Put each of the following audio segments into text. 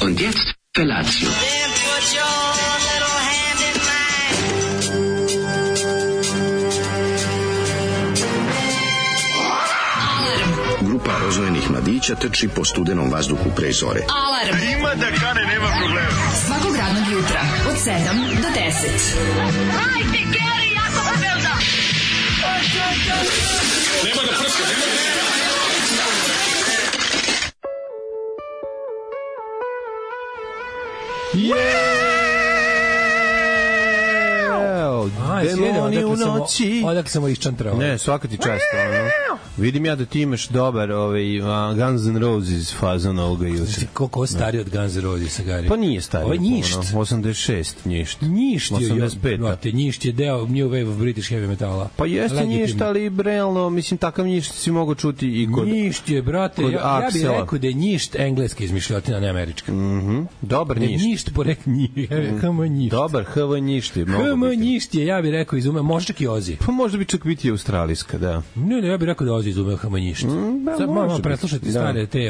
Und jetzt Felatio. Grupa rozvojenih mladića trči po studenom vazduhu pre zore. Alarm! Ima da kane, nema problema. Svakog radnog jutra, od 7 do 10. Hajde, Geri, jako se velda! Nema da prska, nema da... Demoni u noći. Odakle sam iščantrao. Ne, svaka ti čast. Vidim ja da ti imaš dobar Guns N' Roses fazon ovoga jutra. Koliko stari od Guns N' Roses, Gari? Pa nije stari. Ovo je Njišt. 86, Njišt. Njišt je, 85. Njišt je deo New Wave of British Heavy Metala. Pa jeste Njišt, ali realno, mislim, takav Njišt si mogu čuti i kod Njišt je, brate, ja bih rekao da je Njišt engleska izmišljotina, ne američka. Dobar Njišt. Njišt porek Njišt. Dobar, HV Njišt je. Njišt je, ja bih rekao, izume, može čak i Ozi. Pa možda bi čak biti australijska, da. Ne, ja bih rekao da Ozi izume Njišt. Sad malo preslušati stare te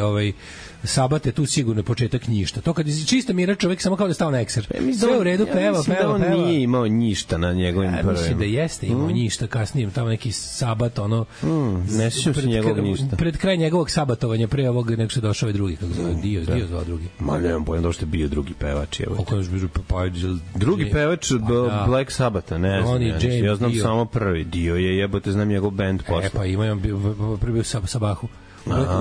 sabate, tu sigurno je početak Njišta. To kad je čista mira čovjek samo kao da stao na ekser. Sve u redu, peva. On nije imao Njišta na njegovim prvim. Mislim da jeste imao Njišta kasnije, tamo neki sabat, ono... Ne sjećam se njegovog Njišta. Pred kraj njegovog sabatovanja, pre ovog nek se došao ovaj drugi, kako zove, Dio zvao drugi. Ma nemam pojma da što je bio drugi pevač. Drugi pevač Black Sabbatha, ne znam. Ja znam samo prvi. Dio je, jebote, znam njegov band posle. Pa ima prvi Sabahu.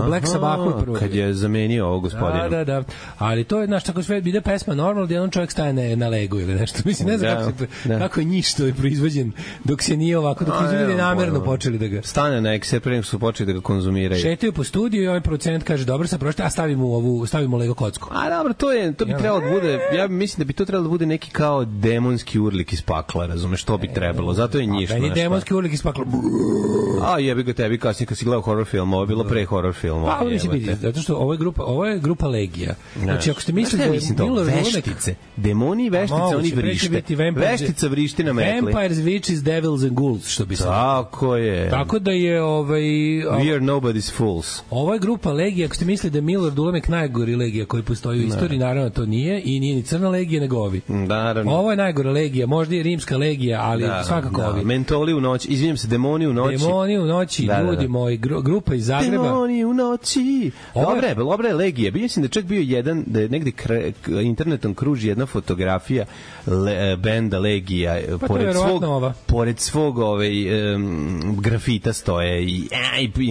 Black Sabbath prvo. Kad je zamenio ovog gospodina. Da. Ali to je, znaš, tako sve ide pesma normalno, da jedan čovjek staje na legu ili nešto. Mislim, ne znam kako je Njišt proizvođen dok se nije ovako, dok su ljudi namerno počeli da ga... Stane na ekser, pre nego su počeli da ga konzumiraju. Šetaju po studiju i ovaj producent kaže, dobro sam prošli, a stavimo Lego kocku. A dobro, to bi trebalo da bude, ja mislim da bi to trebalo da bude neki kao demonski urlik iz pakla, razumeš, što bi trebalo. Zato je Njišt. Meni demonski urlik iz pakla. A jebi ga tebi kasnije kad si gledao horror film, ovo je bilo pre horror film. Pa ovo će biti, zato što ovo je grupa Legija. Znači, ako ste mislili da je Miller veštice, demoni i veštice, oni vrište. Veštica vrišti na metli. Vampires, Witches, Devils and Ghouls, što bi se... Tako je. Tako da je... We are nobody's fools. Ovo je grupa Legija, ako ste mislili da je Miller Ulemek najgori Legija koji postoji u istoriji, naravno to nije, i nije ni Crna Legija, nego ovi. Naravno. Ovo je najgora Legija, možda i Rimska Legija, ali svakako ovi. Mentoli u noći, izvinjam se, demoni u noći. Demoni u noći, ljudi moji, grupa iz Zagreba. Demoni u noći. Dobra je Legija. Mislim da čak bio jedan, da je negde internetom kruži jedna fotografija benda Legija. Pa pored svog grafita stoje i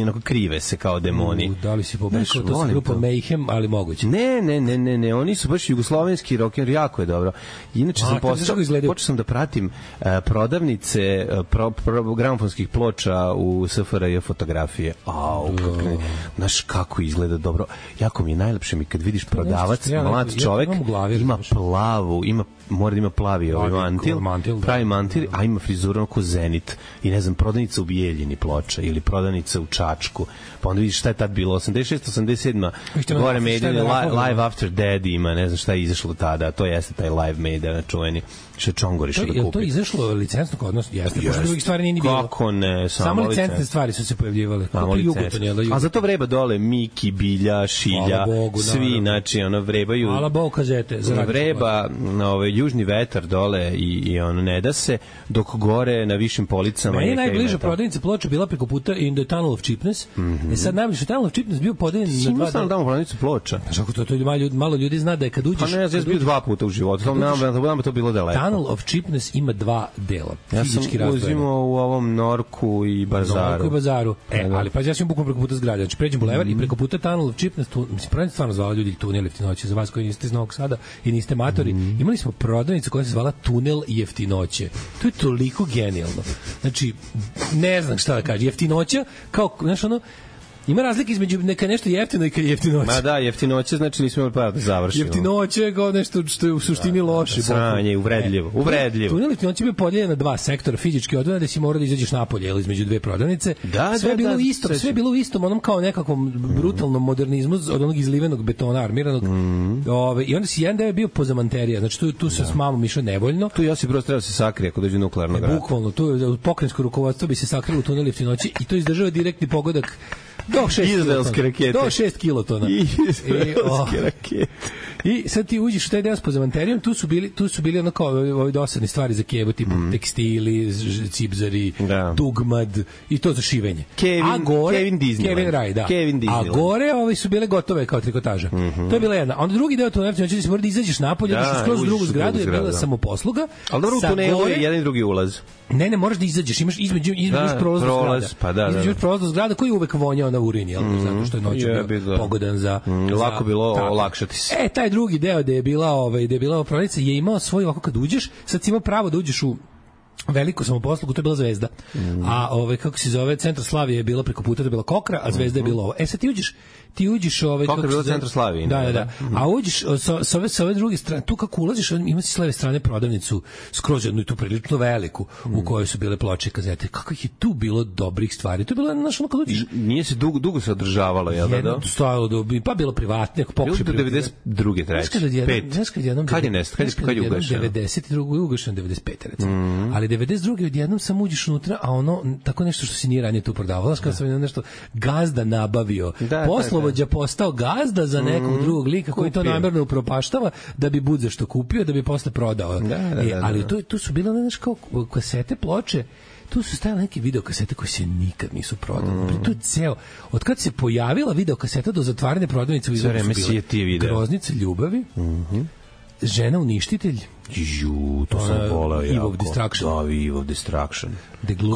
onako krive se kao demoni. Da li si pobrkao, to su grupa Mayhem, ali moguće. Ne, oni su baš jugoslovenski rocker, jako je dobro. Inače počeo sam da pratim prodavnice gramofonskih ploča u SFRJ fotografije. Kakve Znaš kako izgleda dobro. Jako mi je najlepše mi kad vidiš prodavac, mlad čovek, ima plavu, mora da ima plavi mantil, pravi mantil, a ima frizuru oko Zenit i ne znam, prodavnica u Bijeljini Ploča ili prodavnica u Čačku, pa onda vidiš šta je tad bilo 86, 87 gore Maiden, Live After Dead ima, ne znam šta je izašlo tada, to jeste taj Live Maiden čuveni što je Čongor išao da kupi. Je to izašlo licencno kod nas? Jeste, pošto drugih stvari nije ni bilo. Kako ne, samo licencne stvari su se pojavljivale. A za to vreba dole Miki, Bilja, Šilja, svi, znači, ono, vrebaju. Hvala Bogu kazete. Vreba južni vetar dole i ono, ne da se, dok gore na višim policama. Meni je najbliža prodavnica Ploča bila preko puta In the Tunnel of Cheapness. Sad najbliže Tunnel of Cheapness bio podeljen na dva. Simo tamo prodavnicu Ploča. Znaš kako to malo ljudi zna da je kad uđeš. Pa ne, ja sam bio 2 puta u životu. Znam to bilo daleko. Tunnel of Cheapness ima 2 dela. Ja sam uzimao u ovom Norku i Bazaru. Ali pa ja sam bukvalno preko puta zgrade. Znači pređem bulevar i preko puta Tunnel of Cheapness, mislim, pravim stvarno zvala ljudi Tunel jeftinoće, za vas koji niste iz Novog Sada i niste matori. Imali smo prodavnicu koja se zvala Tunel jeftinoće. To je toliko genijalno. Znači, ne znam šta da kažem. Jeftinoća, kao, znaš ono, ima razlike između neka nešto jeftino i kad je jeftinoće. Ma da, jeftinoće znači nismo imali para da završimo. Jeftinoće je kao nešto što je u suštini loše. Sranje, uvredljivo. Tunel jeftinoće bio podeljen na 2 sektora, fizički odvojeno da si morao da izađeš napolje ili između 2 prodavnice. Sve je bilo isto, sve je bilo u istom onom kao nekakvom brutalnom modernizmu od onog izlivenog betona armiranog. I onda si jedan deo bio pozamanterija. Znači tu se s mamom išao nevoljno. Tu Josip Broz treba se sakrije ako dođe nuklearnog rata. Bukvalno, tu pokrajinsko rukovodstvo bi se sakrilo u tunel jeftinoće i to izdržava direktni pogodak do 6 kilotona. Izraelske rakete. I sad ti uđeš u taj deo s pozamanterijom, tu su bili ono kao ove dosadne stvari za kevu, tipu tekstili, cipzari, dugmad i to za šivenje. Kevin Disneyland. A gore su bile gotove kao trikotaža. To je bila jedna. Onda drugi deo tunela, znači si mora da izađeš napolje, da skroz drugu zgradu je bila samoposluga. Ali dobro, u tunelu je jedan i drugi ulaz. Ne, moraš da izađeš, imaš između prolaznog zgrada. Između prolaznog zgrada koji uvek vonjao na urin, zato što je noću bio pogodan za... Lako bilo olakšati se. Taj drugi deo gde je bila prodavnica je imao svoj, ovako kad uđeš, sad si imao pravo da uđeš u veliku samoposlugu, to je bila Zvezda. A kako se zove, Centar Slavije je bila preko puta, to je bila Kokra, a Zvezda je bila ovo. Sad ti uđeš Kokra je bila Centar Slavije. Da. A uđeš sa ove druge strane, tu kako ulaziš, ima si s leve strane prodavnicu skroz jednu i tu prilično veliku u kojoj su bile ploče i kazete. Kako ih je tu bilo dobrih stvari. To je bilo znaš ono kad uđeš. Nije se dugo se održavalo, jel da? Jedno stojalo pa bilo privatno, pokušaj do 92. treće. 5. Kad je ugašeno? 92. je ugašeno, 95. recimo. Ali 92. odjednom sam uđeš unutra, a ono tako nešto što se nije ranije tu prodavalo, kao sam nešto gazda nabavio. Poslovođa postao gazda za nekog drugog lika koji to namerno upropaštava da bi budze što kupio, da bi posle prodao. Ali tu su bile znaš kao kasete, ploče. Tu su stajale neke videokasete koje se nikad nisu prodale. Tu je ceo, od kad se pojavila videokaseta do zatvarane prodavnice u Izraelu su bile Groznica ljubavi, Žena uništitelj, to sam voleo jako. Eve of Destruction. Da, Eve of Destruction.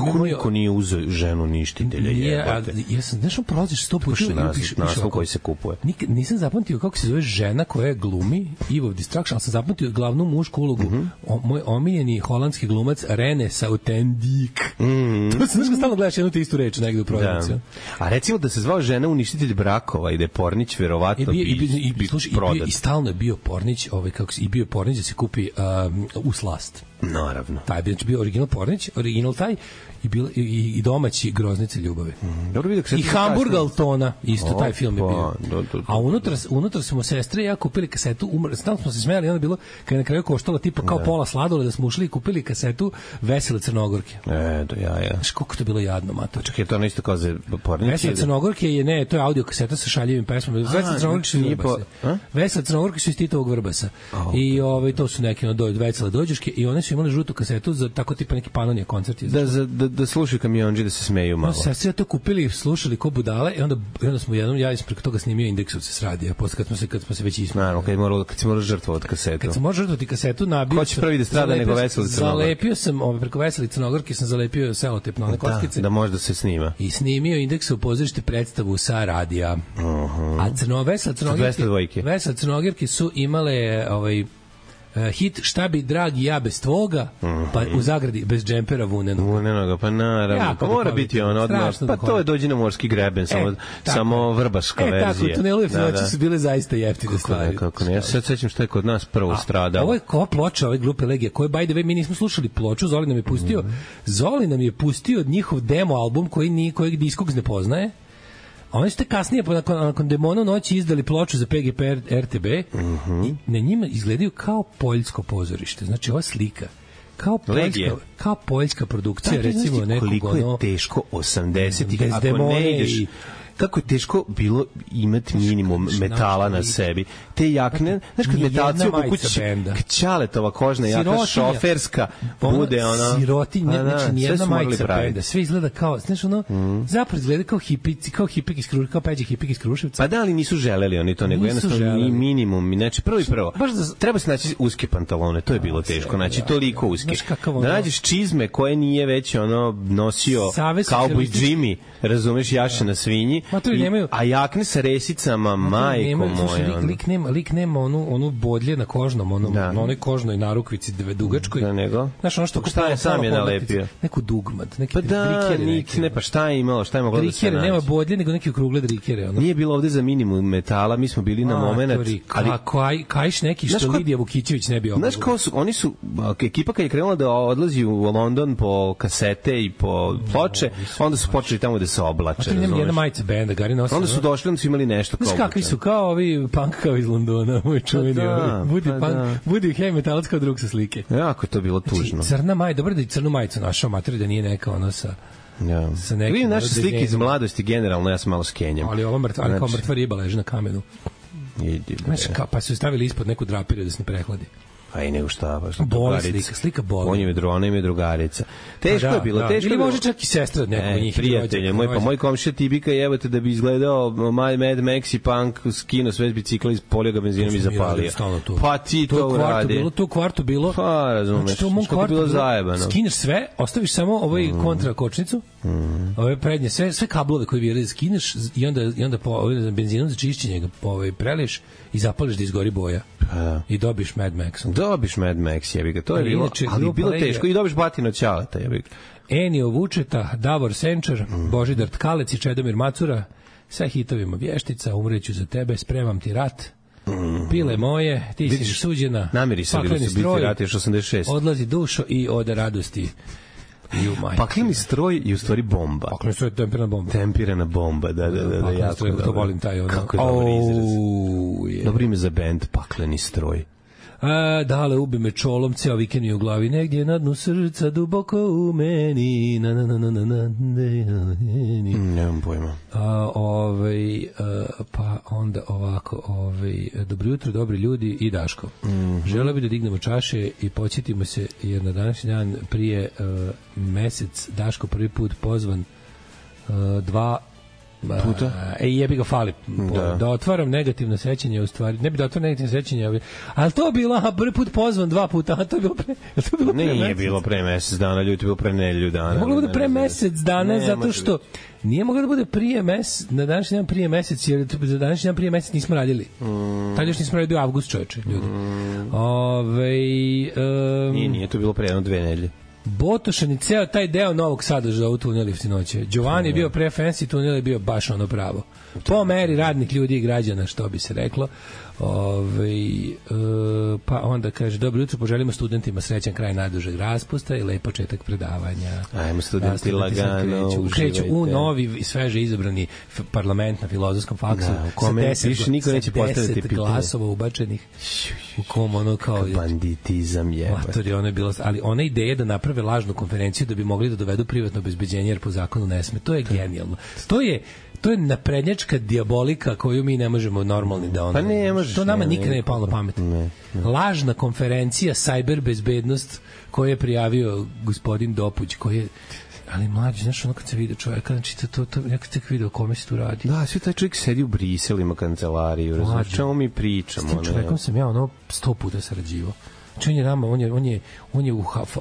Kako niko nije uzeo Ženu uništitelja, jebate? Ja sam, znaš, prolaziš 100 puta. Naslov koji se kupuje. Nisam zapamtio kako se zove žena koja glumi Eve of Destruction, ali sam zapamtio glavnu mušku ulogu. Moj omiljeni holandski glumac Rene Sautendik. To se, znaš, stalno gledaš jednu te istu reč negde u prodavnici. A recimo da se zvao Žena uništitelj brakova i da je Pornić verovatno bi prodat. I stalno je bio Pornić, i bio Pornić da se kupi u slast. Naravno. Taj bi bio original Pornić, original taj i domaći Groznice ljubavi. I Hamburg Altona, isto taj film je bio. A unutra smo sestre i ja kupili kasetu, stalno smo se smijali, onda bilo kad je na kraju koštalo tipa kao pola sladole da smo ušli i kupili kasetu Vesele Crnogorke. Do jaja. Znaš koliko to bilo jadno, mato. Čekaj, to isto kao za Pornić? Vesele Crnogorke je, to je audio kaseta sa šaljivim pesmama. Vesele Crnogorke su iz Titovog Vrbasa. I to su neke Vesele dođeške i one su imali žutu kasetu za tako tipa neki Panonija koncerti. Da slušaju kamionđi, da se smeju malo. Sad se to kupili, slušali ko budale i onda smo jednom, ja sam preko toga snimio Indeksovce s radija, posle kad smo se već ismili. Naravno, kad si morao žrtvovati kasetu. Kad sam morao žrtvovati kasetu, nabio ko će prvi da strada nego Veseli Crnogorke? Zalepio sam, preko Veseli Crnogorke sam zalepio selotep na one kockice. Da može da se snima. I snimio Indeksov pozorište predstavu sa radija. A Vesele Crnogorke su imale hit Šta bi dragi ja bez tvoga, pa u zagradi bez džempera vunenoga, pa naravno, pa mora biti ono odmah, pa to je Dođi na morski greben, samo vrbaška verzija. Tako, u tunelu Jeftinoći su bile zaista jeftine stvari. Kako ne, ja se sad sećam šta je kod nas prvo stradalo. Ovo je ko ploča, ove glupe legije, koje, by the way, mi nismo slušali ploču, Zoli nam je pustio njihov demo album kojeg Discogs ne poznaje. A oni su te kasnije, nakon Demona u noći, izdali ploču za PGP RTB i na njima izgledaju kao poljsko pozorište. Znači, ova slika kao poljska produkcija, recimo nekog koliko je teško 80-ih, ako ne ideš... Kako je teško bilo imati minimum metala na sebi. Te jakne, znaš kad metalci obukuć Ćaletova kožna jaka šoferska bude ona... Sirotinja, znači nijedna majica benda. Sve izgleda kao, znaš ono, zapravo izgleda kao hipik iz Kruševca, kao Peđa hipik iz Kruševca. Pa da, ali nisu želeli oni to, nego jednostavno minimum. Znači, prvo, treba se naći uske pantalone, to je bilo teško, znači toliko uske. Da nađeš čizme koje nije već ono nosio Cowboy Jimmy, razumeš, jaše na svinji, a jakne sa resicama, majko moja. Lik nema onu bodlje na kožnom, na onoj kožnoj narukvici dugačkoj. Da, nego? Znaš, ono što šta je sam je nalepio? Neku dugmad, neki drikere. Pa šta je imalo, šta je moglo da se naći? Drikere, nema bodlje, nego neki okrugle drikere. Nije bilo ovde za minimum metala, mi smo bili na moment. Kajš neki što Lidija Vukićević ne bi obavio. Znaš kao su, oni su, ekipa kad je krenula da odlazi u London po kasete i po ploče, onda su počeli tamo da se oblače. Jedna majica benda, Gari nosi. Onda su došli, onda su imali nešto kao... Znaš kakvi su, kao ovi punk kao iz Londona, moj čuveni. Budi heavy metalac kao drug sa slike. Jako je to bilo tužno. Crna majica, dobro da i crnu majicu našao materi, da nije neka ono sa nekim... Vidim naše slike iz mladosti generalno, ja sam malo skenjam. Ali ovo kao mrtva riba leži na kamenu. Pa su stavili ispod neku drapiriju da se ne prehladi. A i nego šta, baš slika boli. Ona im je drugarica. Teško je bilo, teško je bilo. Ili može čak i sestra od nekog njih. Prijatelje, moj komšija Tibika, jebate da bi izgledao Mad Max i Punk, skino sve bicikla, ispolio ga benzinom i zapalio. Pa ti to uradi. To u kvartu bilo. Pa, razumeš, što je bilo zajebano. Skineš sve, ostaviš samo ovaj kontra kočnicu, ove prednje, sve kablove koje bili skineš i onda benzinom za čišćenje ga preliješ i zapališ da izgori boja. I dobiš Mad Max. Dobiš Mad Max, jebi ga. To je bilo, ali bilo teško. I dobiš Batino Ćaleta, jebi ga. Enio Vučeta, Davor Senčar, Božidar Tkalec i Čedomir Macura, sa hitovima Vještica, Umreću za tebe, Spremam ti rat, Pile moje, Ti si suđena, Pakleni stroj, rat još 86. Odlazi dušo i Ode radosti. Pakleni stroj je u stvari bomba. Pakleni stroj je tempirana bomba. Tempirana bomba, da, jako stroj, to volim taj ono. Kako je dobar izraz. Dobro ime za bend, Pakleni stroj. Dale, ubi me čolom, ceo vikend mi u glavi, negdje na dnu srca, duboko u meni, nemam pojma. Pa onda ovako, dobro jutro, dobri ljudi i Daško. Želeo bi da dignemo čaše i podsjetimo se, jer na današnji dan prije mesec Daško prvi put pozvan 2 puta. Jebi ga fali. Da otvaram negativno sećanje, u stvari. Ne bi da otvaram negativno sećanje, ali to je bilo prvi put pozvan 2 puta, a to je bilo pre Nije bilo pre mesec dana, ljudi, bilo pre nedelju dana. Moglo bude pre mesec dana, zato što nije moglo da bude prije mesec, na današnji dan prije mesec, jer za današnji dan prije mesec nismo radili. Tad još nismo radili, bio avgust, čoveče, ljudi. Nije to bilo pre 1-2 nedelje. Botošan i ceo taj deo Novog Sada za ovu tunel Jeftinoće. Giovanni je bio pre fancy, tunel je bio baš ono pravo. Po meri radnih ljudi i građana, što bi se reklo. Pa onda kaže, dobro jutro, poželimo studentima srećan kraj najdužeg raspusta i lep početak predavanja. Ajmo studenti lagano, kreću u novi i sveže izabrani parlament na Filozofskom faksu sa 10 glasova ubačenih u kom ono kao banditizam je. Ono je bilo, ali ona ideja da naprave lažnu konferenciju da bi mogli da dovedu privatno obezbeđenje jer po zakonu ne sme, to je genijalno. To je naprednjačka dijabolika koju mi ne možemo normalni da ono... Pa ne možeš. To nama nikad ne je palo na pamet. Lažna konferencija, cyber bezbednost koju je prijavio gospodin Dopuć, koji je... Ali mlađi, znaš, ono kad se vidio čovjeka, znači ja kad tek vidio o kome se tu radi. Da, svi taj čovjek sedi u Briselu, ima kancelariju, razumiješ, čemu mi pričamo. S tim čovjekom sam ja 100 puta sarađivao. Čen je nama, on je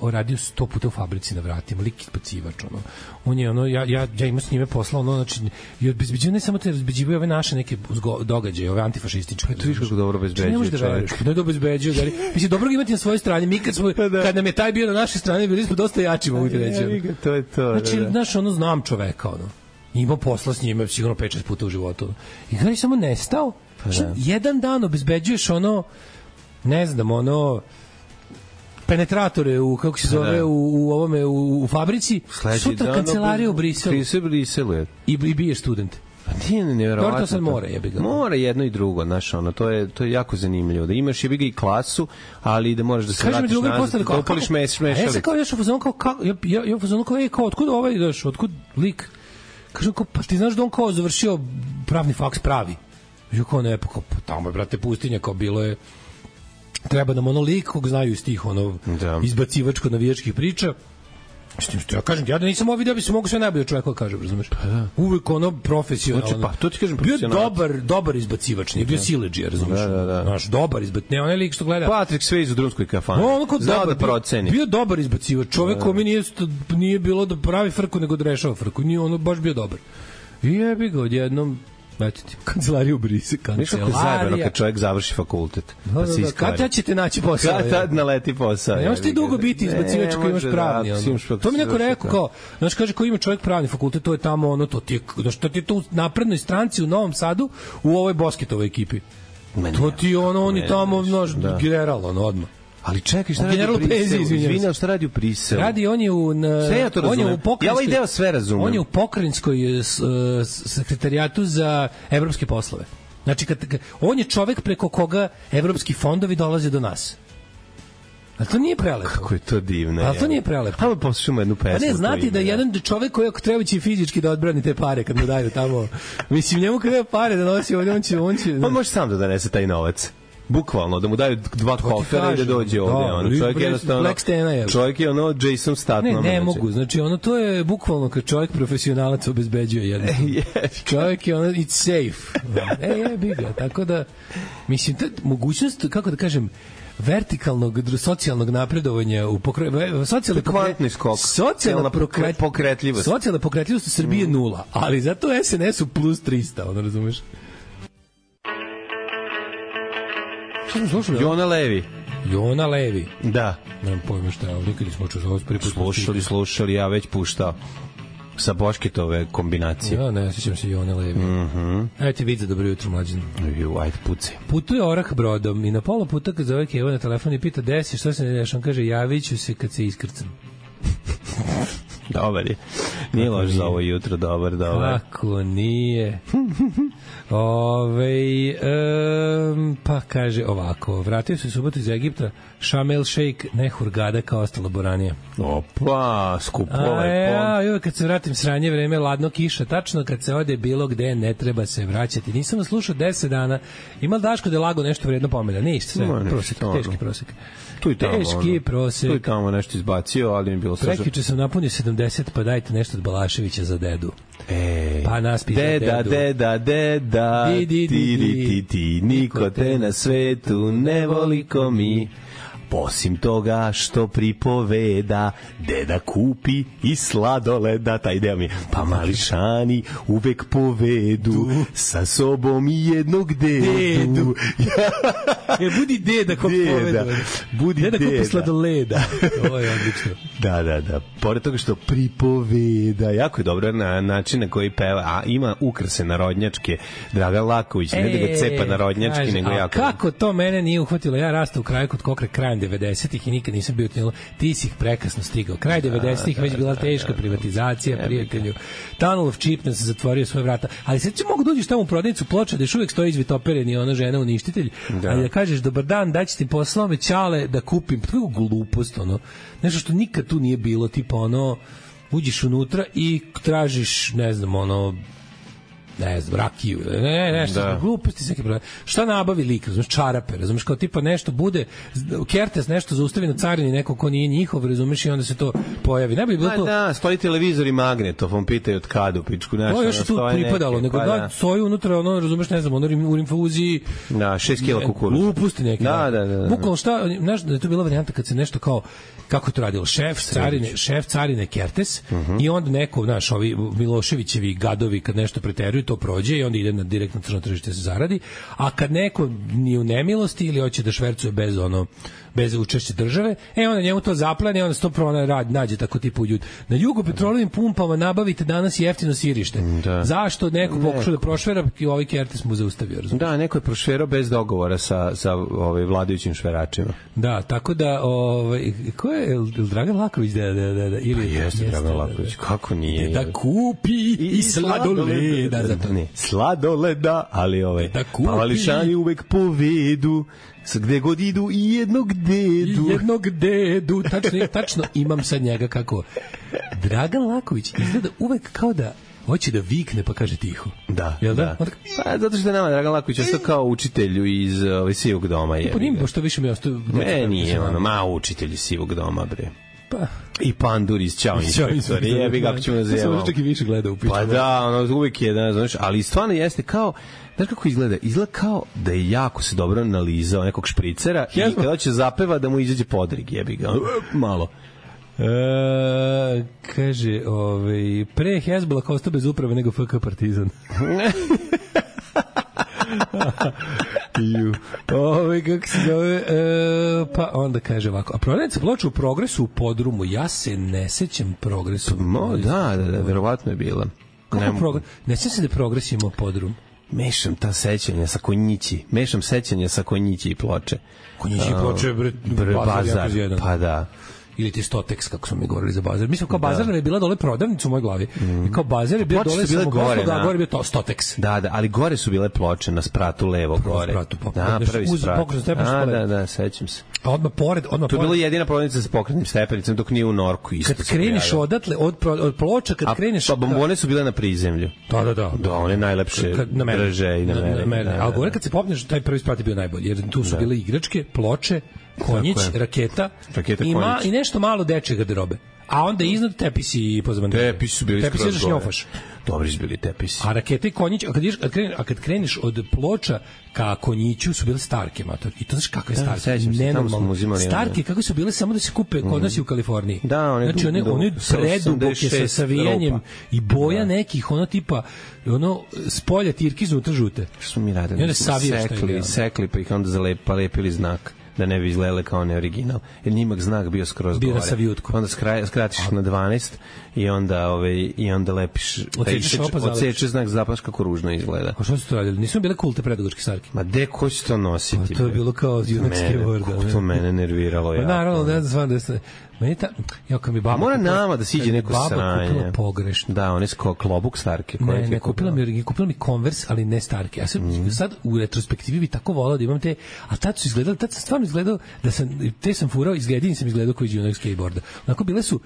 radio 100 puta u fabrici na vratima, lik ispacivač, ono. On je, ono, ja imam s njime posla, ono, znači, i obezbeđivaju, ne samo te obezbeđivaju ove naše neke događaje, ove antifašističke. To viš kako dobro obezbeđuje čovjek. Ne da obezbeđuje, da li, mislim, dobro ga imati na svojoj strani, mi kad nam je taj bio na našoj strani, bili smo dosta jači, mogu ti reći. To je to, znači, znaš, ono, znam čoveka, ono. Imao posla s njime sigurno 5-6 puta u životu. I kada je samo nestao, jedan dan obezbeđuješ ono, ne znam, ono, penetratore u, kako se zove, u ovome, u fabrici, sutra kancelarija u Briselu. I biješ studente. Pa ti ne nevjerovatno. To sad mora, jebi ga. Mora jedno i drugo, znaš, ono, to je jako zanimljivo. Da imaš jebi ga i klasu, ali da možeš da se vratiš nazad, da upališ mešalicu. Ja sam kao još u fazonu ja u fazonu kao, otkud ovaj ideš, otkud lik? Kažem kao, pa ti znaš da on kao završio pravni faks pravi. I kao ne, pa tamo je, brate, pustinja, kao bilo je, treba nam ono lik kog znaju iz tih ono izbacivačko-navijačkih priča. Što ja kažem, ja da nisam ovo video, bi se mogu sve najbolje čovjeka kažem, razumeš? Uvijek ono profesionalno. Znači, pa, to ti kažem bio dobar izbacivač, nije bio siledžija, razumeš? Znaš, dobar izbacivač, ne onaj lik što gleda. Patrick Swayze u drumskoj kafani. Znao da proceni. Bio dobar izbacivač, čovjek kome nije bilo da pravi frku, nego da rešava frku. Nije ono baš bio dobar. I jebi ga odjednom, eto ti, kancelariju Brise, kancelarija. Ništa zajebano kad čovjek završi fakultet. Kad ćete naći posao? Kad naleti posao? Ne možeš ti dugo biti izbacivač ako imaš pravni. To mi neko rekao kao, znaš, kaže, ko ima čovjek pravni fakultet, to je tamo ono, to ti je tu u naprednoj stranci u Novom Sadu, u ovoj Bosketovoj ekipi. To ti ono, oni tamo, znaš, general, ono, odmah. Ali čekaj, šta radi u Briselu? Izvinjam, šta radi u Briselu? Radi, on je u... Sve ja to razumem. Ja ovaj deo sve razumem. On je u pokrajinskoj sekretarijatu za evropske poslove. Znači, on je čovek preko koga evropski fondovi dolaze do nas. A to nije prelepo. Kako je to divno. A to nije prelepo. Hajmo poslušamo jednu pesmu. A ne, znati da jedan čovek koji ako treba će fizički da odbrani te pare kad mu daju tamo. Mislim, njemu kada pare da nosi ovdje, on će... On može sam da donese taj novac. Bukvalno, da mu daju 2 kofera i da dođe ovde. Čovjek je ono Jason Statham. Ne mogu, znači ono to je bukvalno kad čovjek profesionalac obezbeđuje jedno. Čovjek je ono, it's safe. Jebi ga, tako da, mislim, mogućnost, kako da kažem, vertikalnog socijalnog napredovanja u socijalne pokretljivost. Socijalna pokretljivost u Srbiji je 0, ali zato SNS-u plus 300, ono razumeš? Jona Levi. Jona Levi. Da. Nemam pojma šta je, nikad nismo slušali, ja već puštao sa Bošketove kombinacije. Ja, ne, sjećam se Jona Levi. Ajde ti vidite, dobro jutro, mlađan. Ajde, puci. Putuje orah brodom i na pola puta kad zove Keva na telefon i pita desi, što se ne deš, on kaže, javit ću se kad se iskrcam. Dobar je. Nije loš za ovo jutro, dobar. Kako nije. Pa kaže ovako, vratio se u subotu iz Egipta, Šamel Šejk, ne Hurgada kao ostalo boranija. Opa, skupo ovaj kad se vratim sranje vreme, ladno kiša, tačno kad se ode bilo gde, ne treba se vraćati. Nisam vas slušao 10 dana, ima Daško da je lago nešto vredno pomena, ništa, sve, prosek, teški prosek. Tu i tamo, teški prosek. Tu i tamo nešto izbacio, ali mi je bilo slušao. Prekjuče sam napunio 70, pa dajte nešto od Balaševića za dedu. Pa naspi za dedu. Deda, ti, niko te na svetu ne voli ko mi. Posim toga što pripoveda, deda kupi i sladoleda, taj deo mi je, pa mališani uvek povedu sa sobom i jednog dedu. Budi deda kog povedu. Budi deda kupi sladoleda. Ovo je odlično. Da. Pored toga što pripoveda, jako je dobro na način na koji peva, a ima ukrase narodnjačke, Dragan Laković, ne da ga cepa narodnjački, nego jako. Kako to mene nije uhvatilo? Ja rastao u kraju kod Kokre krajem 90-ih i nikad nisam bio tijelo. Ti si ih prekasno stigao. Kraj 90-ih već bila teška privatizacija, prijatelju. Tunnel of Cheapness se zatvorio svoje vrata. Ali sad će mogu dođeš tamo u prodavnicu ploča da još uvijek stoji izvitoperen i ona žena uništitelj. Ali da kažeš dobar dan, daći ti poslao me ćale da kupim. To je glupost, ono. Nešto što nikad tu nije bilo, tipa ono, uđeš unutra i tražiš, ne znam, ono, ne znam, rakiju, nešto, gluposti se neke. Šta nabavi lik, razumeš, čarape, razumeš, kao tipa nešto bude, Kertes nešto zaustavi na carini, neko ko nije njihov, razumeš, i onda se to pojavi. Ne bi bilo to. Da, stoji televizor i magnetofon, pitaju od kada u pičku, nešto. To još tu pripadalo, nego da stoji unutra, ono, razumeš, ne znam, ono u infuziji. Da, 6 kila kukuruza. Gluposti neke. Da. Bukvalno šta, znaš, da je to bila varijanta kad se nešto kao, kako je to radilo, šef carine Kertes, i onda neko, znaš, ovi Miloševićevi gadovi kad nešto preteruju, to prođe i onda ide na direktno crno tržište se zaradi, a kad neko nije u nemilosti ili hoće da švercuje bez učešća države, onda njemu to zaplane, onda se to nađe tako tipu ljudi. Na Jugopetrolovim pumpama nabavite danas jeftino sirište. Zašto neko pokušao da prošvera i ovaj Kertes mu zaustavio, razumiješ? Da, neko je prošverao bez dogovora sa vladajućim šveračima. Da, tako da ko je Dragan Laković ili jeste Dragan Laković, kako nije? Da kupi i sladoleda, zato ne. Sladoleda, ali Pavališani uvek povedu, gde god idu i jednog dedu. Tačno imam sad njega kako. Dragan Laković izgleda uvek kao da hoće da vikne pa kaže tiho. Da. Pa, zato što je nama Dragan Laković ostao kao učitelju iz Sivog doma. Pa njim što više mi je ostao. Nije učitelj iz Sivog doma, bre. Pa i Pandur iz Ćao inspektor. Jebi ga, kako ćemo nazivati. Samo čak i više gleda u pičku. Pa da, ono uvijek je, znaš, ali stvarno jeste kao, znaš kako izgleda? Izgleda kao da je jako se dobro nalizao nekog špricera i kada će zapeva da mu izađe podrig, jebi ga. Malo. Kaže, pre Hezbollah ostao bez uprave nego FK Partizan. Kako se zove, pa onda kaže ovako, a prodavnica ploča u Progresu u podrumu, ja se ne sećam Progresu. Da, verovatno je bila. Ne sećam se da Progres imao podrum. Mešam sećanja sa Konjići i ploče. Konjići i ploče je bazar, pa da. Ili ti Stotex, kako smo mi govorili za bazar. Mislim, kao bazar je bila dole prodavnica u mojoj glavi. I kao bazar je bio dole samoposluga, a gore je bio to Stotex. Da, ali gore su bile ploče na spratu levo gore. Prvi sprat. Da, sećam se. A odmah pored... To je bila jedina prodavnica sa pokretnim stepenicama, dok nije u Norku isto. Kad kreneš odatle, od ploča, kad kreneš... Pa bombone su bile na prizemlju. Da. Da, one najlepše drže i na mene. Ali gore kad se popneš, taj prvi sprat je bio najbolji, jer tu su bile igračke, ploče, konjić, raketa i nešto malo dečje garderobe. A onda iznad tepisi i pozavane. Tepisi su bili skroz gore. Dobri su bili tepisi. A rakete i konjić, a kad kreneš od ploča ka konjiću su bile starke, mator. I to znaš kakve starke? Nenormalno. Starke kako su bile samo da se kupe kod nas i u Kaliforniji. Da, one preduboke sa savijanjem i boja nekih, ono tipa, spolja tirki iznutra žute. Što smo mi radili? Sekli pa ih onda lepili znak da ne bi izgledale kao neoriginal. Jer njimak znak bio skroz gore. Bira sa vijutku. Onda skratiš na 12 i onda lepiš odsečeš znak, zapaš kako ružno izgleda. A što su to radili? Nisu bile cool te predugačke sarke? Ma ko će to nositi? To je bilo kao junakske vorda. To mene nerviralo jako. Naravno, ne znam da se... Mora nama da siđe neko sranje. Baba kupila pogrešno. Da, one su kao klobuk starke. Ne, kupila mi Converse, ali ne starke. Ja sam sad u retrospektivi bi tako volao da imam te, a tad sam stvarno izgledao da sam furao, jedini sam izgledao koji je onog skateboarda. Onako bile su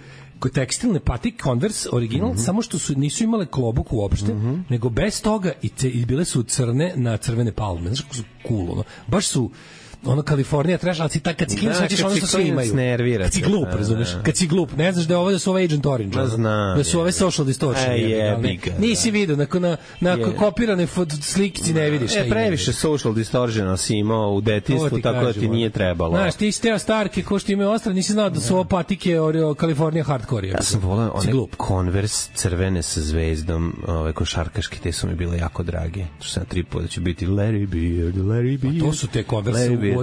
tekstilne patik Converse original, samo što nisu imale klobuk uopšte, nego bez toga i bile su crne na crvene palme. Znaš kako su cool, baš su Kalifornija trash, ali kad si klinac hoćeš ono što svi imaju. Kad si glup, razumeš? Kad si glup, ne znaš da su ove Agent Orange. Da su ove Social Distortion. Nisi vidio, na kopirane slikici ne vidiš šta ima. Previše Social Distortion si imao u detinjstvu, tako da ti nije trebalo. Znaš, ti si teo starke, ko što imaju ostale, nisi znao da su ovo patike Kalifornija hardcore. Ja sam volao one Converse crvene sa zvezdom, košarkaške, te su mi bile jako drage. To sam 3 puta će biti Larry Beard. To su te Converse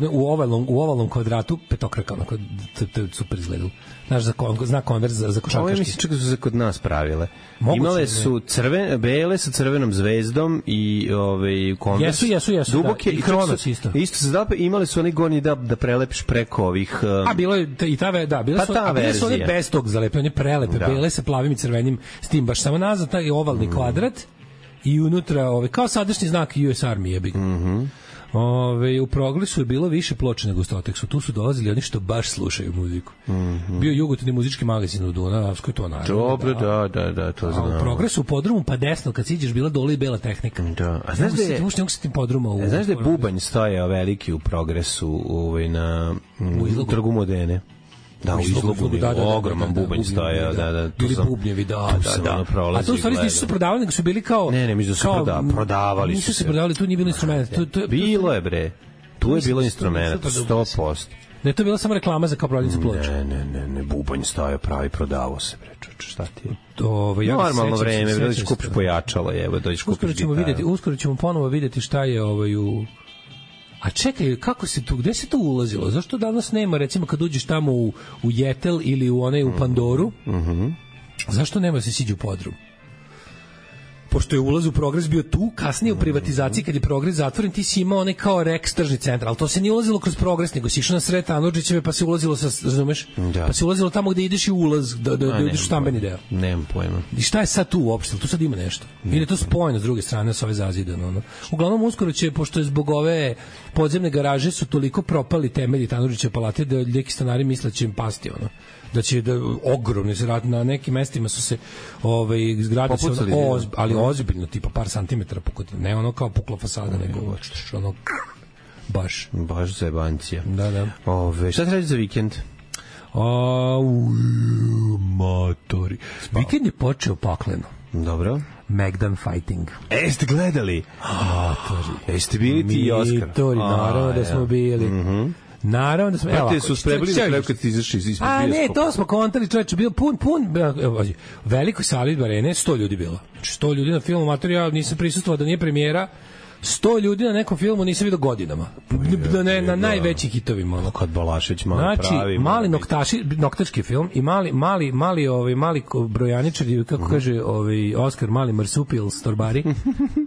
u ovalnom kvadratu petokraka, onako, to je super izgledalo. Znaš, zna Converse za košarkaški. Ovo je mislim čak su se kod nas pravile. Imale su bele sa crvenom zvezdom i Converse. Jesu. Duboke i Kronos isto. Isto se zadape, imali su oni gornji da prelepiš preko ovih... A bilo je i bile su one bez tog zalepe, one prelepe, bele sa plavim i crvenim, s tim baš samo nazad, taj ovalni kvadrat i unutra, kao sadašnji znak US Army jebi ga. U Progresu je bilo više ploča nego u Stoteksu. Tu su dolazili oni što baš slušaju muziku. Bio jugotarnji muzički magazin u Dunavskoj, to naravno. Dobro, da, to znam. A u Progresu u podrumu pa desno kad siđeš bila dole i bela tehnika. Da. A znaš da je znaš da je bubanj stajao veliki u Progresu na Trgu Modene? Da, u izlogu, ogroman bubanj stajao, da. Bili bubnjevi, da. A to u stvari nisu se prodavali, nego su bili kao... Ne, mislim da su prodavali su se. Nisu se prodavali, tu nije bilo instrumenta. Bilo je, bre. Tu je bilo instrumenta, 100%. Da je to bila samo reklama za kao prodavnicu ploča. Ne, bubanj stajao pravi, prodavao se, bre, šta ti je? Normalno vreme, da ćeš kupiš pojačalo, evo, da ćeš kupiš gitaru. Uskoro ćemo ponovo videti šta je u... A čekaj, kako se tu, gde se to ulazilo? Zašto danas nema, recimo, kad uđeš tamo u Jetel ili u Pandoru, zašto nema da se siđe u podrum? Pošto je ulaz u Progres bio tu, kasnije u privatizaciji, kad je Progres zatvoren, ti si imao onaj kao Rex tržni centar, ali to se nije ulazilo kroz Progres, nego si išao na sred Tanurđićeve, pa se ulazilo razumeš? Da. Pa se ulazilo tamo gde ideš i ulaz, da ideš u stambeni deo. Nemam pojma. I šta je sad tu uopšte? Tu sad ima nešto. Ili je to spojeno s druge strane, s ove zazidano. Uglavnom, uskoro će, pošto je zbog ove podzemne garaže su toliko propali temelji Tanurđićeve palate, da neki stanari misle će im pasti, da će ogromni se rad na nekim mestima su se zgrade se ali ozbiljno tipa par santimetara pukotine, ne ono kao pukla fasada nego ono baš zajebancija. Da. Šta se radi za vikend? Motori. Vikend je počeo pakleno. Dobro. Megdan Fighting. Jeste gledali? Motori. Jeste bili ti i Oskar? Motori, naravno da smo bili. Naravno da smo... Te su sprebili na kraju kad ti izašli iz bioskopa. A ne, to smo kontali, čovječe, bio pun, velikoj sali arene, 100 ljudi bilo. Znači 100 ljudi na filmu Matori, ja nisam prisustvovao da nije premijera, 100 ljudi na nekom filmu nisam vidio godinama. Na najvećim hitovima. Kad Balašević pravi. Znači, mali noktački film i mali brojaničari, kako kaže Oskar, mali marsupil s torbari.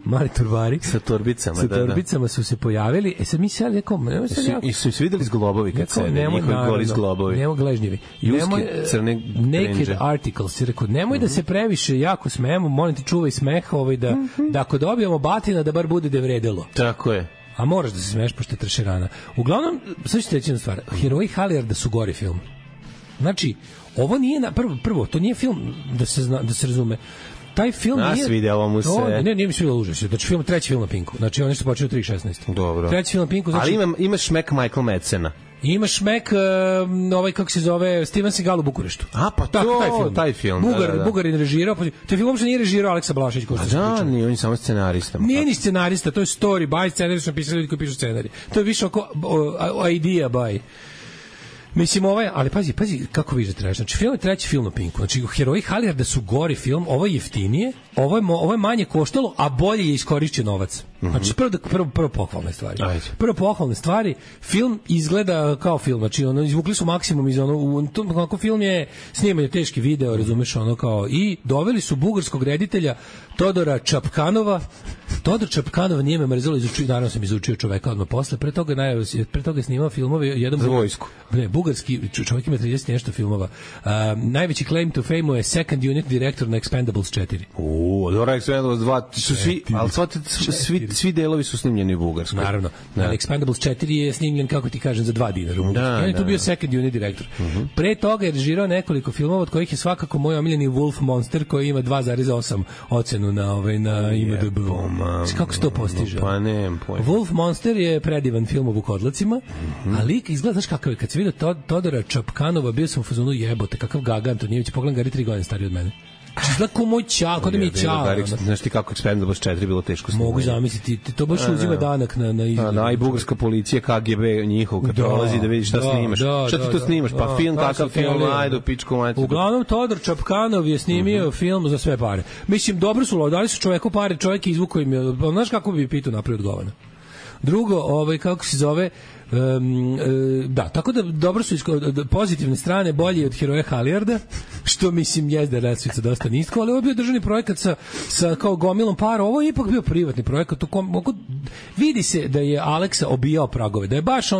Mali torbari. Sa torbicama, Sa torbicama su se pojavili. Sad mi se nekom... I su se videli zglobovi kad se njihovi goli zglobovi. Nemo gležnjevi. Crne Naked Articles. Rekao, nemoj da se previše jako smejemo, molim ti čuvaj smeh, da ako dobijemo batina da bar bude vredelo. Tako je. A moraš da se smeješ pošto je tršerana. Uglavnom, sad ću ti reći jednu stvar. Heroji Halijarda su gori film. Znači, ovo nije prvo, to nije film da se razume. Taj film nije... Svidjelo mu se... Nije mi svidjelo užas. Znači, treći film na Pinku. Znači, on je što počeo 3.16. Dobro. Treći film na Pinku. Znači... Ali imaš šmek Michael Madsena. Imaš šmek, kako se zove, Steven Seagal u Bukureštu. A, pa taj film. Bugarin režirao. Taj film uopšte nije režirao Aleksa Balašević. Da, nije, on je samo scenarista. Nije ni scenarista, to je story by, scenarij su napisali ljudi koji pišu scenarij. To je više oko idea by. Mislim, ali pazi, kako vidiš da trebaš. Znači, film je treći film na Pinku. Znači, Heroji Halijarda su gori film, ovo je jeftinije, ovo je manje koštalo, a bolje je iskorišćen novac. Znači, prvo pohvalne stvari. Prvo pohvalne stvari, film izgleda kao film, znači, izvukli su maksimum iz kako film je snimanje teški video, razumeš, i doveli su bugarskog reditelja Todora Čapkanova. Todor Čapkanov nije me mrzelo, naravno sam izučio čoveka odmah posle, pre toga je snimao filmove, jedan za vojsku. Ne, bugarski čovjek ima 30 nešto filmova. Najveći claim to fame je second unit director na Expendables 4. Dobro, Expendables 2, svi delovi su snimljeni u Bugarskoj. Naravno. Expendables 4 je snimljen, kako ti kažem, za $2. On je tu bio second unit director. Pre toga je režirao nekoliko filmova, od kojih je svakako moj omiljeni Wolf Monster, koji ima 2,8 ocenu na IMDb. Kako se to postiže? Pa nemam pojma. Wolf Monster je predivan film o vukodlacima, a lik izgleda, znaš kakav je, kad se vidio Todora Čapkanova, bio sam u fazonu jebote, kakav Gaga Antonijević, pogledam Gari 3 godine stariji od mene. Izgleda ko moj čao, kod da mi je čao. Znaš ti kako Expendables 4 bilo teško snimanje. Mogu zamisliti, to baš uzima danak na izgled. I bugarska policija, KGB njihov, kad prolazi da vidiš šta snimaš. Šta ti to snimaš? Pa film, kakav film, ajde u pičku majcu. Uglavnom, Todor Čapkanov je snimio film za sve pare. Mislim, dobro su dali su čoveku pare, čovjek izvukao im je, znaš kako bi pitao napravio od govana. Drugo, kako se zove, da, tako da dobro su pozitivne strane bolje od Heroja Halijarda, što mislim jezda resvica dosta nisko, ali ovo je bio državni projekat sa kao gomilom para, ovo je ipak bio privatni projekat, vidi se da je Aleksa obijao pragove, da je baš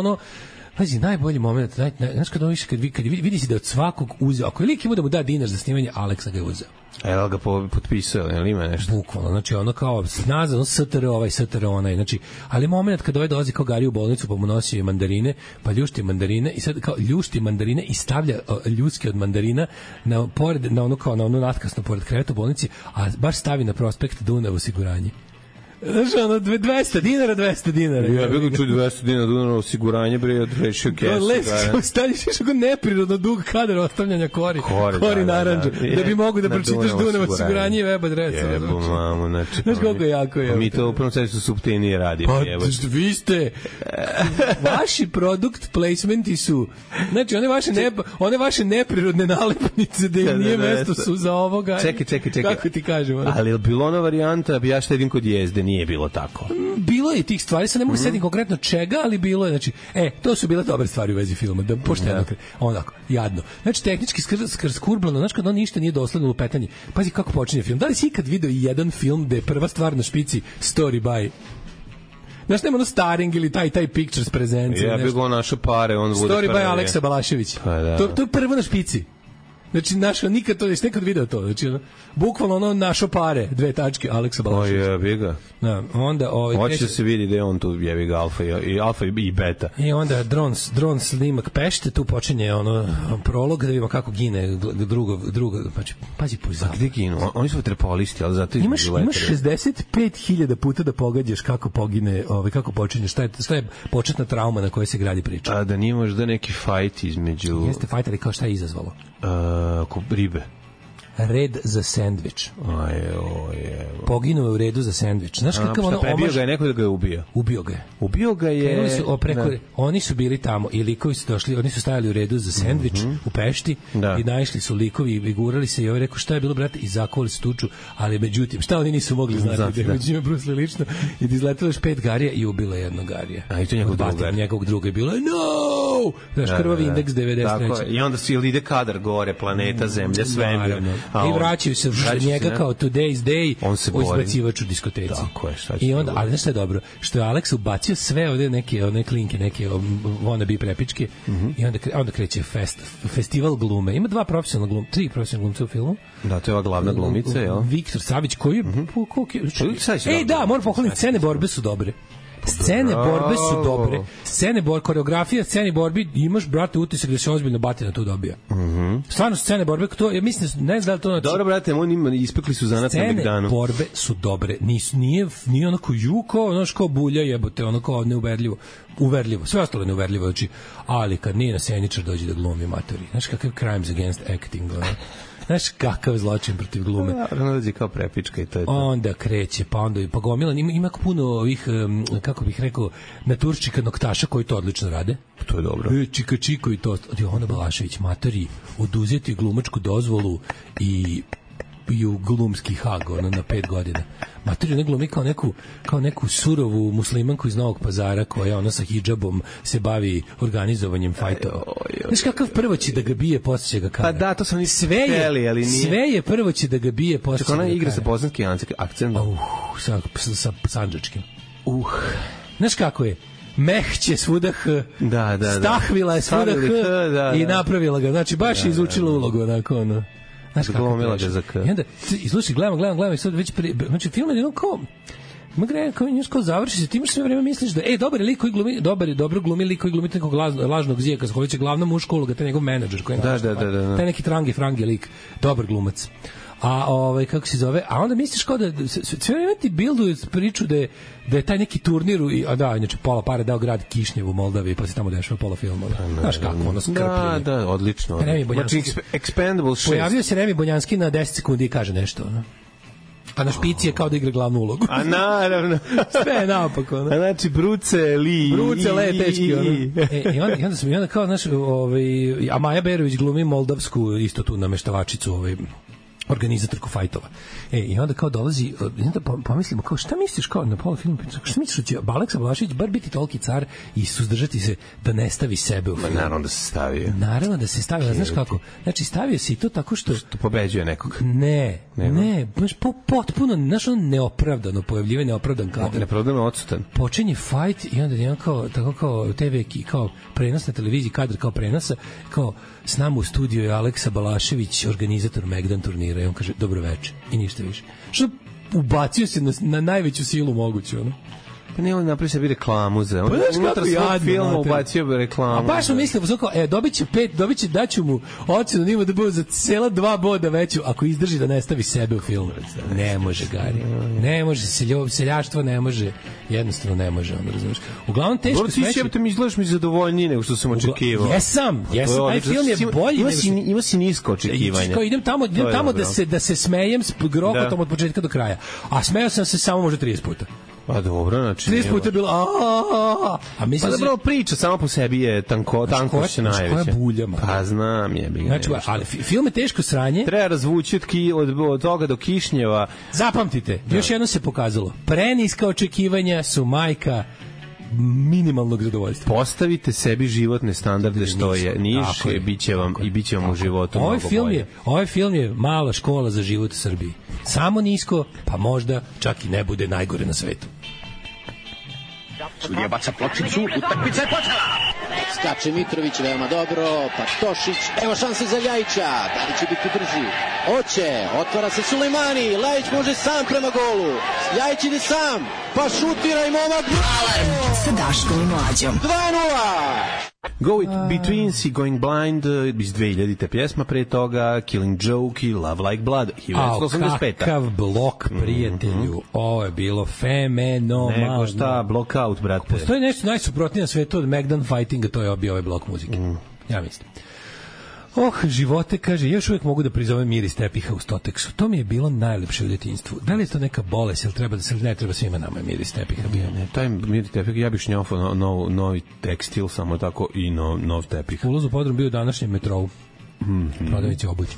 Pazi, najbolji moment, znaš kad vidi si da od svakog uzeo, ako je lik ima da mu da dinar za snimanje, Aleksa ga je uzeo. Jel ga potpisao, jel ima nešto? Bukvalno, znači ono kao nazad, STR ovaj, STR onaj, znači, ali moment kada ovaj dolazi kao Gari u bolnicu pa mu nosi mandarine, pa ljušti mandarine i sad kao ljušti mandarine i stavlja ljuske od mandarina na onu natkasno pored kreveta u bolnici, a baš stavi na prospekt Dunav osiguranje. Znaš, ono, 200 dinara. Ja bih čuo 200 dinara Dunav osiguranje, bre, odrešio kesu. Stanjiš još neprirodno dug kadar ostavljanja kori naranđa, da bi mogu da pročitaš Dunav osiguranje i web adresu. Jebo, mamu, znači. Znaš koliko je jako je. Mi to u prvom sreću suptilnije radimo. Pa, vi ste, vaši produkt placementi su, znači, one vaše neprirodne nalepnice da im nije mesto su za ovoga. Čekaj. Kako ti kažem? Ali je bilo ona varijanta, ja štedim kod jezde, nije bilo tako. Bilo je tih stvari, sad ne mogu setim konkretno čega, ali bilo je, znači, to su bile dobre stvari u vezi filma, da pošteno, onako, jadno. Znači, tehnički skurbljeno, znači, kad on ništa nije dosledno lupetanje. Pazi kako počinje film. Da li si ikad video jedan film gde je prva stvar na špici story by? Znaš, nema ono starring ili taj pictures prezencija. Ja bih go našo pare, on bude story by Aleksa Balašević. Pa, da. To je prvo na špici. Znači, našo, nikad to, jesi nekad video to, znači, bukvalno ono našo pare, 2 tačke, Aleksa Balašević. O jebi ga. Da, onda... Hoće da se vidi da je on tu jebi ga alfa i beta. I onda dron snimak Pešte, tu počinje ono prolog, da vidimo kako gine drugo, pazi pozad. Gde ginu? Oni su vaterpolisti, ali zato imaš 65.000 puta da pogađaš kako pogine, kako počinje, šta je početna trauma na kojoj se gradi priča. A da nije možda neki fajt između... Jeste fajt, ali kao šta je izazvalo? Ribe. Red za sendvič. Poginuo je u redu za sendvič. Znaš kakav ono omaž... ga je neko da ga je ubio? Ubio ga je... Oni su bili tamo i likovi su došli, oni su stajali u redu za sendvič u Pešti i naišli su likovi i gurali se i ovaj rekao šta je bilo, brate, i zakovali su tuču, ali međutim, šta oni nisu mogli znati da je među njima Bruce Lee lično i da izletelo još 5 garija i ubila jednog garija. A i to njegovog druga je bilo no! Znaš, krvavi indeks 93. I onda ide kadar gore, planeta, zemlja, svemir. I vraćaju se njega kao Today's Day o izbacivač u diskoteci. Tako je, I onda, ali znaš šta je dobro? Što je Aleks ubacio sve ovde neke klinke, neke wannabe prepičke i onda kreće festival glume. Ima 3 profesionalne glumce u filmu. Da, to je ova glavna glumica, jel? Viktor Savić, koji je... Da, moram pohvaliti, scene borbe su dobre. Scene borbe su dobre. Koreografija scene borbi, imaš, brate, utisak da se ozbiljno batina tu dobija. Stvarno, scene borbe, ja mislim, ne znam da li to... Dobro, brate, oni ispekli su zanat na Begdanu. Scene borbe su dobre. Nije onako juko, ono kao bulja jebote, ono kao neuverljivo. Uverljivo, sve ostalo je neuverljivo, ali kad nije naseničar dođe da glumi matori. Znaš kakav crimes against acting, znaš kakav zločin protiv glume. Ono dođe kao prepička i to je to. Onda kreće, pa gomila, ima puno ovih, kako bih rekao, naturščika noktaša koji to odlično rade. To je dobro. Čika i to. Ona Balašević, matori, oduzeti glumačku dozvolu i u glumski hag, na 5 godina. Matori ne glumi kao neku surovu muslimanku iz Novog Pazara koja ona sa hidžabom se bavi organizovanjem fajtova. Znaš kakav prvo će da ga bije, posle će ga kara. Pa da, to sam hteli, ali nije. Sve je prvo će da ga bije, posle će ga kara. Ona igra sa bosanskim akcentom. Sa sandžačkim. Znaš kako je? Mehće svuda H. Da. Stahvila je svuda H i napravila ga. Znači, baš je izučila ulogu, onako, ono. Znaš kako ga za K. I onda, slušaj, gledam i sad već znači, film je jedno kao... Kao završi se, ti imaš sve vreme misliš da dobar je lik koji glumi, dobro glumi lik koji glumi nekog lažnog zijeka, koji će glavna muška uloga, taj njegov menadžer koji je taj neki frangi lik, dobar glumac. A kako se zove, a onda misliš kao da sve vreme ti bilduju priču da je taj neki turnir inače pola pare dao grad Kišnjev u Moldaviji, pa se tamo dešava pola filma. Znaš kako, ono skrpljenje. Da, odlično. Znači, Expendable 6. Pojavio se Remi Bonjanski na 10 sekundi i kaže nešto, ono. A na špici je kao da igra glavnu ulogu. A naravno. Sve je naopako. A znači, Bruce Lee, tečki. I onda kao, znaš, a Maja Berović glumi moldavsku, isto tu nameštavačicu, organizatorku fajtova. I onda kao dolazi, onda pomislimo kao šta misliš kao na pola filmu, šta misliš da će Aleksa Balašević bar biti toliki car i suzdržati se da ne stavi sebe u film? Naravno da se stavio. Naravno da se stavio, znaš kako? Znači stavio se i to tako što pobeđuje nekog. Ne, baš potpuno, znaš, ono neopravdano pojavljivanje, neopravdan kadar. Neopravdano odsutan. Počinje fight i onda jedan kao TV kao prenos na televiziji, kadar kao prenosa, kao s nama u studiju je Aleksa Balašević, organizator Megdan turnira, i on kaže dobro veče i ništa više. Što ubacio se na najveću silu moguću, ono. Pa ne, on napravi sebi reklamu za... Pa znaš kako jadno, filmu ubacio bi reklamu. A baš mu mislio, daću mu ocenu nima da bude za cela 2 boda veću ako izdrži da ne stavi sebe u film. Ne može, Gari. Ne može, seljaštvo ne može. Jednostavno ne može, ono, razumiješ. Uglavnom, teško smeće... Dobro, ti mi izgledaš mi zadovoljniji nego što sam očekivao. Jesam, taj film je bolji. Ima si nisko očekivanja. Idem tamo da se smejem s grohotom od početka do kraja. A smejao sam se samo možda 30 puta. Pa dobro, znači... 30 puta je bilo... A mislim pa dobro, priča sama po sebi je tanko se najveće. Koja bulja, ma. Pa znam, je. Znači, ali film je teško sranje. Treba razvući od toga do Kišnjeva. Zapamtite, još jedno se pokazalo. Preniska očekivanja su majka minimalnog zadovoljstva. Postavite sebi životne standarde što je niš i biće vam u životu mnogo bolje. Ovaj film je mala škola za život u Srbiji. Samo nisko, pa možda čak i ne bude najgore na svetu. Sudija baca pločicu, utakmica je počela. Skače Mitrović veoma dobro, pa Tošić, evo šanse za Ljajića, da li će biti brži? Oće, otvara se Sulejmani, Ljajić može sam prema golu, Ljajić ide sam, pa šutira i momak. Alarm sa Daškom i Mlađom. 2:0. Go It Between Si Going Blind iz 2000-te pjesma, pre toga Killing Joke i Love Like Blood 1985. Kakav blok, prijatelju, ovo je bilo fenomenalno. Nego šta, blockout, brate. Postoji nešto najsuprotnije na svetu od Megdan Fightinga, to je obio ovaj blok muzike. Ja mislim. Živote, kaže, još uvijek mogu da prizovem miris tepiha u Stoteksu. To mi je bilo najlepše u djetinjstvu. Da li je to neka bolest, ili treba da se ne treba svima nama miris tepiha bio? Ne, taj miris tepiha, ja bih šnjofao novi tekstil, samo tako, i nov tepih. Ulaz u podrum bio u današnjem metrovu. Prodavnici obući.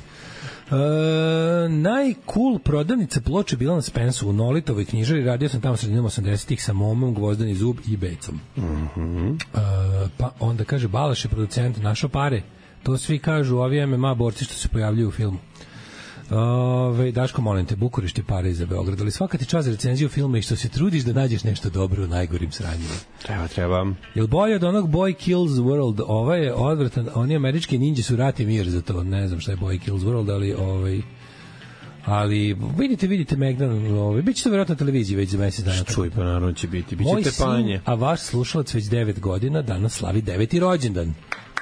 Najcool prodavnica ploče bila na Spensu u Nolitovoj knjižari. Radio sam tamo sredinom 80-ih sa Momom, Gvozdani zub i Becom. Pa onda kaže, Balaš je producent, našao pare. To svi kažu, ovi MMA borci što se pojavljuju u filmu. Daško, molim te, Bukurešt je pare za Beograd, ali svaka ti čast za recenziju filma i što se trudiš da nađeš nešto dobro u najgorim sranjima. Treba. Jel bolje od onog Boy Kills World? Ovaj je odvratan, oni američki ninja su rat i mir za to, ne znam šta je Boy Kills World, ali vidite Megdan, biće to vjerojatno na televiziji već za mesec dana. Čuj, pa naravno će biti tepanje. Moj sin, a vaš slušalac već 9 godina, danas slavi 9. rođendan.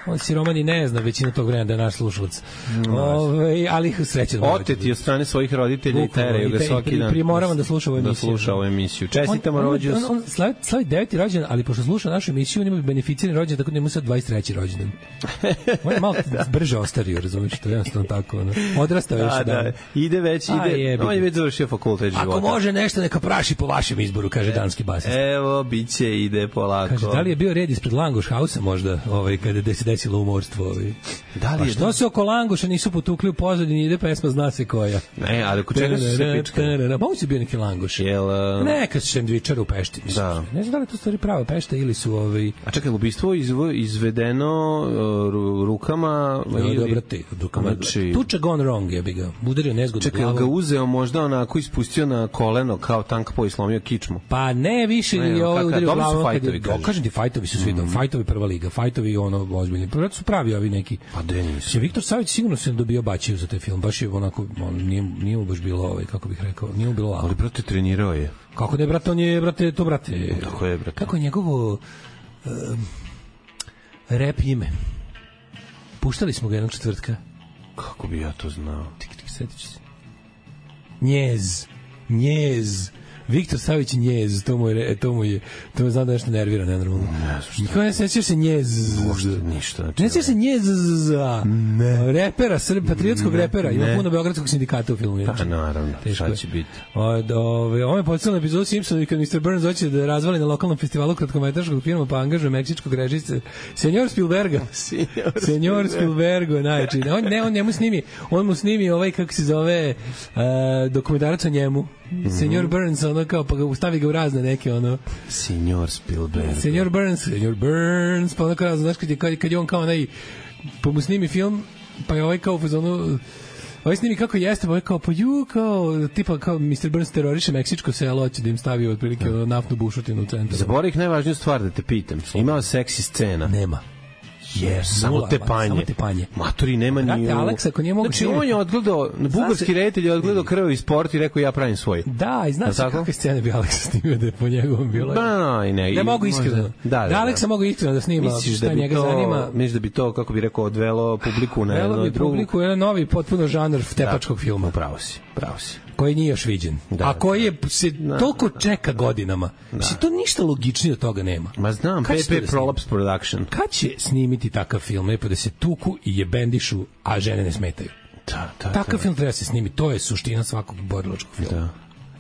On si Romani ne zna većinu tog vremena da je naš slušalac. Ali srećan. Oteti od strane svojih roditelja i teraju ga svaki dan. Primoravam da sluša ovu emisiju. Da sluša ovu emisiju. Čestitamo rođendan. On slavi 9. rođendan, ali pošto sluša našu emisiju, on ima beneficirani rođendan, tako da ima sad 23. rođendan. On je malo brže ostario, razumiješ, to je jednostavno tako. Odrastao još dan. Ide. On je već završio fakultet života. Ako može nešto, neka praši po vašem izboru, kaže danski basist. Evo, biće, ide polako. Kaže, da li je bio red ispred Langoš Hausa možda, kada se desilo umorstvo? Da li je? Što se oko Langoša nisu potukli u pozadini, ide pesma zna se koja. Ne, ali oko čega su se pičkali? Mogu si bio neki Langoš. Neka sendvičar u Pešti. Da. Ne znam da li to stvari prava Pešta ili su A čekaj, ubistvo izvedeno rukama? Rukama. Tuča gone wrong je bi ga. Udario nezgodno glavom. Čekaj, ga uzeo možda onako ispustio na koleno kao tank po i slomio kičmu. Pa ne, više je ovo udario glavom. Kažem ti, fajtovi su svi dom. Fajtovi prva liga. Fajtovi ozbiljni. Prvo su pravi ovi neki. Pa de nisu. Viktor Savić sigurno se dobio bačiju za taj film. Baš je onako, nije mu baš bilo, kako bih rekao, nije mu bilo lako. Ali, brate, trenirao je. Kako ne, brate, on je, brate. Tako je, brate. Kako je njegovo rap ime? Puštali smo ga jednog četvrtka. Kako bi ja to znao? Tik, setit ću se. Njez. Viktor Savić njez, to me zna da nešto nervira, nenormalno. Niko ne sećaš se njez. Uopšte ništa. Ne sećaš se njez repera, patriotskog repera. Ima puno beogradskog sindikata u filmu. Pa naravno, šta će biti. Ovo je podsjetilo na epizodu Simpsona kad Mr. Burns hoće da razvali na lokalnom festivalu kratkometražnog filma pa angažuje meksičkog režisera Senjor Spielberga. Senjor Spielberga, najči. On mu snimi ovaj, kako se zove, dokumentarac o njemu. Senjor Burns, ono kao, pa stavi ga u razne neke, ono... Senjor Spielberg. Senjor Burns, pa ono kao, znaš, kad je on kao onaj... Pa mu snimi film, pa je ovaj kao, ono... Ovaj snimi kako jeste, ovaj kao, pa tipa kao Mr. Burns teroriše meksičko selo, hoće da im stavi otprilike naftnu bušotinu u centru. Zaboravih najvažniju stvar da te pitam. Imao seksi scena? Nema. Samo tepanje. Matori nema ni... Alex, ako nije mogu... Znači, on je odgledao, bugarski reditelj je odgledao krvavi sport i rekao ja pravim svoj. Da, i znaš kakve scene bi Alex snimio da je po njegovom bilo? Ne mogu iskreno. Da Alexa mogu iskreno da snima šta njega zanima. Misliš da bi to, kako bi rekao, odvelo publiku na jedno i drugo? Publiku jedan novi, potpuno žanr tepačkog filma. Pravo si. Koji nije još viđen. A koji se toliko čeka godinama. Mislim, to ništa logičnije od toga nema. Ma znam, PP Prolapse Production. Kad će snimiti takav film, lepo da se tuku i jebendišu, a žene ne smetaju? Takav film treba se snimiti, to je suština svakog borilačkog filma.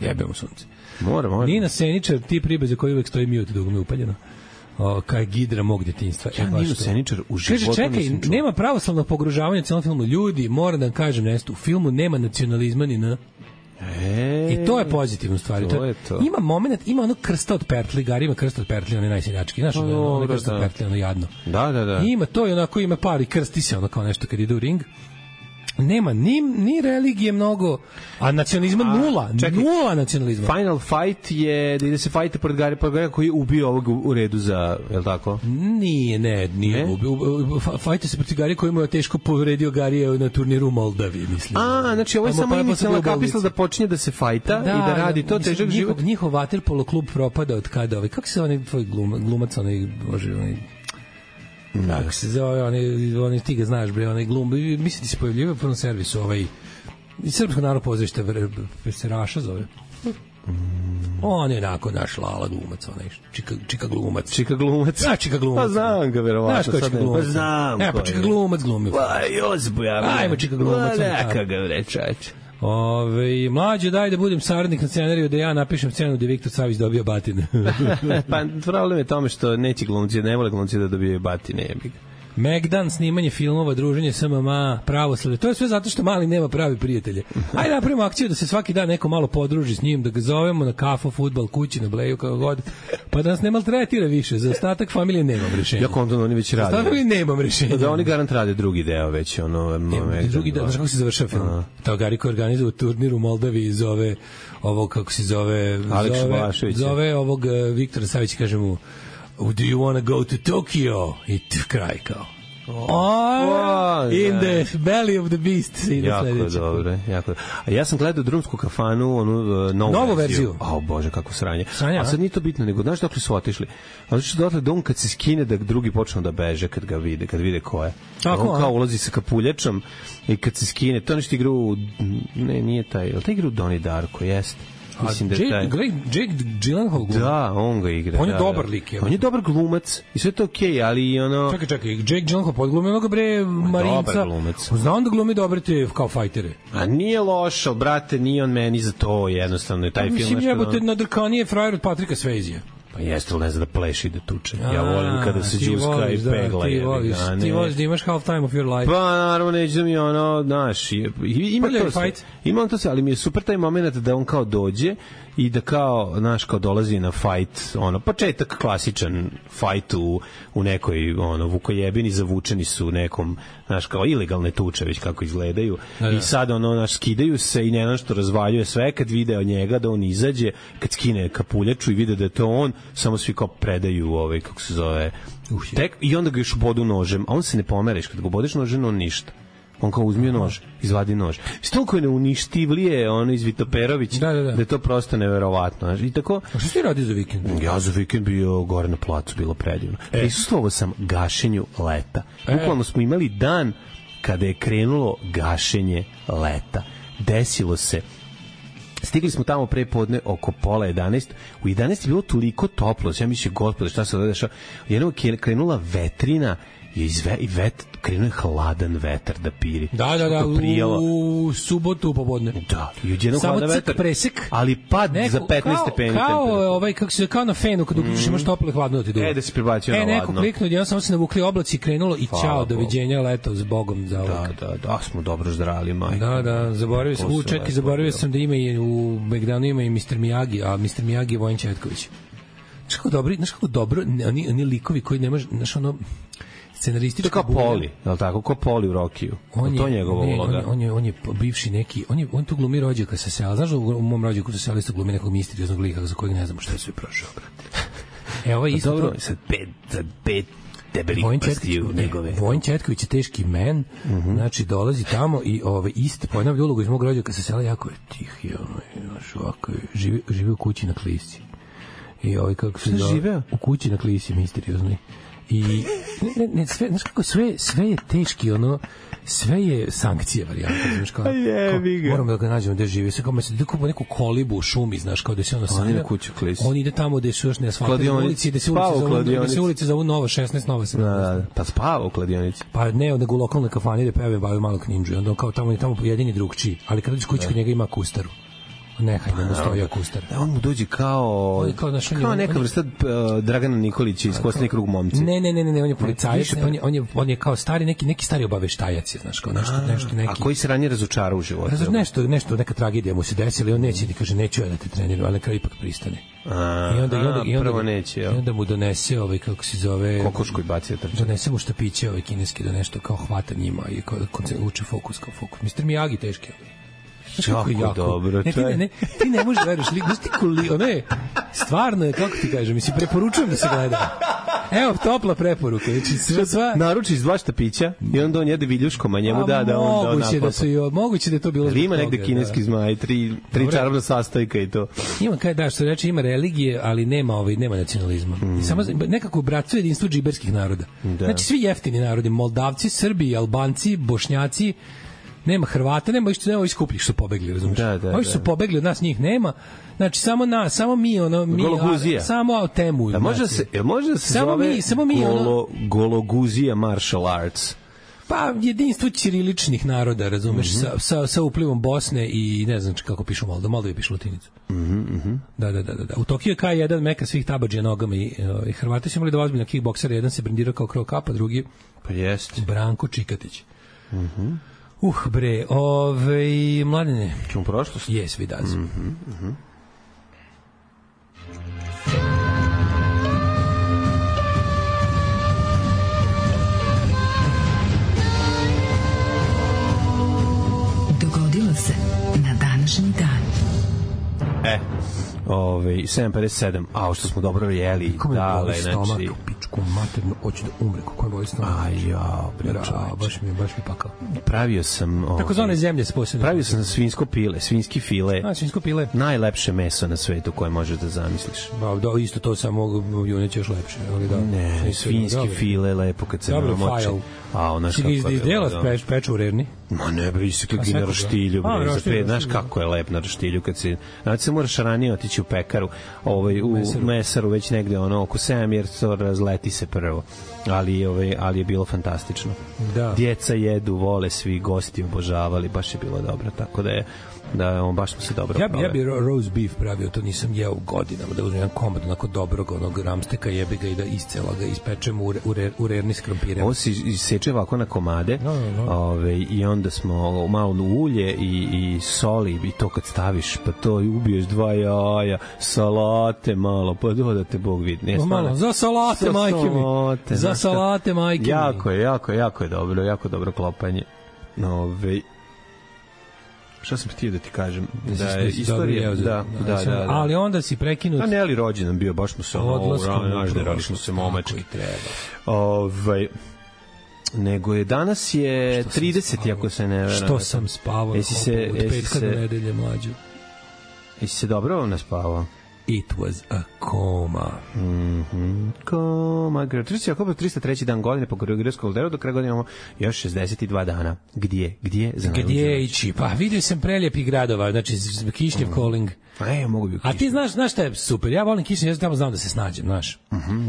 Jebemo sunce. Mora. Nina Seničar, tip ribe za koji uvek stoji mute dok me upaljeno. Kaj Gidra mog djetinjstva. Ja Ninu Seničar u životu nisam čuo. Čekaj, nema pravoslavnog pogružavanja u celom filmu. Ljudi, moram da vam kažem nešto, u filmu nema nacionalizma ni na... I to je pozitivno stvari. Ima moment, ima ono krsta od pertli, Gari ima krsta od pertli, on je najseljački. Znaš, ono krsta od pertli, ono jadno. Da. Ima to i onako, ima par i krsti se ono kao nešto kad ide u ring. Nema ni religije mnogo, a nacionalizma nula. Nula nacionalizma. Final fight je da ide se fajte pored Gari koji je ubio ovog u redu za, je li tako? Nije ubio. Fajte se protiv Gari koji mu je teško povredio Garija na turniru u Moldavi, mislim. Znači ovo je samo inicijalna kapisla da počinje da se fajta i da radi to težak život. Njihov vaterpolo klub propada od kada kako se onaj tvoj glumac, onaj kako se zove, oni ti ga znaš, bre, onaj glum, mislim ti se pojavljivao u prvom servisu, Srpsko narodno pozorište Seraša zove. On je onako naš Lala glumac, onaj Čika glumac. Čika glumac? Da, Čika glumac. Pa znam ga, verovatno. Znaš ko Čika glumac? Pa znam. Pa Čika glumac glumio. Pa Josip Bujavlja. Ajmo Čika glumac. Neka ga vrečać. Mlađe, daj da budem saradnik na scenariju, da ja napišem scenu gde Viktor Savić dobio batine. Pa problem je tome što neće glumci, ne vole glumci da dobijaju batine, jebi ga. Megdan, snimanje filmova, druženje s MMA, pravoslavlje. To je sve zato što Mali nema pravi prijatelje. Ajde napravimo akciju da se svaki dan neko malo podruži s njim, da ga zovemo na kafu, fudbal, kući, na bleju, kako god. Pa da nas ne maltretira više. Za ostatak familije nemam rešenja. Ja kontam, oni već rade. Za ostatak familije nemam rešenja. Da oni garant rade drugi deo već. Drugi deo, znaš kako se završava film? To Gari koji organizuje turnir u Moldavi zove ovog, kako se zove... Aleks Balašević. Zove ovog Viktora Savić, kaže mu, do you want to go to Tokyo? I kraj kao. In the belly of the beast. Jako dobro. A ja sam gledao Drumsku kafanu, onu novu verziju. Bože, kako sranje. A sad nije to bitno, nego znaš dokle su otišli? Ali što dotle da on kad se skine da drugi počnu da beže kad ga vide, kad vide ko je. On kao ulazi sa kapuljačom i kad se skine, to nešto igra u... Ne, nije taj. Ali taj igra u Donnie Darko, jeste. Mislim da je taj... Jake Gyllenhaal gluma? Da, on ga igra. On je dobar lik. On je dobar glumac i sve to okej, ali ono... Čekaj, Jake Gyllenhaal podglumi onoga bre Marinca. Dobar glumac. Znam da glumi dobre te kao fajtere. A nije loš, ali brate, nije on meni za to, jednostavno je taj film nešto... Mislim, jebote, nadrkanije frajer od Patrika Swayzea. Pa jeste li ne zna da pleši i da tuče. Ja volim kada se džuska i pegla. Ti voliš da imaš half time of your life. Pa naravno neće da mi ono, znaš, ima on to sve, ali mi je super taj moment da on kao dođe i da kao, znaš, kao dolazi na fight, početak klasičan fight u nekoj, vukojebini, zavučeni su nekom, znaš, kao ilegalne tuče, već kako izgledaju. I sad, znaš, skidaju se i ne što razvaljuje sve, kad vide od njega da on izađe, kad skine kapuljaču i vide da je to on, samo svi kao predaju kako se zove, tek, i onda ga još bodu nožem, a on se ne pomereš, kad ga bodeš nožem, on ništa. On kao uzmio nož, izvadi nož. Toliko je neuništivlije iz Vitoperović, da je to prosto neverovatno. I tako... A što ti radi za vikend? Ja za vikend bio gore na placu, bilo predivno. Prisustvovao sam gašenju leta. Bukvalno smo imali dan kada je krenulo gašenje leta. Desilo se Stigli smo tamo pre podne oko pola 11. U 11 je bilo toliko toplo, ja mislim, gospode, šta se ovdje dešava? Jednom je krenula vetrina i krenuo je hladan vetar da piri. Da, u subotu popodne. Da, i odjednom hladan vetar. Presek. Ali pad za 15 stepeni. Kao na fenu, kad uključiš imaš toplo i hladno da ti duva. Da se prebacio na ladno. Neko kliknuo, jedan samo se navukli oblaci i krenulo i čao, doviđenja, leto s Bogom za ovog. Da, smo dobro zdrali, majko. Da, zaboravio sam da ima i u Megdanu ima i Mr. Miyagi, a Mr. Miyagi je Vojin Četković. Znaš kako dobro, oni likovi koji ne može, znaš ono, scenaristički kao Poli, je li tako? Kao Poli u Rokiju. To je njegova uloga. On je bivši neki, on tu glumi rođaka sa sela. Znaš da u mom rođaku sa sela isto glumi nekog misterioznog lika za kojeg ne znamo šta je sve prošao, brate. Ovo je isto dobro, sad pet debelih prstiju njegove. Vojin Četković je teški men, znači dolazi tamo i isto ponavlja ulogu iz mog rođaka sa sela, jako je tih, ovako živi u kući na Klisi. I kako se zove? U kući na Klisi, misteriozni. I sve, znaš kako sve je teški, sve je sankcije varijanta, znaš kao. Moramo da ga nađemo gde živi, sve kao po neku kolibu u šumi, znaš kao da se ono sanja. On ide tamo gde su još neasfaltirane ulici, gde se ulice zovu Nova 16, Nova 17. Pa spava u kladionici. Pa ne, nego u lokalnoj kafani da peve bavio malo knindžu i onda kao tamo pojedini drugčiji, ali kad dođeš kući kod njega ima kustaru. Nehaj da mu stoji akustar. On mu dođe kao neka vrsta Dragana Nikolića iz Kosni krug momci. Ne, on je policajac, on je kao stari, neki stari obaveštajac je, znaš, kao nešto neki. A koji se ranije razočarao u životu? Nešto, neka tragedija mu se desila i on neće, kaže, neću ja da te treniram, ali na kraju ipak pristane. I onda mu donese, kako se zove... Kokošku i baci da trče. Donese mu štapiće, kineski, da nešto kao hvata njima i uče fokus kao fokus. Mr. Miyagi teški. Jako dobro. Ti ne možeš da veriš, stvarno je, kako ti kažem, preporučujem da se gleda. Evo, topla preporuka. Naruči iz 2 štapića i onda on jede viljuškom, a njemu da on moguće da je to bilo. Ima negde kineski zmaj, 3 čarobna sastojka i to. Ima, što reče, ima religije, ali nema nacionalizma. Samo nekako bratstvo jedinstvo džiberskih naroda. Znači, svi jeftini narodi, Moldavci, Srbi, Albanci, Bošnjaci, nema Hrvata, nema iskupljih što pobegli, razumiješ? Ovi su pobegli od nas, njih nema. Znači, samo mi Gologuzija. Samo temu. Može se zove Gologuzija martial arts. Pa, jedinstvo ćiriličnih naroda, razumeš, sa uplivom Bosne i ne znam kako pišu Moldovi pišu latinicu. Da. U Tokiju je K1 meka svih tabadžija nogama i Hrvati su imali 2 ozbiljna kickboksera, jedan se brendirao kao Krov Kapa, drugi Branko Čikatić. Bre, Mladene. Čemo prošlost? Yes, we does. Dogodilo se na današnji dan. 7:57, a što smo dobro jeli, dale, znači pičku maternu, hoću da umre, kako je boli stomak. Baš mi pakao. Pravio sam takozvane zemlje s posebnim. Pravio sam svinjski file. Svinjsko pile. Najlepše meso na svetu koje možeš da zamisliš. Da, isto to samo juneće još lepše, ali da. Ne, svinjski file lepo kad se namoči. Peču u Rerni? Ma ne, bre, isekli na roštilju, znaš kako je lep na roštilju kad se, znači se moraš ranije otići u pekaru, u mesaru već negde oko 7, jer to razleti se prvo, ali je bilo fantastično. Djeca jedu, vole, svi gosti obožavali, baš je bilo dobro, tako da je baš smo se dobro proveli. Ja bi roast beef pravio, to nisam jeo godinama, da uzmem jedan komad onako dobrog ramsteka, jebi ga i da iscela ga ispečem u Rerni s krompirem. Ovo se iseče ovako na komade. I onda smo malo ulje i soli i to kad staviš, pa to i ubiješ 2 jaja, salate malo, pa dodate Bog vidi. Za salate, majke mi. Za salate, majke mi. Jako je dobro, jako dobro klopanje. Šta sam htio da ti kažem? Da je istorija, da. Ali onda si prekinut. A ne, ali rođendan bio, baš smo se nažderali smo se momački. Nego je danas je 30, ako se ne vera. Što sam spavao od petka do nedelje, mlađu. Jesi se dobro naspavao? It was a coma. Coma. 303. dan godine po Gregorskog kalendaru, do kraja godine imamo još 62 dana. Gdje ići? Pa vidio sam prelijepih gradova, znači Kišnjev, Koling. Mogu bi. A ti znaš šta je super? Ja volim Kišnjev, ja tamo znam da se snađem, znaš.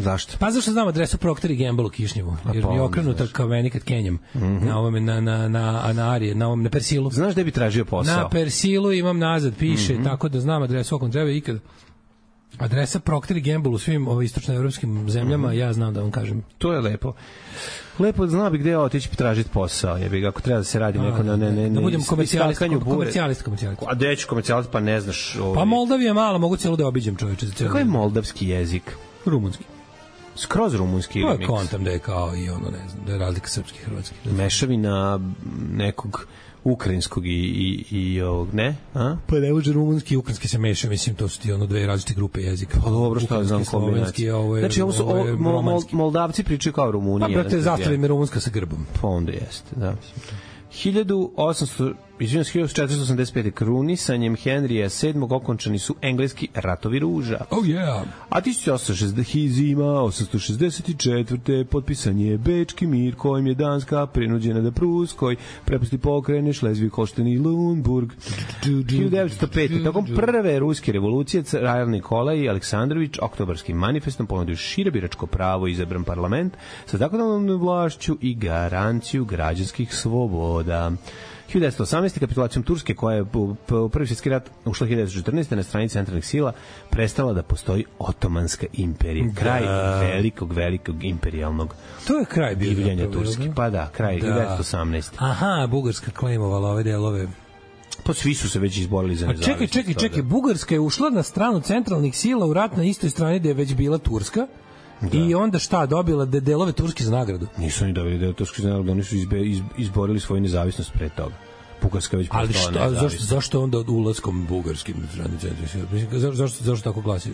Zašto? Pa zašto znam adresu Procter & Gamble u Kišnjevu? Jer mi je okrenuta kao meni kad kenjam. Na ovome, na Arije, na Persilu. Znaš gde bi tražio posao? Na Persilu imam nazad, piše, tako da znam adresu, ako treba ikad. Adresa Procter & Gamble u svim istočnoevropskim zemljama, ja znam da vam kažem. To je lepo. Lepo zna bi gde otići tražiti posao. Jebi ga, ako treba da se radi neko da budem komercijalist. A gde ću komercijalist, pa ne znaš. Pa Moldavija malo, mogu cijelo da obiđem, čoveče. Kako je moldavski jezik? Rumunski. Skroz rumunski ili miks? Pa kontam da je kao i ono, ne znam, da je razlika srpski i hrvatski. Mešavina nekog ukrajinskog i ovog, ne? A? Pa ne može rumunski i ukrajinski se meša, mislim, to su ti ono dve različite grupe jezika. Pa dobro, što znam kombinaciju. Znači, ovo su Moldavci pričaju kao Rumunija. Pa, brate, zastava im je rumunska sa grbom. Pa onda jeste, da. 1485. krunisanjem Henrija VII. Okončani su engleski ratovi ruža. Oh yeah. A 1864. potpisan je Bečki mir kojim je Danska prinuđena da Pruskoj prepusti pokrene Šlezvig-Holštajn i Lundburg. 1905. Tokom prve ruske revolucije Car Nikolaj Aleksandrović oktobarskim manifestom ponudio šire biračko pravo i izabran parlament sa zakonodavnom vlašću i garanciju građanskih sloboda. 1918. kapitulacijom Turske, koja je u Prvi svjetski rat ušla 1914. na strani centralnih sila, prestala da postoji Otomanska imperija. Kraj velikog imperijalnog to je kraj divljanja Turske. Pa da, kraj 1918. Aha, Bugarska klejmovala ove delove. Pa svi su se već izborili za nezavisnost. Čekaj, Bugarska je ušla na stranu centralnih sila u rat na istoj strani gde je već bila Turska. Da. I onda šta, dobila delove Turske za nagradu? Nisu oni dobili delove Turske za nagradu, oni su izborili svoju nezavisnost pre toga. Bugarska već postala nezavisna. Zašto onda ulaskom bugarskim strani centralnih sila? Zašto tako glasi?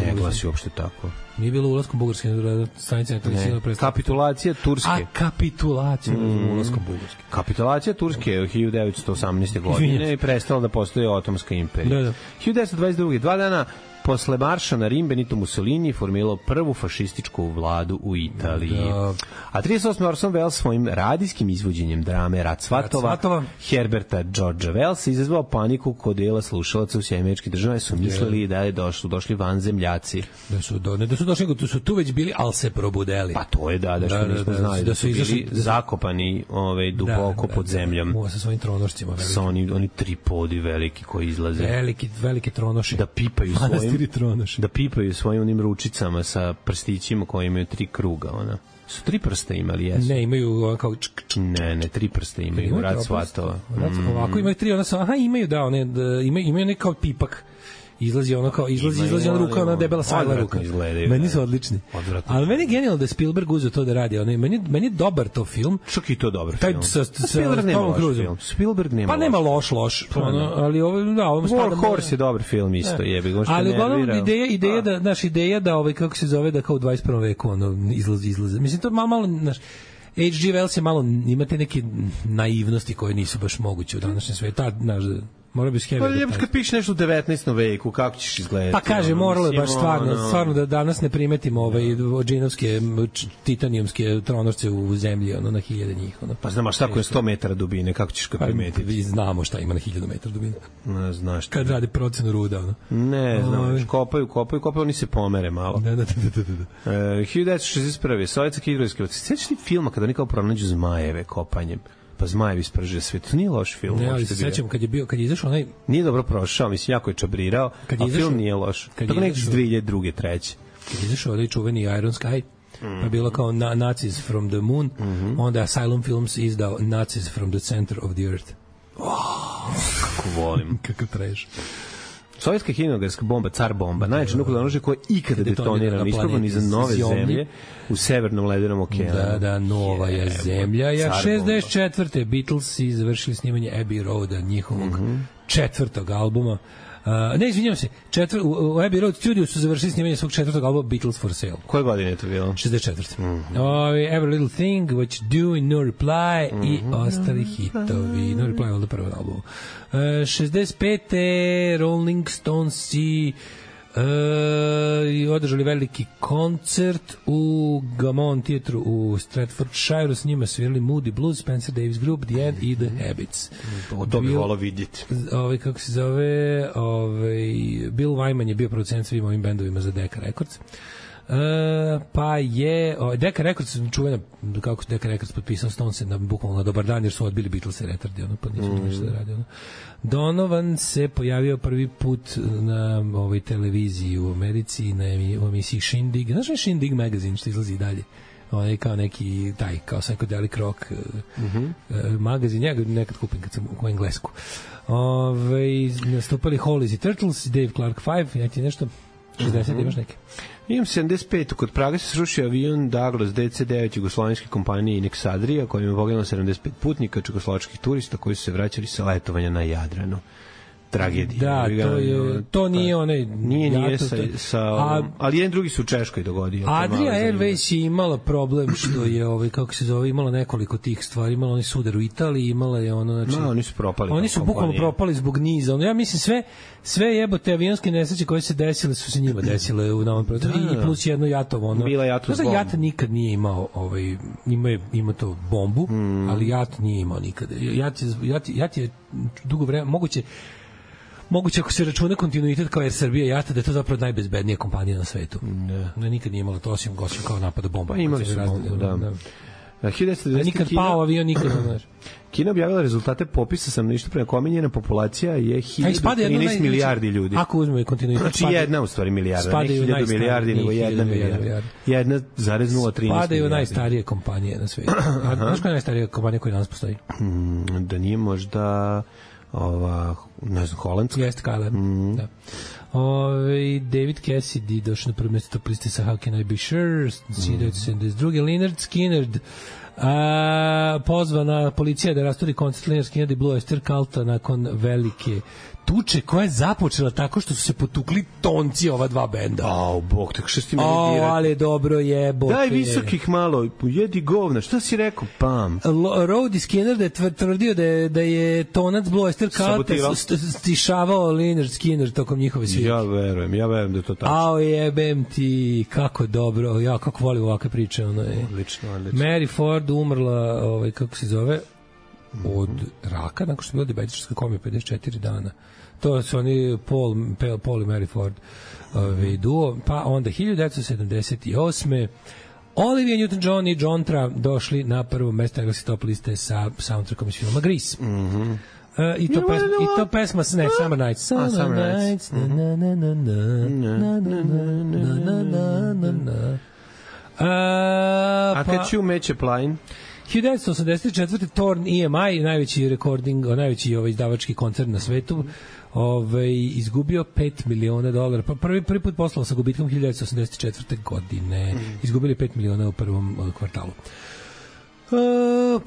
Ne glasi uopšte tako. Nije bilo ulaskom bugarskim strani centralnih sila? Kapitulacija Turske. A kapitulacija ulaskom bugarskim. Kapitulacija Turske je 1918. godine i prestala da postoji Otomanska imperija. Da. 1922. 2 dana posle marša na Rim, Benito Mussolini formilao prvu fašističku vladu u Italiji. Da. A 38. Orson Welles svojim radijskim izvođenjem drame Rat svatova Herberta Georgea Wellsa izazvao paniku kod dela slušalaca u Sjemeničkih država, su mislili da je došli vanzemljaci. Da su došli, da su tu već bili, ali se probudeli. Pa to je što nismo znali, da su bili zakopani duboko pod zemljom. Sa svojim tronošcima. Sa oni tripodi veliki koji izlaze. Velike tronoši. Da pipaju svojim onim ručicama sa prstićima koji imaju 3 kruga, ona. Su 3 prsta imali, jesu? Ne, imaju kao Ne, 3 prsta imaju, Rat svatova. Ovako imaju 3, ona su, imaju imaju neki pipak. Izlazi ona ruka, ona debela sajla ruka. Meni su odlični. Ali meni je genijalno da je Spielberg uzeo to da radi. Meni je dobar to film. Čak i to dobar film. Spielberg nema loš film. Spielberg nema. Pa nema loš. Ali ovo spada. Horse je dobar film isto, jebi ga. Ali ideja da kako se zove, da kao u 21. veku izlazi. Mislim to malo H.G. Wells je malo, imate neke naivnosti koje nisu baš moguće u današnjem svijetu. Mora bi pa lijepo kad piše nešto u 19. veku, kako ćeš izgledati? Pa kaže, moralo je baš stvarno da danas ne primetimo džinovske, titanijumske tronošce u zemlji, na 1000 njih. Pa znamo šta ko je 100 metara dubine, kako ćeš ga primetiti? Vi znamo šta ima na 1000 metara dubine. Ne znaš. Kad radi procenu ruda. Ne, znaš, kopaju, oni se pomere malo. Da. 1961. Sovjetska hidrografska. Sećaš ti filma kada oni kao pronađu zmajeve kopanjem? Pa zmajevi sprže sve. To nije loš film. Ne, ali se sećam kad je izašao onaj... Nije dobro prošao, mislim, jako je čabrirao, a film nije loš. Tako nekako 2002. 2003. Kad je izašao onaj čuveni Iron Sky, pa bilo kao Nazis from the Moon, onda Asylum Films izdao Nazis from the Center of the Earth. Kako volim. Kako treš. Sovjetska hidrografska bomba, car bomba, najjače nuklearno oružje koje ikada detonirano, isprobano iza nove zemlje u severnom ledenom okeanu. Da, nova je zemlja. 64. Beatlesi završili snimanje Abbey Roada, njihovog 4. albuma. Ne, izvinjam se, u Abbey Road Studio su završili snimanje svog 4. albuma Beatles for Sale. Koje godine je to bilo? 64. Every Little Thing, What You Do, No Reply i ostali hitovi. No Reply je ovdje prvo album. 65. Rolling Stones i I održali veliki koncert u Gammon Theatre u Stratfordshire, s njima svirali Moody Blues, Spencer Davis Group, The End i The Habits. To bi volao vidjeti. Kako se zove, Bill Wyman je bio producent svim ovim bendovima za Decca Records. Pa je Decca Records čuvena, kako Decca Records potpisao Stonese na bukvalno na dobar dan jer su odbili Beatlese retardi, pa nisu ništa da radi. Donovan se pojavio prvi put na televiziji u Americi na emisiji Shindig. Znaš je Shindig magazine što izlazi dalje? Kao neki kao psychedelic rock magazin, ja ga nekad kupim kad sam u Englesku. Nastupali Hollies i Turtles, Dave Clark 5, ja ti nešto 60 imaš neke. Imam 75. Kod Praga se srušio avion Douglas DC-9 jugoslovenske kompanije Inex Adria, kojim je poginulo 75 putnika čekoslovačkih turista koji su se vraćali sa letovanja na Jadranu. Tragedija. Da, to nije onaj... Nije ali jedan drugi su u Češkoj dogodio. Adria Airways je imala problem što je, kako se zove, imala nekoliko tih stvari. Imala oni sudar u Italiji, imala je ono... Znači, oni su propali. Oni su bukvalno propali zbog niza. Ja mislim sve jebote avionske nesreće koje se desile su se njima desile u novom prostoru. I plus jedno Jatovo. Bila Jatov bomba. Jat nikad nije imao, ima to bombu, ali Jat nije imao nikada. Jat je dugo vremena, moguće ako se računa kontinuitet kao Air Srbija Jata, da je to zapravo najbezbednija kompanija na svetu. Ne, nikad nije imala to osim kao napada bomba. Imali su bombu, da. Nikad pao avion, nikad ne znaš. Kina objavila rezultate popisa stanovništva prema kome njena populacija je 1013 milijardi ljudi. Ako uzmemo kontinuitet. Znači jedna u stvari milijarda, ne 1000 milijardi, nego 1 milijarda. 1,013 milijardi. Spadaju najstarije kompanije na svetu. Znaš koja je najstarija kompanija koja danas postoji? Da nije možda... ne znam, holandska. Jeste KLM, da. David Cassidy došao na prvo mjesto top liste sa How Can I Be Sure, 1972. Leonard Skinnerd, pozvana policija da rasturi koncert Leonard Skinnerd i Blue Oyster Culta nakon velike tuče koja je započela tako što su se potukli tonci ova dva benda. Bog, tako što ti meni dirati. Ali dobro jebote. Daj visokih malo, jedi govna, šta si rekao? Pam. Rody Skinner je tvrdio da je tonac Blue Oyster Culta stišavao Leonard Skinner tokom njihove svirke. Ja verujem da je to tačno. Jebem ti, kako dobro, ja kako volim ovakve priče. Odlično. Mary Ford umrla, kako se zove, od raka, nakon što je bila dijabetička komija 54 dana. To su oni Paul i Mary Ford duo. Pa onda 1978. Olivia Newton-John i John Tra došli na prvo mesto engleske top liste sa soundtrackom iz filma Grease. I to pesma Summer Nights. Summer Nights. A kad ću meće plajn? 1984. Torn EMI, najveći izdavački koncern na svetu, izgubio $5 miliona. Prvi put poslao sa gubitkom 1984. godine. Izgubili $5 miliona u prvom kvartalu.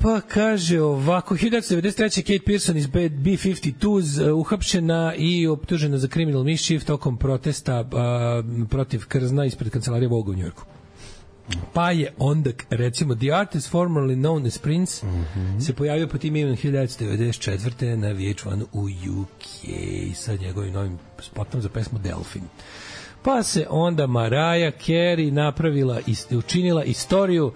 Pa kaže ovako, 1993. Kate Pearson iz B-52s uhapšena i optužena za criminal mischief tokom protesta protiv krzna ispred kancelarije Vogue u Njujorku. Pa je onda, recimo, The Artist formerly known as Prince se pojavio po tim imenom 1994. na VH1 u UK sa njegovim novim spotom za pesmu Delfin. Pa se onda Mariah Carey učinila istoriju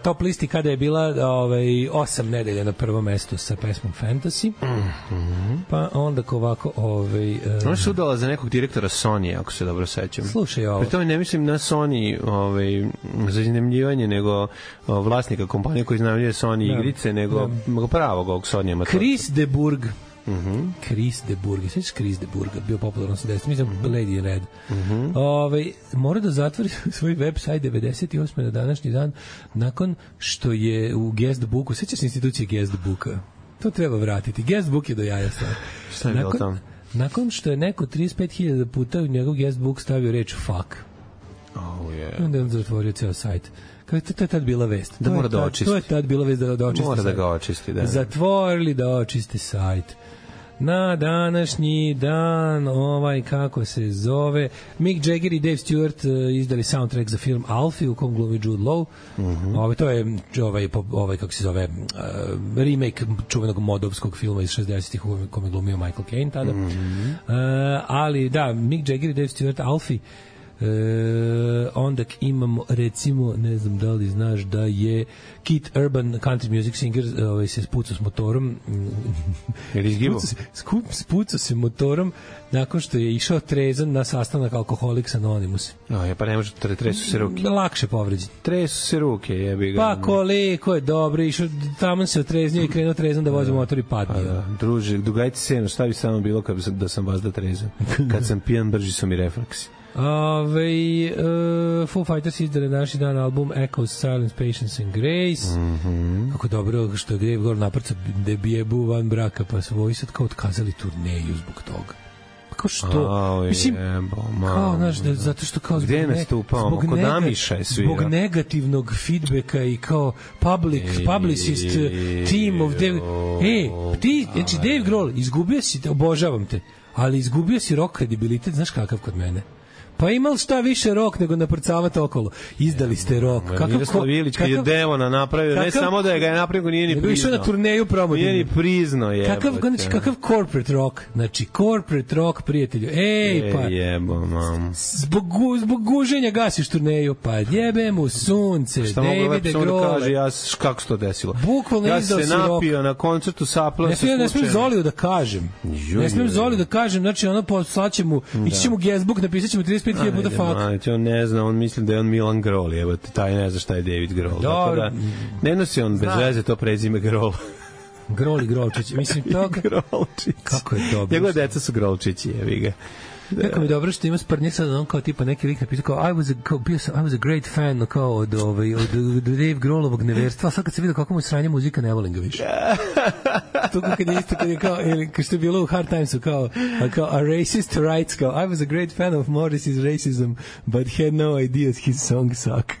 top listi kada je bila 8 nedelja na prvom mestu sa pesmom Fantasy. Pa onda ovako ona se udala za nekog direktora Sony, ako se dobro sećam. Slušaj ovo. Pri tome ne mislim na Sony za iznemljivanje, nego vlasnika kompanije koji iznajmljuje Sony igrice, nego pravog ovog Sony. Chris de Burgh. Chris de Burgh, sveći Chris de Burgh bio popularan sa 10, mislim Lady Red. Mora da zatvori svoj website 98. na današnji dan nakon što je u guestbooku, svećaš se institucije guestbooka, to treba vratiti, guestbook je do jaja stvar. Šta je bilo tamo? Nakon što je neko 35.000 puta u njegov guestbook stavio reč fuck, onda je on zatvorio ceo sajt. To je tad bila vest. Da mora da očisti. To je tad bila vest da očisti. Mora da ga očisti, da. Zatvorili da očisti sajt. Na današnji dan, kako se zove, Mick Jagger i Dave Stewart izdali soundtrack za film Alfie u kom glumi Jude Law. To je kako se zove, remake čuvenog modovskog filma iz 60-ih u kom je glumio Michael Caine tada. Ali da, Mick Jagger i Dave Stewart, Alfie. Onda imamo, recimo, ne znam da li znaš da je Keith Urban, country music singer, se spucao s motorom. Spucao se motorom nakon što je išao trezan na sastanak Alcoholics Anonymous. Pa ne može, tresu se ruke. Lakše povređen. Tresu se ruke, jebi ga. Pa koliko je dobro, išao, tamo se otreznio i krenuo trezan da vozi motor i padne. Druže, dugajte se, šta bi samo bilo da sam vas da trezan? Kad sam pijan, brži su mi refleksi. Foo Fighters izdali naši dan album Echoes, Silence, Patience and Grace. Kako dobro što je Dave Grohl naprcao debijebu van braka, pa su ovi sad kao otkazali turneju zbog toga. Kao što? Mislim, kao, znaš, zato što kao gde je nastupao? Kod Namiša je svira. Zbog negativnog feedbacka i kao publicist team of Dave. Ti, znači Dave Grohl, izgubio si, obožavam te, ali izgubio si rock kredibilitet, znaš kakav kod mene? Pa imali šta više rok nego naprcavati okolo. Izdali ste rok. Miroslav Ilić kad je Devona napravio, ne samo da je ga je napravio, nije ni priznao. Išao na turneju promotivno. Nije ni priznao, jebote. Kakav corporate rock. Znači, corporate rock, prijatelju. Pa. Jebo, mam. Zbog guženja gasiš turneju. Pa jebe mu sunce. Davide Grohl. Kako se to desilo? Bukvalno izdao si rok. Ja se napio na koncertu Sapla. Ne smijem Zoliju da kažem. Znači, ono poslaće mu, ići će mu guestbook, napisat će mu 35.000 puta fuck. On ne zna, on mislim da je on Milan Grohl, evo, taj ne zna šta je David Grohl. Tako da, ne nosi on bez veze to prezime Grohl. Grohl i Grolčić. Mislim, toga... Grolčić. Kako je dobro. Njegove deca su Grolčići, jevi ga. Kako mi dobro što ima sprnje sad, on kao tipa neki lik napisao kao I was a great fan kao od Dave Grohlovog neverstva, a sad kad se vidio kako mu je sranje muzika, ne volim ga više. To kad je isto, kad je kao, ili što je bilo u Hard Timesu, kao a racist writes, kao I was a great fan of Morris's racism, but had no idea his songs suck.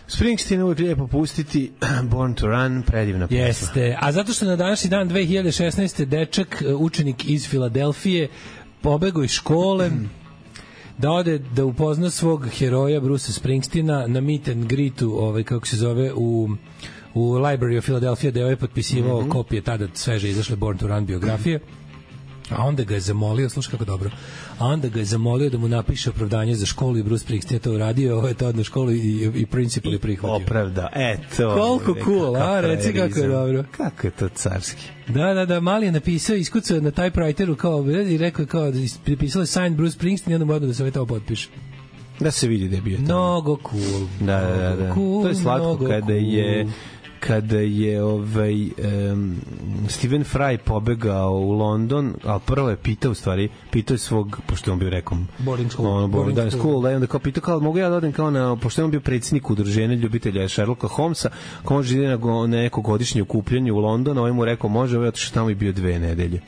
Springsteen uvijek lijepo pustiti, Born to Run, predivna pesma. Jeste, a zato što na današnji dan 2016. dečak, učenik iz Filadelfije, pobegao iz škole, da ode da upozna svog heroja Brucea Springsteena na meet and greetu, kako se zove, u Library of Philadelphia, da je potpisivao kopije tada sveže izašle Born to Run biografije. A onda ga je zamolio, slušaj kako dobro, a onda ga je zamolio da mu napiše opravdanje za školu i Bruce Springsteen je to uradio, ovo je to na školu i principal je prihvatio. Opravda, eto. Koliko cool, a reci kako je dobro. Kako je to carski. Da, mali je napisao, iskucao na typewriteru kao, i rekao kao, pisalo sign Bruce Springsteen i onda mu odno da se ovaj to potpiše. Da se vidi da je bio to. Mnogo cool. Da. Cool, to je slatko kada je Stephen Fry pobegao u London, ali prvo je pitao je svog, pošto je on bio rekom boarding school, da je onda kao pitao kao, mogu ja da odem kao na, pošto je on bio predsjednik udruženja ljubitelja Sherlocka Holmesa, kao može ide na neko godišnje okupljanje u London, ovaj mu rekao, može, ovaj otišao tamo i bio 2 nedelje.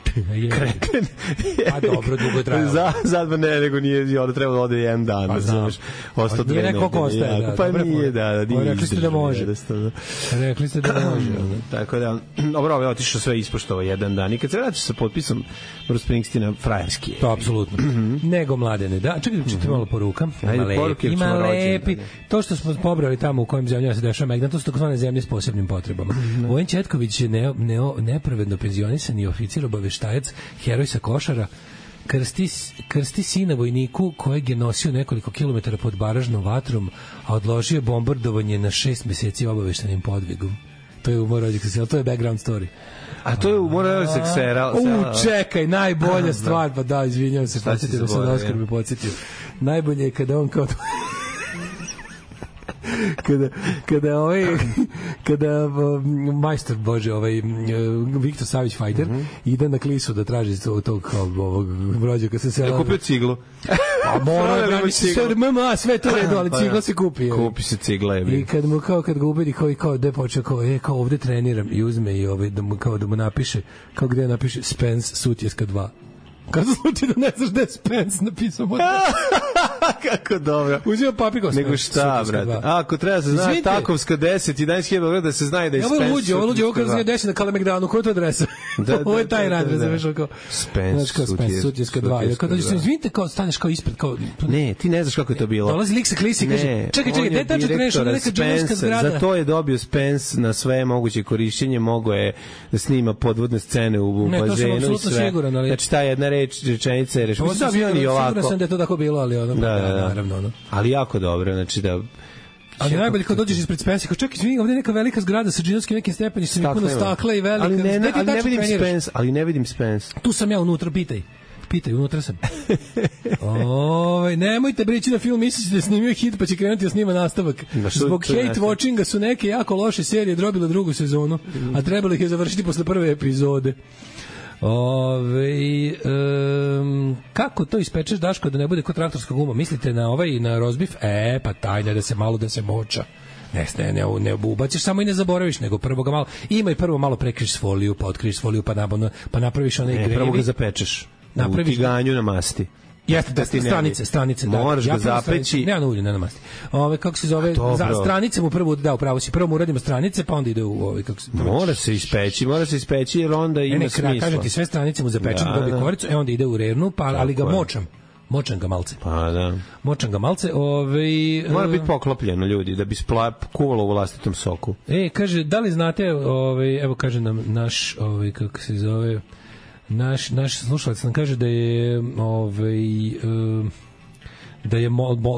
Kreten. A dobro, dugo je trajalo. Zadva ne, nego nije, onda treba da ode 1 dan, pa znam. Ostao 2 nedelje. Nije neko ostaje, pa nije, da. Rekli ste da može. Rekli ste da može. Tako da, dobro, ovo je otišao sve ispoštovao 1 dan i kad se vratiš sa potpisom Bruce Springsteena, frajerski je. To apsolutno. Nego Mladene, da. Čekaj, čite malo poruka. Ima lepi. To što smo pobrali tamo u kojim zemljama se dešava Megdan, to su takozvane zemlje s posebnim potrebama. Vojen Četković je nepravedno penzionisani oficir, obaveštajac, heroj sa Košara, krsti sina vojniku kojeg je nosio nekoliko kilometara pod baražnom vatrom, a odložio bombardovanje na 6 meseci obaveštenim podvigom. To je umor rođaka sela, to je background story. A to je umor rođaka sela. Čekaj, najbolja stvar, pa da, izvinjavam se, podsjetio da sam Oskar me podsjetio. Najbolje je kada on kao kada majstor Bože, Viktor Savić Fajter ide na Klisu da traži tog ovog rođaka sa sela. Da kupio ciglu. Pa mora, sve to redo, ali cigla se kupi. Kupi se cigla. I kad ga ubedi kao da je počeo kao ovde treniram i uzme i da mu napiše, kao gde napiše Spence Sutjeska 2. Kad se sluči da ne znaš da je Spence napisao kako dobro. Uzima papir kao nego šta, brate? Ako treba se zna Takovska 10 i 11.000 da se zna da je Spence. Ovo luđe, ovo kad se 10 na Kalemegdanu, koja je to adresa? Ovo je taj rad, razumeš, kao Spence Sutjeska 2. Kad dođeš, izvinite, kao staneš kao ispred, kao... Ne, ti ne znaš kako je to bilo. Dolazi lik sa klisi i kaže, čekaj, gde tačno kreneš, ono neka džunerska zgrada. Za to je dobio Spence na sve moguće korišćenje, mogo je da snima podvodne scene u bazenu i sve. Znači, ta jedna rečenica je rešena. Siguran sam da je to tako bilo, ali ono, naravno. Ali jako dobro, znači da... Ali najbolje kad dođeš ispred Spensa, kao čekaj, izvini, ovdje je neka velika zgrada sa džinovskim nekim stepenicama i puno stakla i velika. Ali ne vidim Spence. Tu sam ja unutra, pitaj, unutra sam. Nemojte brići na film, mislići da je snimio hit pa će krenuti da snima nastavak. Zbog hate watchinga su neke jako loše serije drobile drugu sezonu, a trebalo ih je završiti posle prve epizode. Kako to ispečeš, Daško, da ne bude kod traktorska guma? Mislite na na rozbif? Pa tajne da se malo da se moča. Ne ubaciš samo i ne zaboraviš, nego prvo ga malo, ima i prvo malo prekriš foliju, pa otkriš foliju, pa napraviš onaj grevi. Prvo ga zapečeš u tiganju na masti. Jeste, da stranice. Moraš ga zapeći. Ne, na ulju, ne na masti. Kako se zove, stranice mu prvo, upravo si, prvo mu uradimo stranice, pa onda ide u kako se... Mora se ispeći, jer onda ima smisla. Kažem ti, sve stranice mu zapečem, dobije koricu, onda ide u rernu, ali ga močam ga malce. Pa da. Močam ga malce, mora biti poklopljeno, ljudi, da bi kuvalo u vlastitom soku. Kaže, da li znate, evo kaže nam naš, kako se zove... Naš slušalac nam kaže da je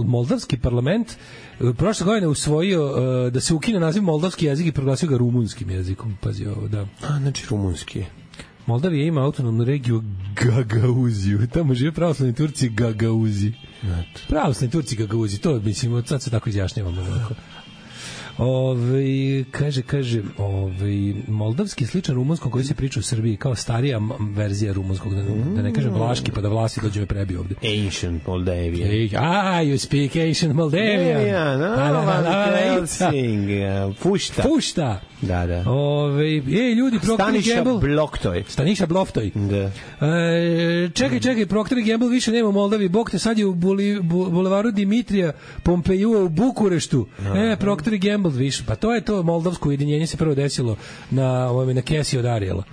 moldavski parlament prošle godine usvojio da se ukine naziv moldavski jezik i proglasio ga rumunskim jezikom. Pazi ovo, da. Znači rumunski. Moldavija ima autonomnu regiju Gagauziju. Tamo žive pravoslavni Turci Gagauzi. Pravoslavni Turci Gagauzi. To mislim, sad se tako izjašnjavamo. Kaže, moldavski sličan rumunskom koji se priča u Srbiji kao starija verzija rumunskog, da ne kažem vlaški, pa da Vlasi dođe me prebi ovde. Ancient Moldavia. You speak Ancient Moldavia. Fušta. Da. Ljudi, Procter & Gamble. Staniša Bloftoj. Da. Čekaj, Procter & Gamble više nema u Moldavi. Bog te, sad je u bulevaru Dimitrija Pompejua u Bukureštu. Procter & Gamble više. Pa to je to moldavsko ujedinjenje se prvo desilo na kesi od Ariela.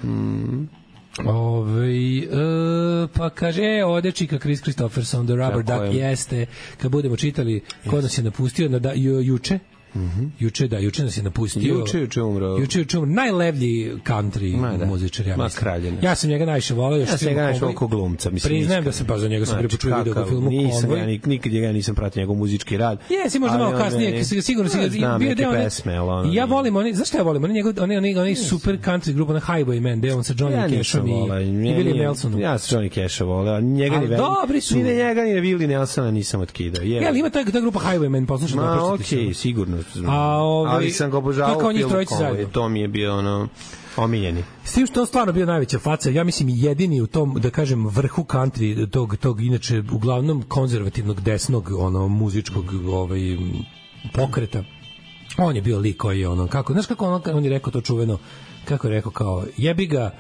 Pa kaže, ovdje čika Chris Christopherson, The Rubber Duck, jeste. Kad budemo čitali ko nas je napustio juče, Juče nas je napustio. Juče umro. Najlevlji country muzičar, ja mislim. Ja sam njega najviše voleo. Ja sam njega najviše voleo kao glumca. Priznajem da sam za njega sam prvi put čuo video u filmu Konvoj. Nikad njega nisam pratio njegov muzički rad. Jesi, možda malo kasnije, sigurno si ga bio deo pesme. Ja volim, zašto ja volim? Oni super country grupa na Highwayman, deo on sa Johnny Cashom i Willie Nelsonom. Ja sam Johnny Casha voleo. Dobri su. Ni njega, ni Willie Nelsona nisam otkidao. Ali ima ta grupa Highwayman, poslušaj da pročitati. Sigurno. Ali sam ga obožavao u filmu Konvoj. To mi je bio omiljeni. S tim što on stvarno bio najveća faca, ja mislim jedini u tom, da kažem, vrhu country, tog inače uglavnom konzervativnog desnog muzičkog pokreta. On je bio lik koji je znaš kako on je rekao to čuveno, kako je rekao kao, jebi ga,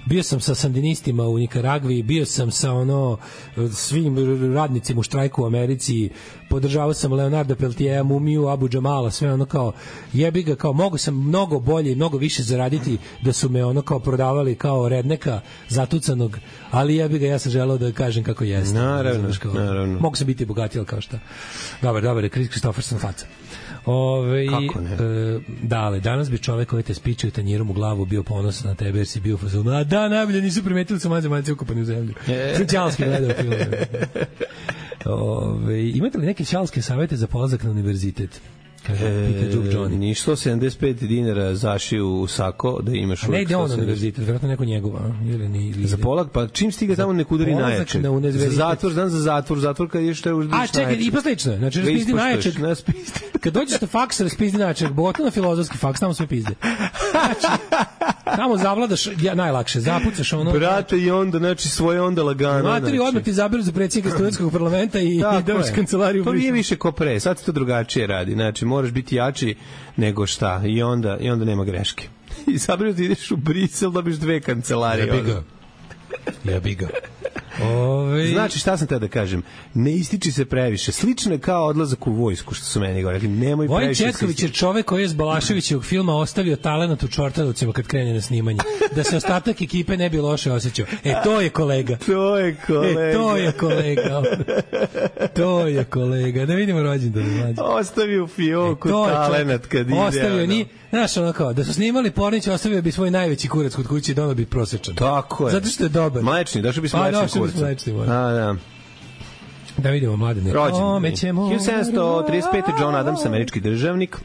bio sam sa sandinistima u Nikaragvi, bio sam sa svim radnicima u štrajku u Americi, podržavao sam Leonarda Peltiera, Mumiju, Abu Džamala, sve kao jebi ga, kao mogu sam mnogo bolje i mnogo više zaraditi da su me kao prodavali kao redneka zatucanog, ali jebi ga, ja sam želeo da kažem kako jeste. Naravno. Mogu sam biti bogatiji, ali kao šta. Dobar, Chris Christopherson faca. Kako ne? Ali danas bi čovek koji te spiče u tanjirom u glavu bio ponosan na tebe jer si bio fazonu, a da, najbolje nisu primetili su mađe ukopani u zemlju. Čalski gledao film. Imate li neke čalske savete za polazak na univerzitet? Ništo 75 dinara zašiju u sako da imaš uvijek. Ne ide on na univerzitet, vjerojatno neko njegova. Za polak, pa čim stiga tamo nek udari najjačeg. Za zatvor kad ješ te uždiš najjačeg. Čekaj, i poslično, znači raspizdi najjačeg. Kad dođeš na faks, raspizdi najjačeg, bogotovo na filozofski faks, tamo sve pizde. Znači, tamo zavladaš najlakše, zapucaš Brate, i onda, znači svoje onda lagano. Materi odmah ti zabiru za predsjednika studentskog parlamenta i dobiš kancelariju. To nije više ko pre, sad se to drugačije radi, znači moraš biti jači nego šta i onda nema greške. I zapravo ti ideš u Brisel, dobiš 2 kancelarije. Jebi ga. Znači, šta sam te da kažem? Ne ističi se previše. Slično je kao odlazak u vojsku, što su meni govorili. Nemoj previše. Vojin Četković je čovek koji je s Balaševićevog filma ostavio talenat u Čortanovcima kad krene na snimanje. Da se ostatak ekipe ne bi loše osjećao. To je kolega. To je kolega. To je kolega. To je kolega. Da vidimo rođendan. Ostavio fioku talenat kad ide. Ostavio ni, znaš, ono kao, da su snimali Pornić, ostavio bi svoj najveći kurac kod kuće i donao bi prosječan. Tako je. Zato što je dobar. Mlečni, došao bi s mlečnim kurcem. Da vidimo mladine. Rođendan. 1735. John Adams, američki državnik.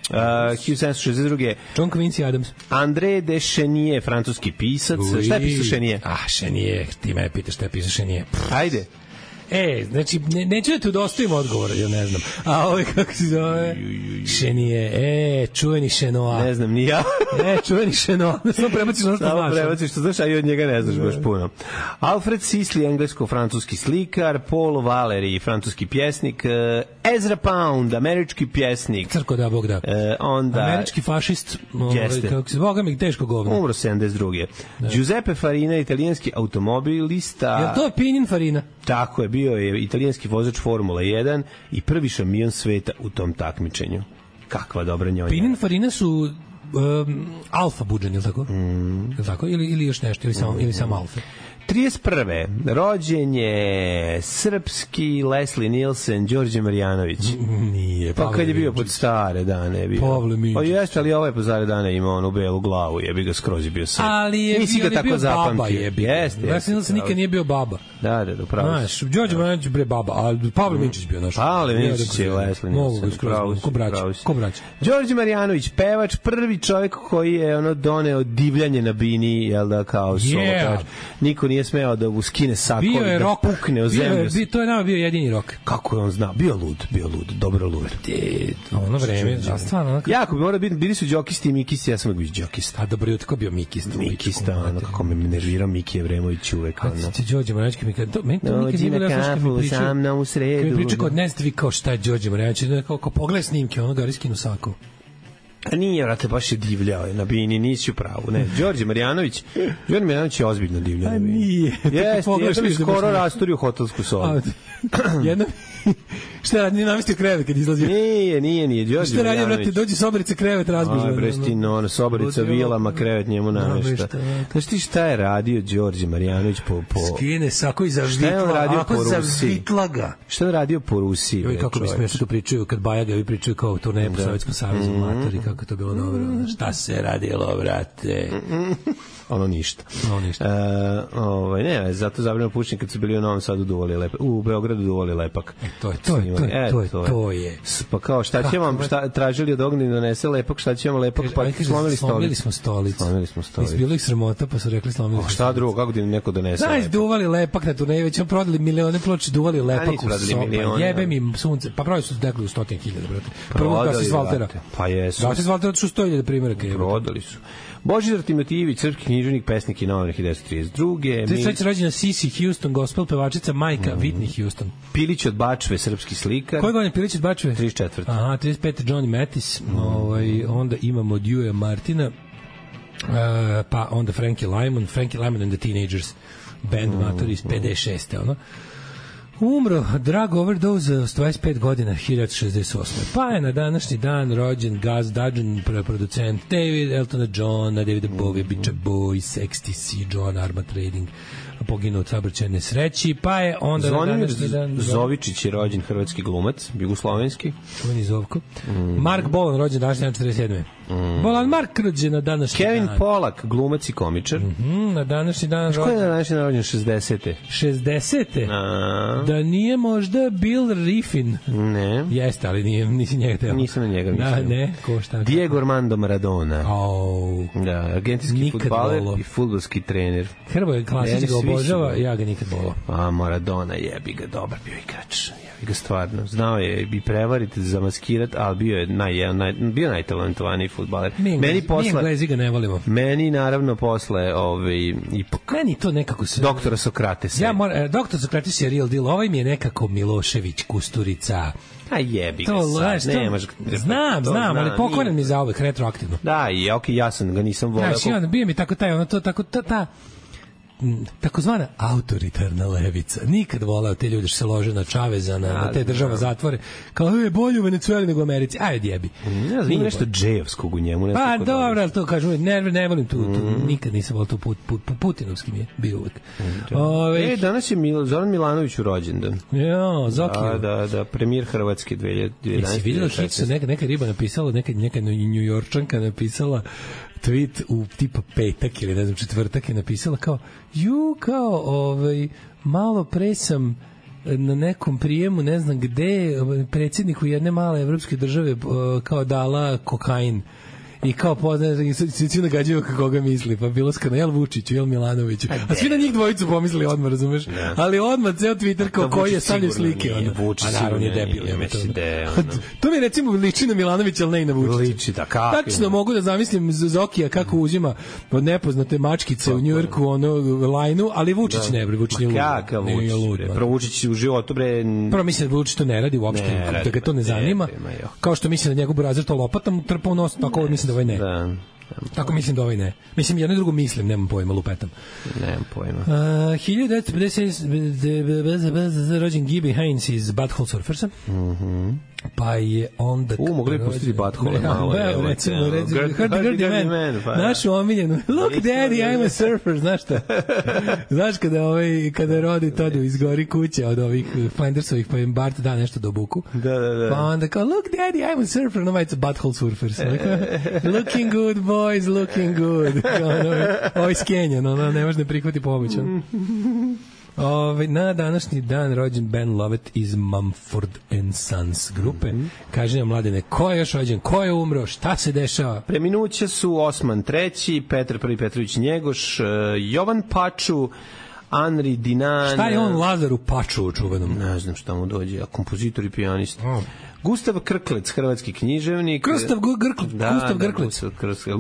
1762. John Quincy Adams. André de Chenier, francuski pisac. Šta je pisao Chenier? Chenier, ti me pitaš šta je pisao Chenier. Ajde. Znači, neću da te udostojim odgovora, ja ne znam. A ovo je kako se zove? Chenier, čuveni Chenoa. Ne znam, ni ja. Čuveni Chenoa. Samo prebaciš ono što znaš. Samo prebaciš što znaš, a i od njega ne znaš baš puno. Alfred Sisley, englesko-francuski slikar. Paul Valéry, francuski pjesnik. Ezra Pound, američki pjesnik. Crko da, Bog da. Onda... Američki fašist. Kako se, Boga mi, teško govno. Umro 72. Giuseppe Farina, italijanski automobilista. Je to Pininfarina? Tako je, bio je italijanski vozač Formula 1 i prvi šampion sveta u tom takmičenju. Kakva dobra njonja. Pininfarina su alfa budžani, ili tako? Tako? Ili još nešto, ili samo alfa? 31. rođen je srpski Leslie Nielsen, Đorđe Marjanović. Nije. Pa kad je bio pod stare dane bio. Pavle Minčić. Pa jeste, ali ovaj pod stare dane imao onu belu glavu, jebi ga skroz je bio srp. Ali je bio baba, jebi. Leslie Nielsen nikad nije bio baba. Da, upravo. Znaš, Đorđe Marjanović bre baba, a Pavle Minčić bio naš. Pavle Minčić je Leslie Nielsen. Ko brać. Đorđe Marjanović, pevač, prvi čovjek koji je doneo divljanje na bini, jel da, kao solo. Niko nije smeo da skine sako i da pukne o zemlju. To je nama bio jedini rok. Kako je on znao? Bio lud, dobro lud. Ono vreme, stvarno. Jako bi morao biti, bili su Đokisti i Mikisi, ja sam uvijek bio Đokista. A dobro, tako bio Mikista. Mikista, kako me nervirao Miki Evremović uvek. A ti Đorđe Marjanović, meni to nikad nije bilo što mi pričao. Sa mnom u sredu. Kad mi pričao kod Nestvi kao šta je Đorđe Marjanović, kao pogledaj snimke, ono ga riskinu sako. A nije, vrate, baš je divljao na bini, nisi u pravu. Ne, Đorđe Marjanović je ozbiljno divljao na bini. A nije. Jeste, jedno mi skoro rasturio hotelsku sobu. Jedno šta radi, nije namestio krevet kad izlazio? Nije, Đorđe šta radi, vrate, dođi sobarica krevet razbižno. Aj, brestino, sobarica vilama, krevet njemu namešta. Znaš ti šta je radio Đorđe Marjanović po... Skine sako iza vitlaga. Šta je radio po Rusiji? Joj, kako bi smiješno to pričaju, kad Bajaga vi pričaju kao turneje po Sovjetskom savezu, matori, kako to bilo dobro. Šta se radilo, vrate? Ono ništa. Ne, zato zabrano pušenje kad su bili u Novom Sadu duvali lepak. U Beogradu duvali lepak. To je. Pa kao, šta će vam, tražili od Ognjena donese lepak, šta će vam lepak, pa slomili smo stolicu. Bilo ih sramota, pa su rekli slomili smo. Šta drugo, kako da neko donese lepak? Znaš, duvali lepak na turneji, već vam prodali milione ploče, duvali lepak u sopa. Jebe mi sunce. Pa pravi su dekli u 100.000, brate. Prvo da se Svaltera. Pa jesu. Da se Svaltera su 100.000 primjeraka. Prodali su. Božidar Timotijević, srpski književnik, pesnik i novinar 1932. 33. rođena Sissy Houston, gospel pevačica, majka Whitney Houston. Pilić od Bačve, srpski slikar. Koje godine Pilić od Bačve? 34. Aha, 35. Johnny Mathis. Onda imamo Dewey Martina, pa onda Frankie Lymon and the Teenagers, band matori iz 56. Ono. Umro drag overdose s 25 godina 1968. Pa je na današnji dan rođen Gaz Dudgeon, producent David Eltona Johna, Davida Bowie, Beach Boys, XTC, John Arma Trading, poginuo od saobraćajne nesreći, pa je onda Zvonimir Zovičić je rođen, hrvatski glumac, jugoslovenski. Čuveni Zovko. Mark Bolan rođen današnji dan 47. Bolan Mark rođen na današnji Kevin Pollak, glumac i komičar. Na današnji dan rođen. Ko je na današnji dan rođen? 60. 60. Da nije možda Bill Riffin. Ne. Jeste, ali nisi njega teo. Nisam na njega mislio. Ne, ko šta? Diego Armando Maradona. Da, argentinski fudbaler i fudbalski trener. Hrvoje klasični ga obožava, ja ga nikad volao. A Maradona jebi ga, dobar bio igrač. Jebi ga stvarno. Znao je i prevariti, zamaskirati, ali bio je najtalentovaniji fudbaler. Mi Englezi ga ne volimo. Meni naravno posle ipak. Meni to nekako se doktora Sokrates. Doktor Sokrates je real deal. Ovaj mi je nekako Milošević, Kusturica. A jebi ga sad, nemaš... Znam, ali poklonen mi za uvek, retroaktivno. Da, i ja sam ga nisam volao. Znaš, i onda bio mi tako taj, ono to, tako, ta takozvana autoritarna levica. Nikad volao te ljude što se lože na Čaveza, na te država zatvore. Kao, bolje u Venecueli nego u Americi. Ajde, jebi. Ne znam, ima nešto džejevskog u njemu. Pa, dobro, ali to kažu, ne volim tu, nikad nisam volao tu Putinovski mi je bio uvek. Danas je Zoran Milanović u rođendan. Ja, Zokiju. Da, premijer Hrvatske 2011. Si vidjela hit, neka riba napisala, neka Njujorčanka napisala tweet u tipa petak ili ne znam četvrtak je napisala kao malo pre sam na nekom prijemu ne znam gde predsjedniku jedne male evropske države kao dala kokain i kao poznaje, svi nagađaju kako ga misli, pa bilo skano, jel Vučiću, jel Milanoviću, a svi na njih dvojicu pomislili odmah, razumeš? Ali odmah ceo Twitter kao koji je stavljaju slike. Vučić naravno je debil. To mi recimo liči na Milanovića, ali ne i na Vučića. Liči, da, kako? Tačno mogu da zamislim Zokija kako uzima od nepoznate mačkice u Njujorku lajnu, ali Vučić ne, Vučić nije lud. Kakav Vučić? Pro Vučić u životu, bre... Prvo mislim da Vučić to ne radi uopšte, da ga to ne zanima. Kao što mislim da njegov burazer to lopatom trpa u nos, tako mislim da ovaj ne. Tako mislim da ovaj ne. Mislim, jedno i drugo mislim, nemam pojma, lupetam. Nemam pojma. 1956 rođen Gibby Haynes iz Butthole Surfersa. Pa je onda... mogli pustiti Butthole malo. Recimo, Hardy Man. Našu omiljenu. Look, daddy, I'm a surfer. Znaš šta? Znaš kada rodi Todu izgori kuća od ovih Flindersovih, pa im Bart da nešto do buku. Da. Pa onda kao, look, daddy, I'm a surfer. No, it's a Butthole Surfers. Looking good, boys, looking good. Ovo iz Kenja, ne može ne prihvati pomoć. Na današnji dan rođen Ben Lovett iz Mumford & Sons grupe. Kaže nam, Mladene, ko je još rođen, ko je umro, šta se dešava? Preminuće su Osman III, Petar I Petrović Njegoš, Jovan Paču, Anri Dinan. Šta je on Lazaru Paču čuvenom? Ne znam šta mu dođe, a kompozitor i pijanist. Gustav Krklec, hrvatski književnik. Gustav Grklec.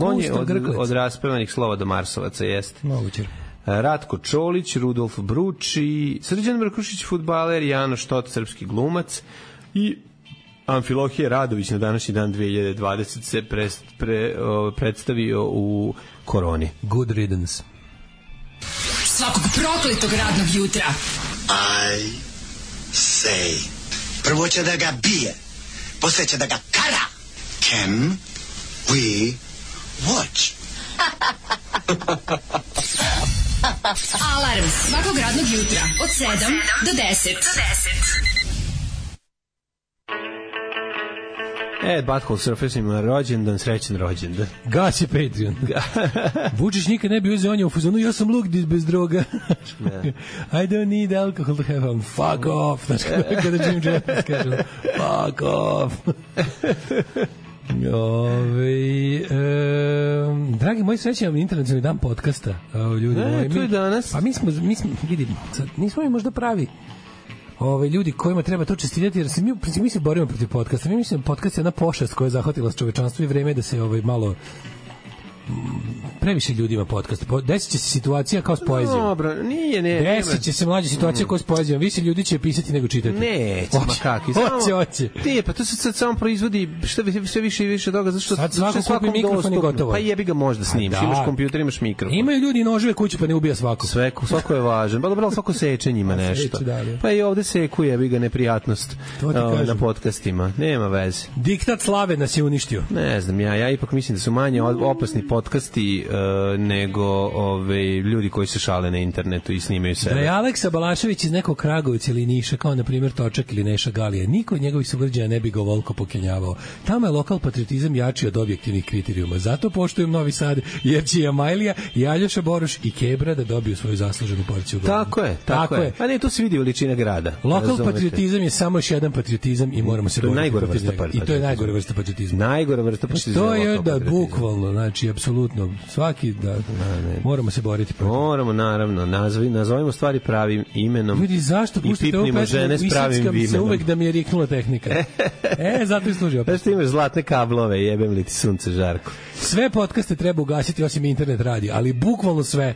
On je od raspevanih slova do Marsovaca, jeste. Moguće. Ratko Čolić, Rudolf Bruči, Srđan Mrkušić, fudbaler, Jano Štot, srpski glumac i Amfilohije Radović na današnji dan 2020 se predstavio u Koroni. Good riddance. Svakog prokletog radnog jutra. I say. Prvo će da ga bije, posle će da ga kara. Can we watch? Alarm svakog radnog jutra od 7 do 10. Butthole Surfers ima rođendan, srećan rođendan. Gas je Patreon. Vučić nikad ne bi uzeo, on je u fazonu, ja sam luk bez droga. I don't need alcohol to have fun. Fuck off. Znaš kada Jim Jeffries kaže, fuck off. Dragi moji, srećan internacionalni dan podcasta. Ljudi moji, to je danas. Pa mi smo vidi, nismo mi možda pravi ljudi kojima treba to čestitati, jer mi se borimo protiv podcasta. Mi mislimo podcast je jedna pošast koja je zahvatila čovečanstvo i vreme da se malo previše ljudima podcast. Desit će se situacija kao s poezijom. Dobro, nije. Desit će se mlađa situacija kao s poezijom. Više ljudi će pisati nego čitati. Neće, ma kakvi. Hoće. Pa to se sad samo proizvodi sve više i više toga, zato što svakom mikrofon je gotovo. Pa jebi ga možda snimiš, imaš kompjuter, imaš mikrofon. Imaju ljudi noževe kući, pa ne ubija svako. Svako je važan. Pa dobro, svako seče njima nešto. Pa i ovde seku jebi ga neprijatnost na podcastima. Nema veze. Diktat slave nas je uništio. Ne znam, ja ipak mislim da su manje opasni podcasti nego ljudi koji se šale na internetu i snimaju sebe. Da je Aleksa Balašević iz nekog Kragovica ili Niša, kao na primjer Točak ili Neša Galija, niko od njegovih sugrađana ne bi ga ovoliko pokenjavao. Tamo je lokal patriotizam jači od objektivnih kriterijuma. Zato poštujem Novi Sad, jer će Amajlija i Aljoša Boruš i Kebra da dobiju svoju zasluženu porciju glava. Tako je. A ne, to se vidi veličina grada. Lokal patriotizam je samo još jedan patriotizam i moramo se boriti protiv njega. I to je najgore vrsta patriotizma. Najgore vrsta patriotizma. To je da bukvalno, znači apsolutno svaki moramo se boriti protiv. Moramo, naravno, nazovimo stvari pravim imenom. Ljudi, zašto puštate ovu pesmu? Istickam se uvek da mi je riknula tehnika. Zato i služi opet. Zašto imaš zlatne kablove, jebem li ti sunce žarko. Sve podcaste treba ugasiti osim internet radi, ali bukvalno sve.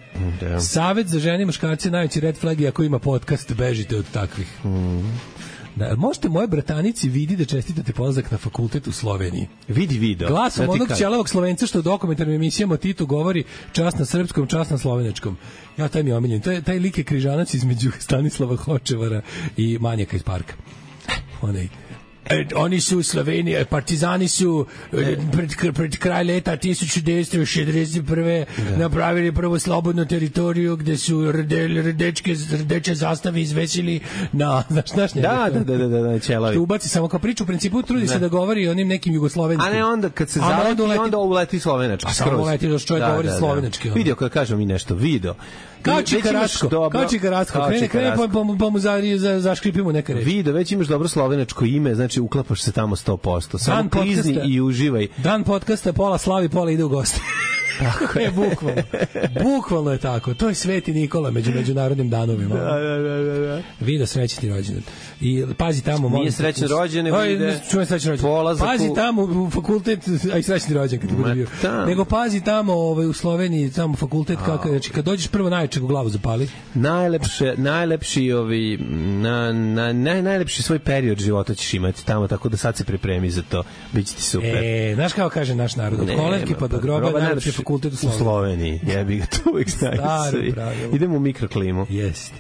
Savet za žene i muškarce najveći red flag je ako ima podcast, bežite od takvih. Da, možete moje bratanici vidi da čestitate polazak na fakultet u Sloveniji. Vidi video. Glasom onog ćelavog Slovenca što u dokumentarnim emisijama Titu govori čast na srpskom, čast na slovenačkom. Ja, taj mi je omiljen. Taj lik je križanac između Stanislava Hočevara i Manjaka iz parka. Oni su u Sloveniji, partizani su pred kraj leta 1961. napravili prvo slobodnu teritoriju gde su rdeče zastave izvesili na, znaš njega? Da, ćelavi. Što ubaci samo kao priču, u principu trudi se da govori onim nekim jugoslovenskim. A ne onda kad se zaleti, onda uleti slovenački. A samo uleti da čovjek govori slovenački. Vidio kada kažemo mi nešto, video. Kao Čikaratsko, krene pa mu zaškripimo neke reči. Video, već imaš dobro slovenačko ime, znači uklapaš se tamo 100%. Samo klizni i uživaj. Dan podcasta, pola slavi, pola ide u goste. Tako je, bukvalno je tako. To je Sveti Nikola među međunarodnim danovima. Da. Video srećni rođendan. I pazi tamo, nije srećni rođendan, ide. Čujem srećni rođendan. Pazi tamo u fakultet, a i srećni rođendan kad bude bio. Nego pazi tamo u Sloveniji, tamo fakultet kako, znači kad dođeš prvo najčeg u glavu zapali. Najlepši svoj period života ćeš imati tamo, tako da sad se pripremi za to. Biće ti super. Znaš kako kaže naš narod, od kolevke pa do groba najlepši fakultet u Sloveniji. Jebi ga, to uvijek znaju svi. Idemo u mikroklimu. Jeste.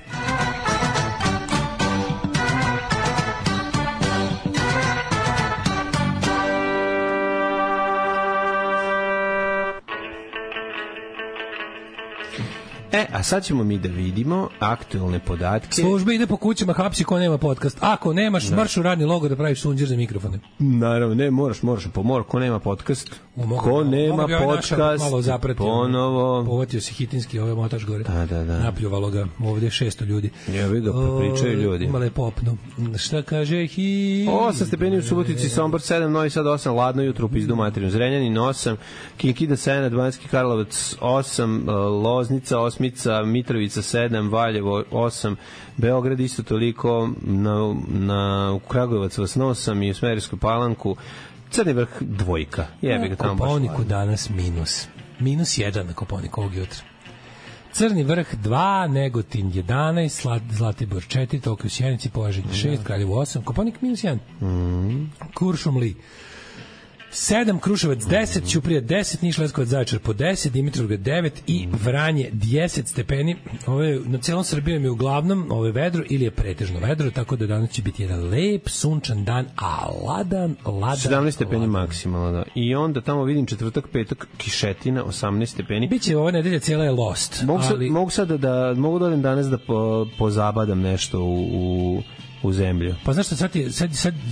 A sad ćemo mi da vidimo aktuelne podatke. Služba ide po kućama, hapsi ko nema podcast. Ako nemaš, marš u radni logor da praviš sunđer za mikrofone. Naravno, ne, moraš, ko nema podcast. Ko nema podcast, ponovo. Povatio se hitinski, ovaj motač gore. Da. Napljuvalo ga, ovdje 600 ljudi. Jevi ga, pričaju ljudi. Imale je popnu. Šta kaže 8 stepeni u Subotici, Sombor 7, Novi Sad 8, ladno jutro u pizdu materinu. Zrenjanin 8, Kinkida 7, Banjski Karlovac 8, Loznica 8, Mitrovica 7, Valjevo 8, Beograd isto toliko, u Kragujevac vas 8 i u Smederevskoj Palanku Crni Vrh 2. Jebi ga tamo baš. Koponiku danas -1 na Koponiku ovog jutra. Crni Vrh 2, Negotin 11, Zlatibor 4, Tokio u Sjenici, Požeg 6, Kraljevo 8, Koponik -1. Kuršumli 7, Kruševac 10, Ćuprija 10, Niš, Leskovac, Zaječar po 10, Dimitrovgrad 9 i Vranje 10 stepeni. Na celom Srbijom je uglavnom vedro ili je pretežno vedro, tako da danas će biti jedan lep, sunčan dan, a ladan. 17 stepeni maksimalno, da. I onda tamo vidim četvrtak, petak, kišetina, 18 stepeni. Biće ova nedelja cijela je lost. Mogu da odem danas da pozabadam nešto u zemlju. Pa znaš što, sad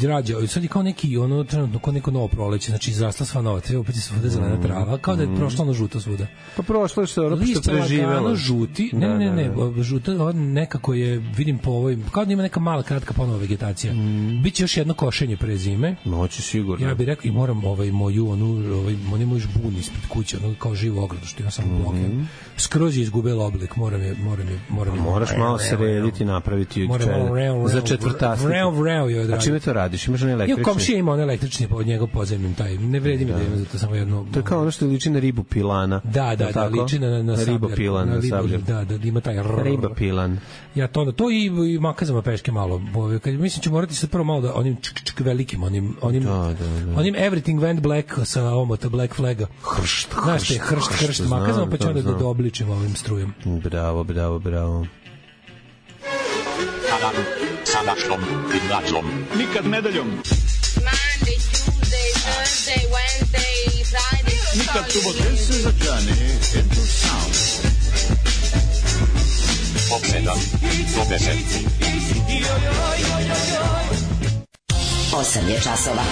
rađa, sad je kao neki, trenutno kao neko novo proleće, znači izrasla sva nova, opet je svuda zelena trava, kao da je prošlo ono žuto svuda. Pa prošlo je što preživelo. Žuti, ne, žuto, nekako je, vidim po ovoj, kao da ima neka mala, kratka ponova vegetacija. Biće još jedno košenje pre zime. Moći sigurno. Ja bih rekao i moram moju, oni moj žbun ispred kuće, kao živo ogradu, što ima samo bloke. Skroz je izgubila oblik, moram je. Moraš malo srediti, napraviti za četvrtasnik. A čime to radiš? Imaš onaj električni? Komšija ima onaj električni pod njegov podzemnim taj. Ne vredi mi da ima za to samo jedno. To je kao ono što liči na ribu pilana. Da, liči na ribopilan, na sabljar. Da, ima taj ribopilan. Ja to i makazama peške malo. Mislim ću morati se prvo malo da onim velikim, onim everything went black sa omota black flaga. Hršt makazama, pa ću onda da obličim ovim strujem. Bravo. Sa našom i mlađom. Nikad nedeljom. Monday, Tuesday, Thursday, Wednesday, Friday. Nikad subote. This is a journey into sound. Od 7 do 10. 8 je časova.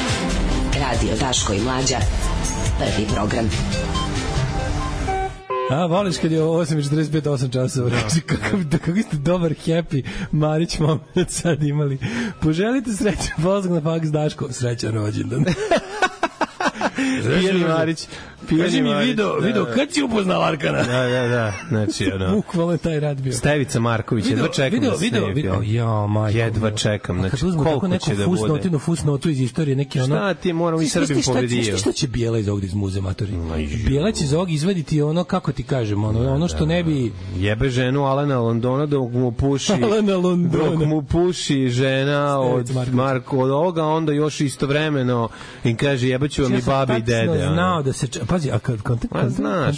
Radio Daško i Mlađa. Prvi program. Voliš kad je 8:45, 8 časova. Kako ste dobar, happy Marić moment sad imali. Poželite srećan polazak na faks, Daško. Srećan rođendan. Pijani Marić. Kaži mi video, kad si upoznao Arkana? Da. Znači, ono... Bukvalno taj rad bio. Stevica Marković, jedva čekam da snije film. Ja, majko. Jedva čekam, znači, koliko će da bude. Fusnotu iz istorije, neki ono... Šta ti moramo i Srbim povedio? Šta će Bijela iz ovog iz muze, matori? Bijela će iz ovog izvaditi ono, kako ti kažem, ono što ne bi... Jebe ženu Alana Londona dok mu puši žena od ovoga, onda još istovremeno im kaže jebaću vam i babi i dede. Znao da se... Pazi, a kad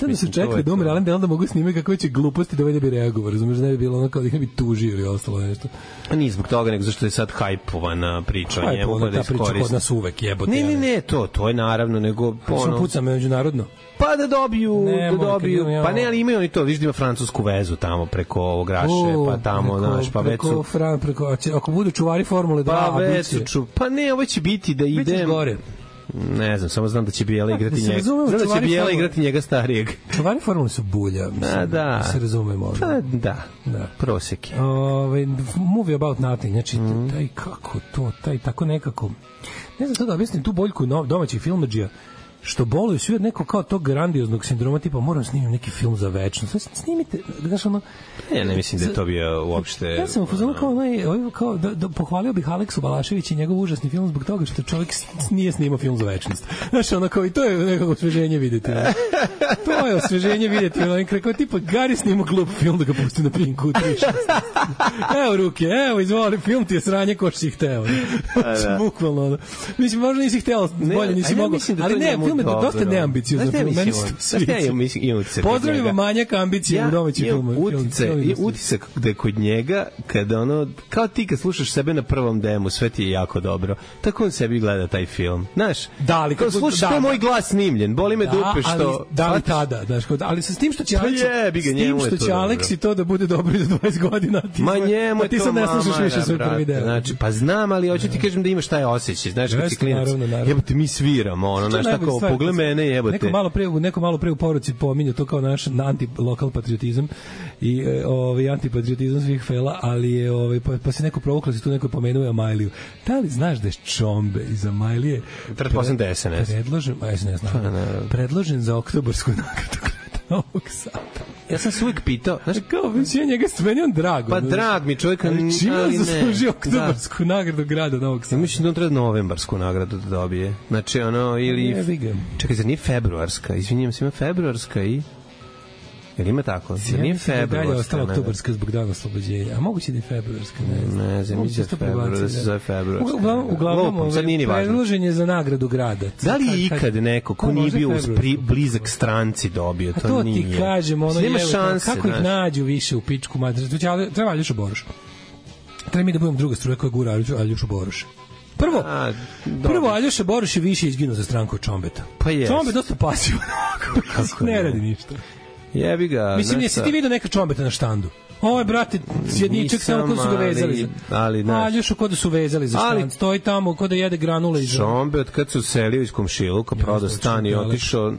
da se čekali da umre Alan Delon da mogu snimati kakve će gluposti da ovaj bi reagovao, razumiješ, ne bi bilo ono kao da ih ne bi tužio ili ostalo nešto. A nije zbog toga, nego zašto je sad hajpovana priča o njemu. Ta priča kod nas uvek jebote. Ne, to je naravno, nego... Što puca međunarodno? Pa da dobiju, pa ne, ali imaju oni to, viš da ima francusku vezu tamo preko ovog Raše, pa tamo, znaš, pa već su... Ako budu čuvari Formule 2, pa već su, pa ne, ovo će biti da ide... gore. Ne znam, samo znam da će Bijela igrati njega. Znam da će Bijela igrati njega starijeg. Čuvari Formule su bulja, mislim, da se razumemo. Da, proseki. Movie about nothing, znači, taj kako to, taj tako nekako... Ne znam to da objasnim tu boljku domaćih filmadžija, što boluju svi od nekog kao tog grandioznog sindroma, tipa moram snimiti neki film za večnost. Snimite, znaš ono... Ne mislim da je to bio uopšte... Ja samufuzano kao da pohvalio bih Aleksu Balašević i njegov užasni film zbog toga što čovjek nije snimao film za večnost. Znaš ono kao i to je nekako osveženje vidjeti. To je osveženje vidjeti. Kao tipa Gari snimao glup film da ga pusti na Pinku u 3.16. Evo ruke, evo izvoli, film ti je sranje ko što si hteo. Bukvalno. Mislim, možda nisi hteo, bolje nisi mogao. Ali ne, film je dosta neambiciozan. Pozdravimo manjak ambicije u domaćim filmu. Utisak da je kod njega, kada ono, kao ti kad slušaš sebe na prvom demu, sve ti je jako dobro. Tako on sebi gleda taj film. Znaš, kad slušaš, to je moj glas snimljen, boli me dupe što... Da li tada, ali sa tim što će Aleksi to da bude dobro i za 20 godina, ti sad ne slušaš više svoj prvi deo. Znači, pa znam, ali hoću ti kažem da imaš taj osjećaj, znaš, kad si klinac, jebote, mi sviramo, ono, znaš, tako, pogled mene, jebote. Neko malo pre u poruci pominju to kao naš anti-lokal patriotizam i antipatriotizam svih fela, ali je pa se neko provuklo, se tu neko pomenuje Amajliju. Da li znaš da je Čombe iz Amajlije predložen za oktobarsku nagradu Novog Sada? Ja sam se uvijek pitao, znaš, kao ja njega meni on drago. Pa drag mi čovjek, ali čim je zaslužio oktobarsku nagradu grada Novog Sada? Ja mislim da on treba novembarsku nagradu da dobije. Znači ono, ili... Čekaj, zar nije februarska? Izvinjam se, ima februarska i... Jer ima tako? Zar nije februarska? Dalje ostala oktobarska zbog dana oslobođenja. A moguće da je februarska? Ne znam, mislim da se zove februarska. Uglavnom, predložen je za nagradu grada. Da li je ikad neko ko nije bio blizak stranci dobio? To nije. To ti kažem, ono je, kako ih nađu više u pičku materiju? Treba Aljoša Boroš. Treba mi da budem druga struja koja gura Aljošu Boroša. Prvo Aljoša Boroš je više izginuo za stranku od Čombeta. Pa jes. Čombe dosta pasivan. Ne radi ništa. Jebi ga. Mislim, jesi ti vidio neka Čombeta na štandu? Ovo je, brate, sjedničak samo kod su ga vezali. Aljošu kod su vezali za štand. Stoji tamo kod da jede granule. Čombet kad se uselio iz Komšiluka, prodao stan i otišao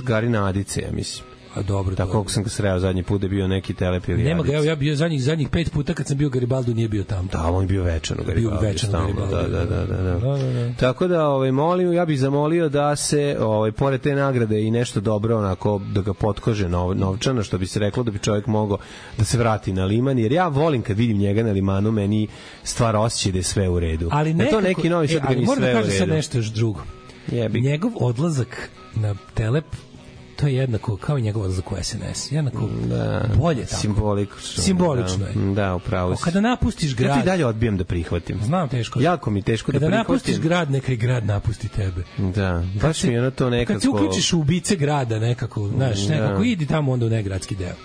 Gari Nadice, ja mislim. A dobro. Tako kako sam ga sreo zadnji put da bio neki telepili. Nema ga, evo ja bio zadnjih 5 puta kad sam bio Garibaldu nije bio tamo. Da, on je bio večan u Garibaldu. Bio večan u Garibaldu. Da. Tako da molim, ja bih zamolio da se pored te nagrade i nešto dobro onako da ga potkože novčano, što bi se reklo da bi čovjek mogao da se vrati na liman, jer ja volim kad vidim njega na limanu, meni stvara osjećaj da je sve u redu. Ali nekako, to neki novi sad ga ni sve u redu. Moram da kažem sad nešto još drugo. Njegov odlazak na Telep, to je jednako kao i njegov odlazak u SNS. Jednako bolje tako. Simbolično je. Da, upravo si. Kada napustiš grad... Ja ti dalje odbijam da prihvatim. Znam, teško. Jako mi teško da prihvatim. Kada napustiš grad, neka i grad napusti tebe. Da, baš mi je ono to nekako... Kad se uključiš u ubice grada nekako, znaš, nekako idi tamo onda u negradski deo.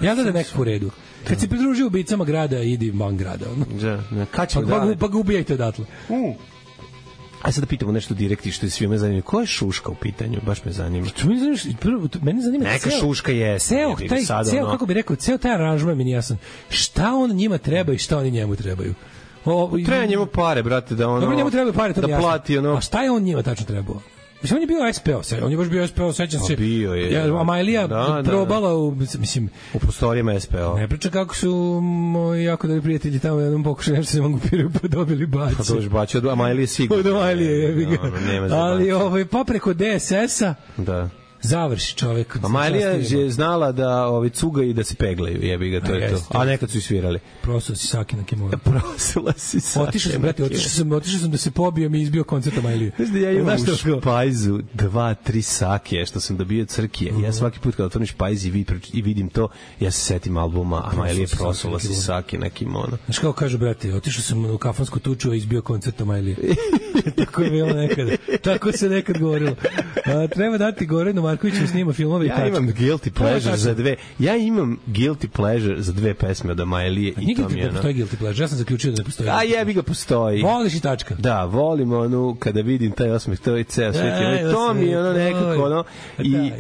Ja da nekako u redu. Kad se pridruži ubicama grada, idi van grada. Pa ga ubijajte odatle. A sad da pitamo nešto direktno što je svima zanimljivo. Ko je Šuška u pitanju? Baš me zanima. Mene zanima neka Šuška je. Kako bi rekao, ceo taj aranžman mi nije jasan. Šta on njima treba i šta oni njemu trebaju? Treba njemu pare, brate, da ono... Dobro, njemu trebaju pare, to mi jasno. Plati ono... A šta je on njima tačno trebao? Mislim, on je bio SPO, on je baš bio SPO, sećam se. Bio je. Amajlija probala u prostorijama SPO. Ne priča kako su moji jako dobri prijatelji tamo jednom pokušali nešto se mangupiraju pa dobili baci. Pa dođe baci od Amajlije sigurno. Od Amajlije, jebi ga. Ali pa preko DSS-a. Da. Završi čovek. A Majlija je znala da cuga i da se peglaju, jebi ga, to je to. A nekad su i svirali. Prosila si Saki na Kimura. Prosila si Saki. Otišao sam da se pobijem i izbio koncert Majlije. Znaš da ja imam u špajzu 2-3 Sakije što sam dobio Crkije. Ja svaki put kad otvorim špajz i vidim to, ja se setim albuma, a Majlije prosila si Saki na kimono. Znaš kako kažu, brate, otišao sam u kafansku tuču i izbio koncert Majlije. Tako je bilo nekada. Tako se nekad govorilo. Treba dati Goranu Markoviću snima filmove i tačka. Ja imam guilty pleasure za dve. Ja imam guilty pleasure za dve pesme od Majlije i to mi je. Postoji guilty pleasure. Ja sam zaključio da ne postoji. A jebi ga, postoji. Voliš i tačka. Da, volim onu kada vidim taj osmeh, to je ceo svet. To mi je ono nekako ono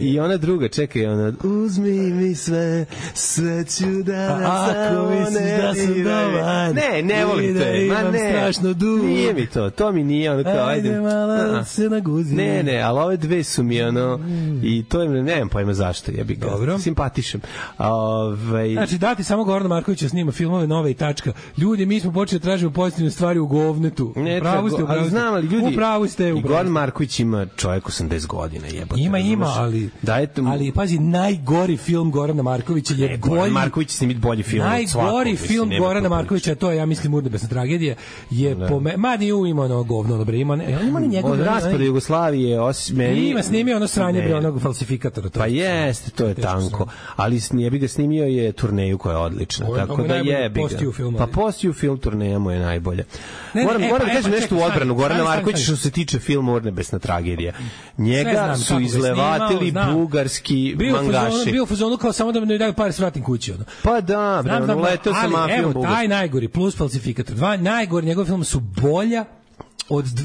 i ona druga, čekaj, ona uzmi mi sve ću da ako misliš da sam dobar. Ne volim te. Ma ne. Strašno dugo. Nije mi to. To mi nije ono kao ajde malo se naguzi. Ne, ali ove dve su mi ono i to je, nemam pojma zašto, ja bih ga simpatišem. Znači, dati samo Gorana Markovića snima filmove nove i tačka. Ljudi, mi smo počeli da tražimo pozitivne stvari u govnetu. Upravo ste. Znam, ali ljudi, upravo ste. I Goran Marković ima čovjek 80 godina, jebote. Ima, ali pazi, najgori film Gorana Markovića je Goran Marković snimi bolji film od svakog. Najgori film Gorana Markovića, to je, ja mislim, Urnebesna tragedija, je Madiju ima ono govno, dobro, ima njegov od raspada Jugoslavije ima snimio ono sranje bre onog falsifikatora. Pa jeste, to je tanko, ali jebi ga snimio je turneju koja je odlična, tako da jebi ga. Pa postiju film turneja mu je najbolja. Moram da kažem nešto u odbranu Gorana Markovića što se tiče filma Urnebesna tragedija. Njega su izlevatili bugarski mangaši. Bio u fazonu kao samo da mi daju pare s vratim kući. Pa da, bre, uleteo sa mafijom bugarskom. Evo, taj najgori plus falsifikator. Dva najgori njegov film su bolja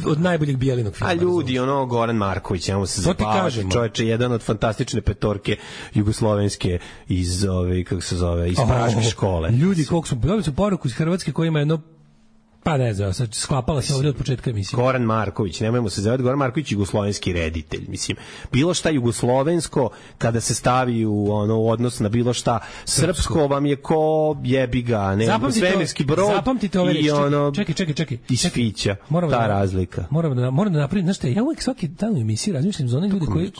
od najboljeg Bijelinog filma. A ljudi, ono Goran Marković, njemu se zabavati, čoveče, jedan od fantastične petorke jugoslovenske iz kako se zove, iz Praške škole. Ljudi, koliko su dobili su poruku iz Hrvatske koja ima jedno pa ne znam, sad sklapala se ovdje od početka emisije. Goran Marković, nemojmo se zavati, Goran Marković je jugoslovenski reditelj, mislim. Bilo šta jugoslovensko, kada se stavi u odnos na bilo šta srpsko, vam je ko jebi ga, ne, svemirski brod i ono, čekaj. Iz Fića, ta razlika. Moram da napravim, znaš šta, ja uvijek svaki dan u emisiji razmišljam za one ljude koji,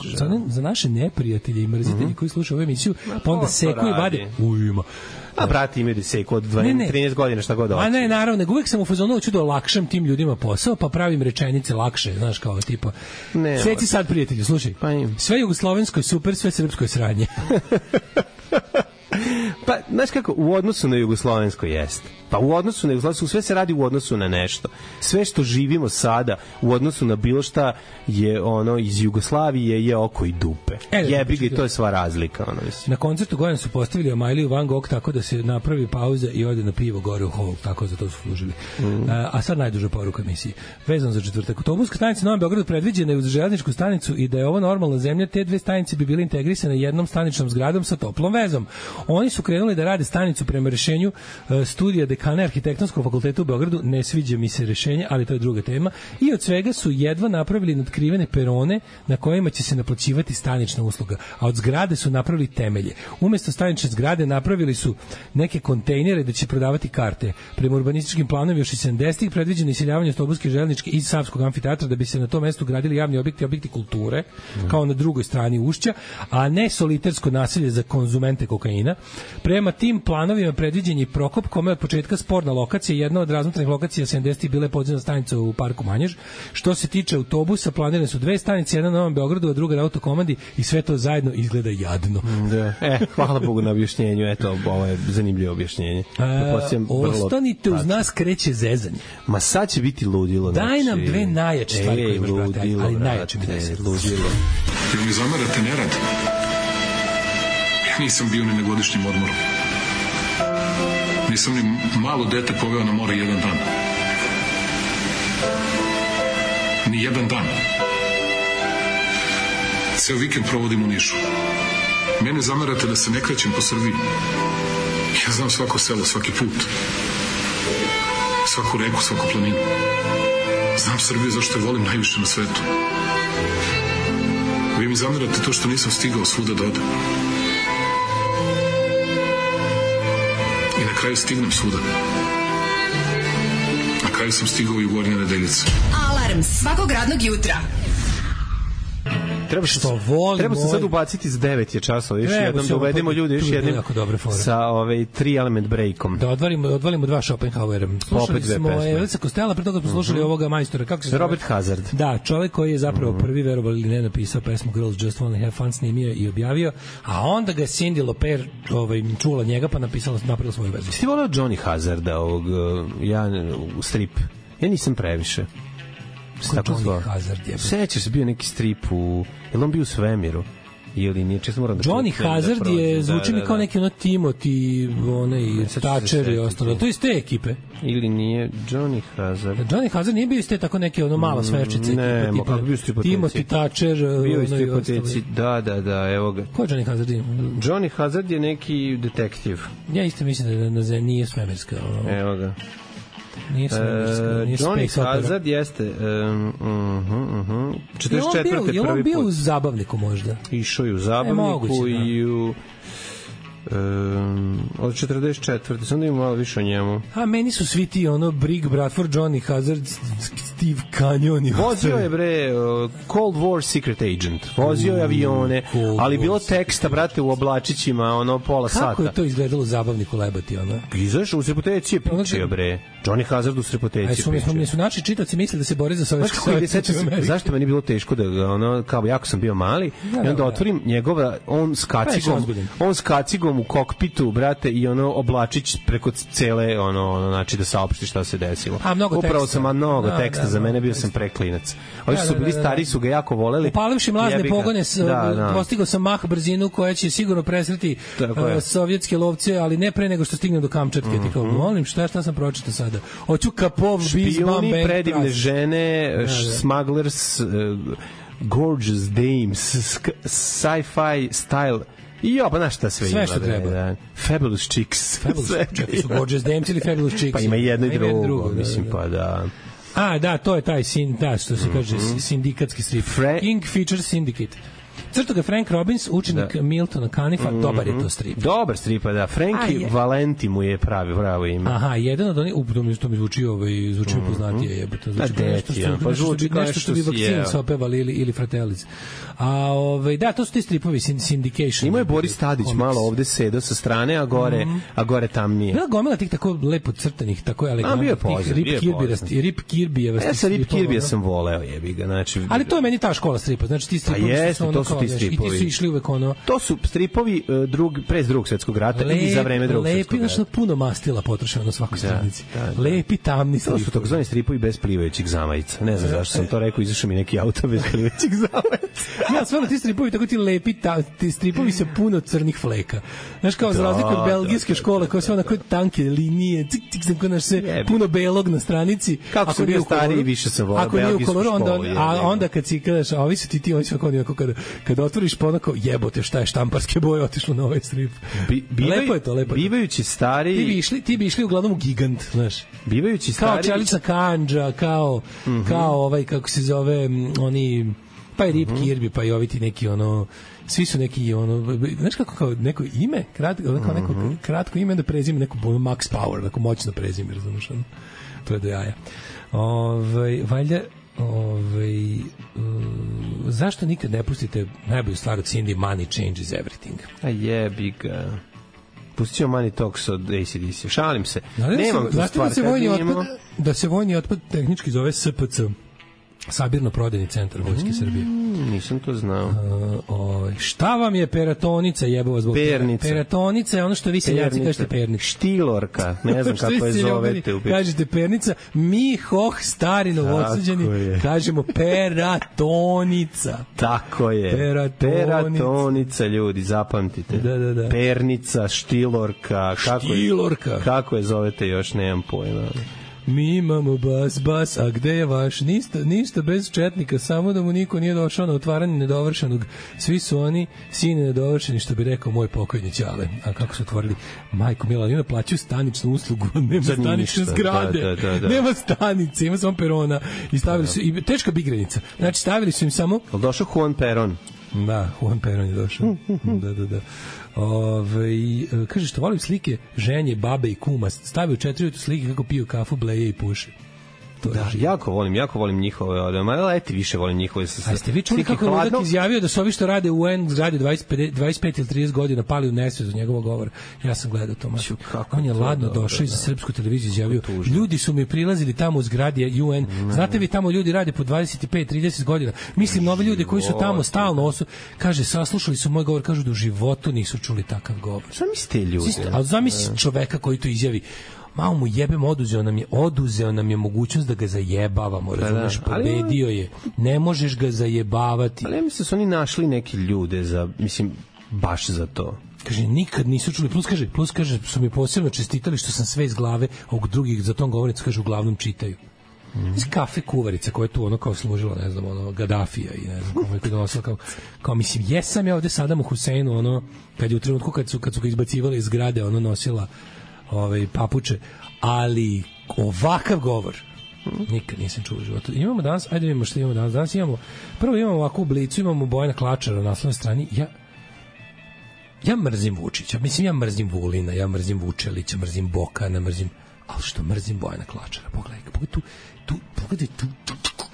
za naše neprijatelje i mrzitelji koji slušaju ovu emisiju, pa onda seku i vade, ujma. A brati imaju deseku od 13 godina, šta god hoće. A ne, naravno, nego uvijek sam u fazonu hoću da olakšam tim ljudima posao, pa pravim rečenice lakše, znaš, kao tipa. Seci sad, prijatelju, slušaj. Sve jugoslovensko je super, sve srpsko je sranje. Pa, znaš kako, u odnosu na jugoslovensko jeste. Pa u odnosu na jugoslovensko, sve se radi u odnosu na nešto. Sve što živimo sada u odnosu na bilo šta je ono iz Jugoslavije je oko i dupe. Jebi ga i to je sva razlika. Ono, na koncertu Goran su postavili Amajliju Van Gogh tako da se napravi pauza i ode na pivo gore u hol, tako za to su služili. A sad najduža poruka emisije. Vezano za četvrtak. Autobuska stanica u Novom Beogradu predviđena je uz železničku stanicu i da je ovo normalna zemlja, te dve stanice bi bile integrisane jednom staničnom zgradom sa toplom vezom. Oni su krenuli da rade stanicu prema rešenju studija dekana Arhitektonskog fakulteta u Beogradu. Ne sviđa mi se rešenje, ali to je druga tema. I od svega su jedva napravili nadkrivene perone na kojima će se naplaćivati stanična usluga. A od zgrade su napravili temelje. Umesto stanične zgrade napravili su neke kontejnere da će prodavati karte. Prema urbanističkim planovima još i 70-ih predviđeno iseljavanje autobuske, železničke i Savskog amfiteatra da bi se na tom mestu gradili javni objekti kulture, kao na drugoj strani Ušća, a ne solitersko naselje za konzumente kokaina. Prema tim planovima predviđen je Prokop, kome od početka sporna lokacija, jedna od razmotranih lokacija 70-ih bila je podzemna stanica u parku Manjež. Što se tiče autobusa, planirane su dve stanice, jedna na Novom Beogradu, a druga na Autokomandi i sve to zajedno izgleda jadno. Hvala Bogu na objašnjenju, eto, ovo je zanimljivo objašnjenje. Ostanite uz nas, kreće zezanje. Ma sad će biti ludilo. Daj nam dve najjače stvari koje imaš, brate, ali najjače mi desi. Ludilo. Jel mi zamerate nerad? Ja nisam bio ni na godišnjem odmoru. Nisam ni malo dete poveo na more jedan dan. Ni jedan dan. Ceo vikend provodim u Nišu. Mene zamerate da se ne krećem po Srbiji. Ja znam svako selo, svaki put. Svaku reku, svaku planinu. Znam Srbiju zašto je volim najviše na svetu. Vi mi zamerate to što nisam stigao svuda da odem. I na kraju stignem svuda. Na kraju sam stigao i u Gornje Nedeljice. Alarm svakog radnog jutra. treba se sad ubaciti s 9 je časova, još jednom da uvedemo ljudi još jednim sa 3 element breakom. Da odvalimo 2 Schopenhauera. Slušali smo Elisa Costello, pre toga smo slušali ovoga majstora, kako se zove? Robert Hazard. Da, čovjek koji je zapravo prvi, verovali ili ne, napisao pesmu Girls Just Wanna Have Fun, snimio i objavio, a onda ga Cindy Lauper čula njega pa napravila svoju verziju. Ti voleo Johnny Hazarda, strip? Ja nisam previše. Johnny Hazard je. Sećaš se, bio neki strip je li on bio u svemiru? Ili nije, često moram da Johnny Hazard je, zvuči mi kao neki Timothy, Thatcher i ostalo. To je iz te ekipe. Ili nije Johnny Hazard? Johnny Hazard nije bio iz te tako neke mala sveščice. Ne, kako bio stripoteci? Timothy Thatcher. Bio iz stripoteci, da, evo ga. Ko je Johnny Hazard? Johnny Hazard je neki detektiv. Ja isto mislim da nije svemirska. Evo ga. Nije Johnny Hazard jeste 44. Je on bio u Zabavniku možda? Išao je u Zabavniku i u od 44. Sam da imam malo više o njemu. A meni su svi ti Brig Bradford, Johnny Hazard, Steve Canyon. Vozio je Cold War Secret Agent. Vozio je avione, ali bilo teksta, brate, u oblačićima, pola sata. Kako je to izgledalo u Zabavniku lebati, Izašao u Srepoteci je pričao, bre. Johnny Hazard u Srepoteci pričao. Su naši čitaoci misle da se bore za Sovjetski Savez. Zašto meni bilo teško da kao jako sam bio mali i onda otvorim njegova, on s kacigom u kokpitu, brate, i oblačić preko cele, znači da saopšti šta se desilo. Upravo sam mnogo teksta, za mene bio sam preklinac. Ovi su bili stari, su ga jako voleli. Upalivši mlazne pogone, postigao sam mah brzinu koja će sigurno presreti sovjetske lovce, ali ne pre nego što stignem do Kamčatke. Ti kao, molim, šta sam pročitao sada? Hoću Kapov, Špijuni, predivne žene, smugglers, gorgeous dames, sci-fi style. Pa znaš šta sve ima. Sve što treba. Fabulous Chicks. Čekaj, su Gorgeous Dames ili Fabulous Chicks? Pa ima jedno i drugo, mislim, pa da. Da, to je taj što se kaže sindikatski strip. King Feature Syndicate. Crto ga Frank Robbins, učenik Miltona Canifa, dobar je to strip. Dobar strip, da. Frankie Valenti mu je pravo ime. Aha, jedan od onih, to mi zvuči poznatije, jebote. Zvuči nešto što bi vakcinu se opevali ili Fratellis. Da, to su ti stripovi, Syndication. Imao je Boris Tadić malo ovde sedao sa strane, a gore tamnije. Bila gomila tih tako lepo crtanih, tako elegantnih, Rip Kirbyjeva. Ja sa Rip Kirbija sam voleo, jebi ga. Ali to je meni ta škola stripa, znači ti stripovi su ti stripovi. I ti su išli uvek To su stripovi pre drugog svetskog rata i za vreme drugog svetskog rata. Lepi, puno mastila potrošeno na svakoj stranici. Lepi, tamni stripovi. To su takozvani stripovi bez plivajućih zamajica. Ne znam zašto sam to rekao, izašao mi neki auto bez plivajućih zamajica. Ja, stvarno ti stripovi, tako ti lepi, ti stripovi sa puno crnih fleka. Znaš, kao za razliku od belgijske škole, koja su onako tanke linije, cik, puno belog na stranici. Kako sam bio stariji, više sam volao belgijsku školu. A onda kad si kažeš, a ovi su ti, oni su kada otvoriš pa onako, jebote, šta je štamparske boje otišlo na ovaj strip. Lepo je to, lepo. Bivajući stari... Ti bi išli uglavnom u Gigant, znaš. Bivajući stari... Kao Čelična kanđa, kao kako se zove, oni... Pa i Rip Kirby, pa i ovi ti neki, svi su neki, znaš kako, kao neko ime, kratko ime, da prezime neko Max Power, neko moćno prezime, razumiješ, to je do jaja. Valjda, zašto nikad ne pustite najbolju stvar od Cindy, Money Changes Everything? A jebi ga. Pustit ćemo Money Talks od AC/DC. Šalim se. Nemam tu stvar da se vojni otpad tehnički zove SPC. Sabirno-prodajni centar Vojske Srbije. Nisam to znao. Šta vam je peratonica, jebova zbog pernica? Peratonica je ono što vi seljaci kažete pernica. Štilorka, ne znam kako je zovete. Kažete pernica, mi stari novosađani kažemo peratonica. Tako je. Peratonica, ljudi, zapamtite. Da. Pernica, štilorka. Kako je zovete još, nemam pojma. Mi imamo bas, a gde je vaš? Ništa bez četnika, samo da mu niko nije došao na otvaranje nedovršenog. Svi su oni sine nedovršeni, što bi rekao moj pokojni ćale. A kako su otvorili? Majko mila, oni naplaćuju staničnu uslugu, nema stanične zgrade, nema stanice, ima samo perona. I stavili su, i teška bigrenica. Znači, stavili su im samo... Ali došao Juan Peron. Da, Juan Peron je došao. Da. Kaže što volim slike ženje, babe i kuma, stavio 4 slike kako piju kafu, bleje i puše. Da, jako volim njihove, leti više volim njihove. A ste vi čuli kako Ludak izjavio da su ovi što rade u UN zgradi 25 ili 30 godina pali u nesvest od njegovog govora? Ja sam gledao to, on je ladno došao i za srpsku televiziju izjavio, ljudi su mi prilazili tamo u zgradi UN, znate vi tamo ljudi rade po 25-30 godina, mislim na ove ljude koji su tamo stalno kaže, saslušali su moj govor, kažu da u životu nisu čuli takav govor. Šta mislite ljudi? Ali zamisli čoveka koji to izjavi, malo mu jebem, oduzeo nam je mogućnost da ga zajebavamo, razumeš, pobedio je, ne možeš ga zajebavati. Ali ja mislim da su oni našli neki ljude baš za to. Kaže, nikad nisu čuli, plus kaže, su mi posebno čestitali što sam sve iz glave, a u drugih za tom govornicu, kaže, uglavnom čitaju. Iz kafe kuvarica koja je tu kao služila, ne znam, Gadafija i ne znam kome je donosila kao mislim, jesam ja ovde Sadamu Huseinu, kad je u trenutku kad su ga izbacivali iz zgrade, nosila papuče, ali ovakav govor nikad nisam čuo u životu. Imamo danas, ajde vidimo što imamo danas. Danas imamo ovakvu oblicu, imamo Bojana Klačara na naslovnoj strani. Ja mrzim Vučića, ja mrzim Vulina, ja mrzim Vučelića, mrzim Bokana, ali što mrzim Bojana Klačara, pogledaj tu,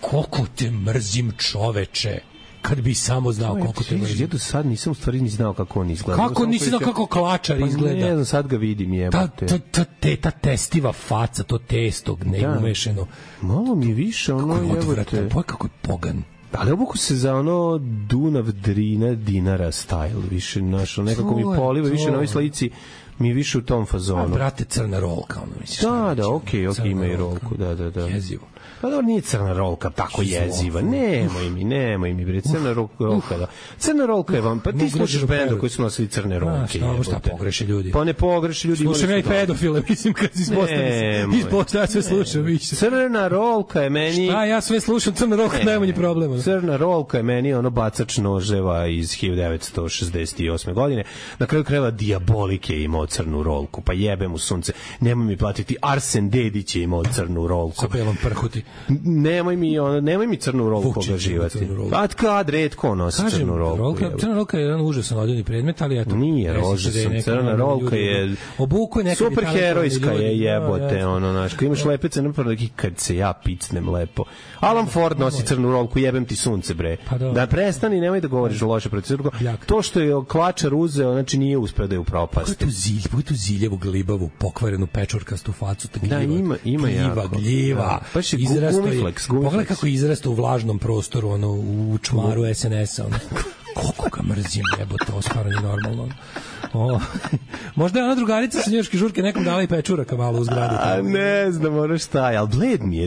koliko te mrzim, čoveče, kad bi samo znao koliko te mrzim. Ja do sad nisam u stvari ni znao kako on izgleda. Kako nisi znao kako Klačar izgleda? Ne znam, sad ga vidim, jebate. Ta testiva faca, to testo neumešeno. Malo mi više jebate. Kako je pogan. Ali obuku se za Dunav, Drina, Dinara style, više nekako mi poliva, više na ovoj slici mi više u tom fazonu. Brate, crna rolka, misliš? Da, okej, ima i rolku, da. Jezivo. Pa dobro, nije crna rolka tako jeziva. Nemoj mi, bre, crna rolka, da. Crna rolka je vam, pa ti slušaš benda koji su nosili crne rolke. Šta pogreše ljudi? Pa ne pogreše ljudi. Slušam ja i pedofile, mislim, kad si ispostavio, sve slušam više. Crna rolka je meni... Šta, ja sve slušam, crna rolka je najmanji problem. Crna rolka je meni bacač noževa iz 1968. godine. Na kraju krajeva Diabolik je imao crnu rolku, pa jebe mu sunce. Nemoj mi platiti, Arsen Dedić je imao crnu rolku. Sa belom prhuti. Nemoj mi crnu rolku ogaživati. Pa kad redko nosi crnu rolku. Crna rolka je jedan užasan odjevni predmet, ali eto. Nije užasan, crna rolka je superherojska je, jebote, kad imaš lepice napravo, kad se ja picnem lepo. Alan Ford nosi crnu rolku, jebem ti sunce, bre. Da prestani, nemoj da govoriš loše protiv. To što je Klačar uzeo, znači nije uspeo da je upropasti. Pogledaj tu ziljevu, glibavu, pokvarenu pečurkastu facu, gljiva. Pogledaj kako je izrastao u vlažnom prostoru, u čmaru SNS-a. Koliko ga mrzim, jebote, ovo stvarno nije normalno. Možda je ona drugarica sa njujorške žurke nekom dala i pečuraka malo u zgradu. A ne znam šta je, ali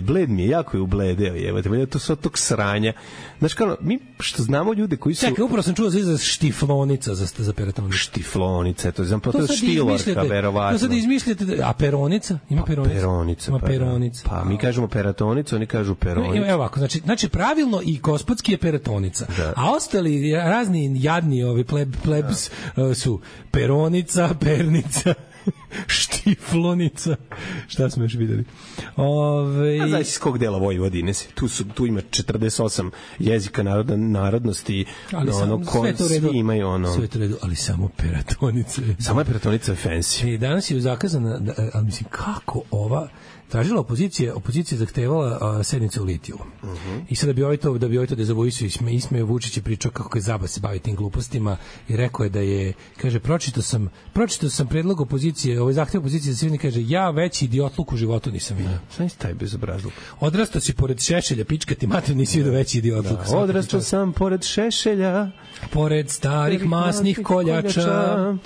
bled mi je, jako je ubledeo, jebote, to su od tog sranja. Znaš kao, mi što znamo ljude koji su... Čekaj, upravo sam čuo za izraz štiflonica za peratonicu. Štiflonica, to znam, to je štilorka, verovatno. To sad izmišljate, a peronica? Ima peronica. Peronica. Pa mi kažemo peratonicu, oni kažu peronica. Evo ovako, znači pravilno i gospodski je peratonica, a ostali razni jadni plebs su peronica, pernica, štiflonica. Šta smo još videli? A znaš iz kog dela Vojvodine si? Tu ima 48 jezika narodnosti. Svi imaju sve to redu, ali samo peratonice. Samo je peratonica fancy. Danas je zakazana, ali mislim, kako ova tražila opozicija zahtevala sednicu u litiju. I sad da bi ovaj to dezavuisao ismeo Vučić i pričao kako je zaba se bavi tim glupostima i rekao je da je, kaže, pročitao sam predlog opozicije, ovaj zahtev opozicije da se vidi, kaže, ja veći idiotluk u životu nisam vidio. Šta je taj bezobrazluk? Odrastao si pored Šešelja, pička ti mater, nisi vidio veći idiotluk. Odrastao sam pored Šešelja, pored starih masnih koljača,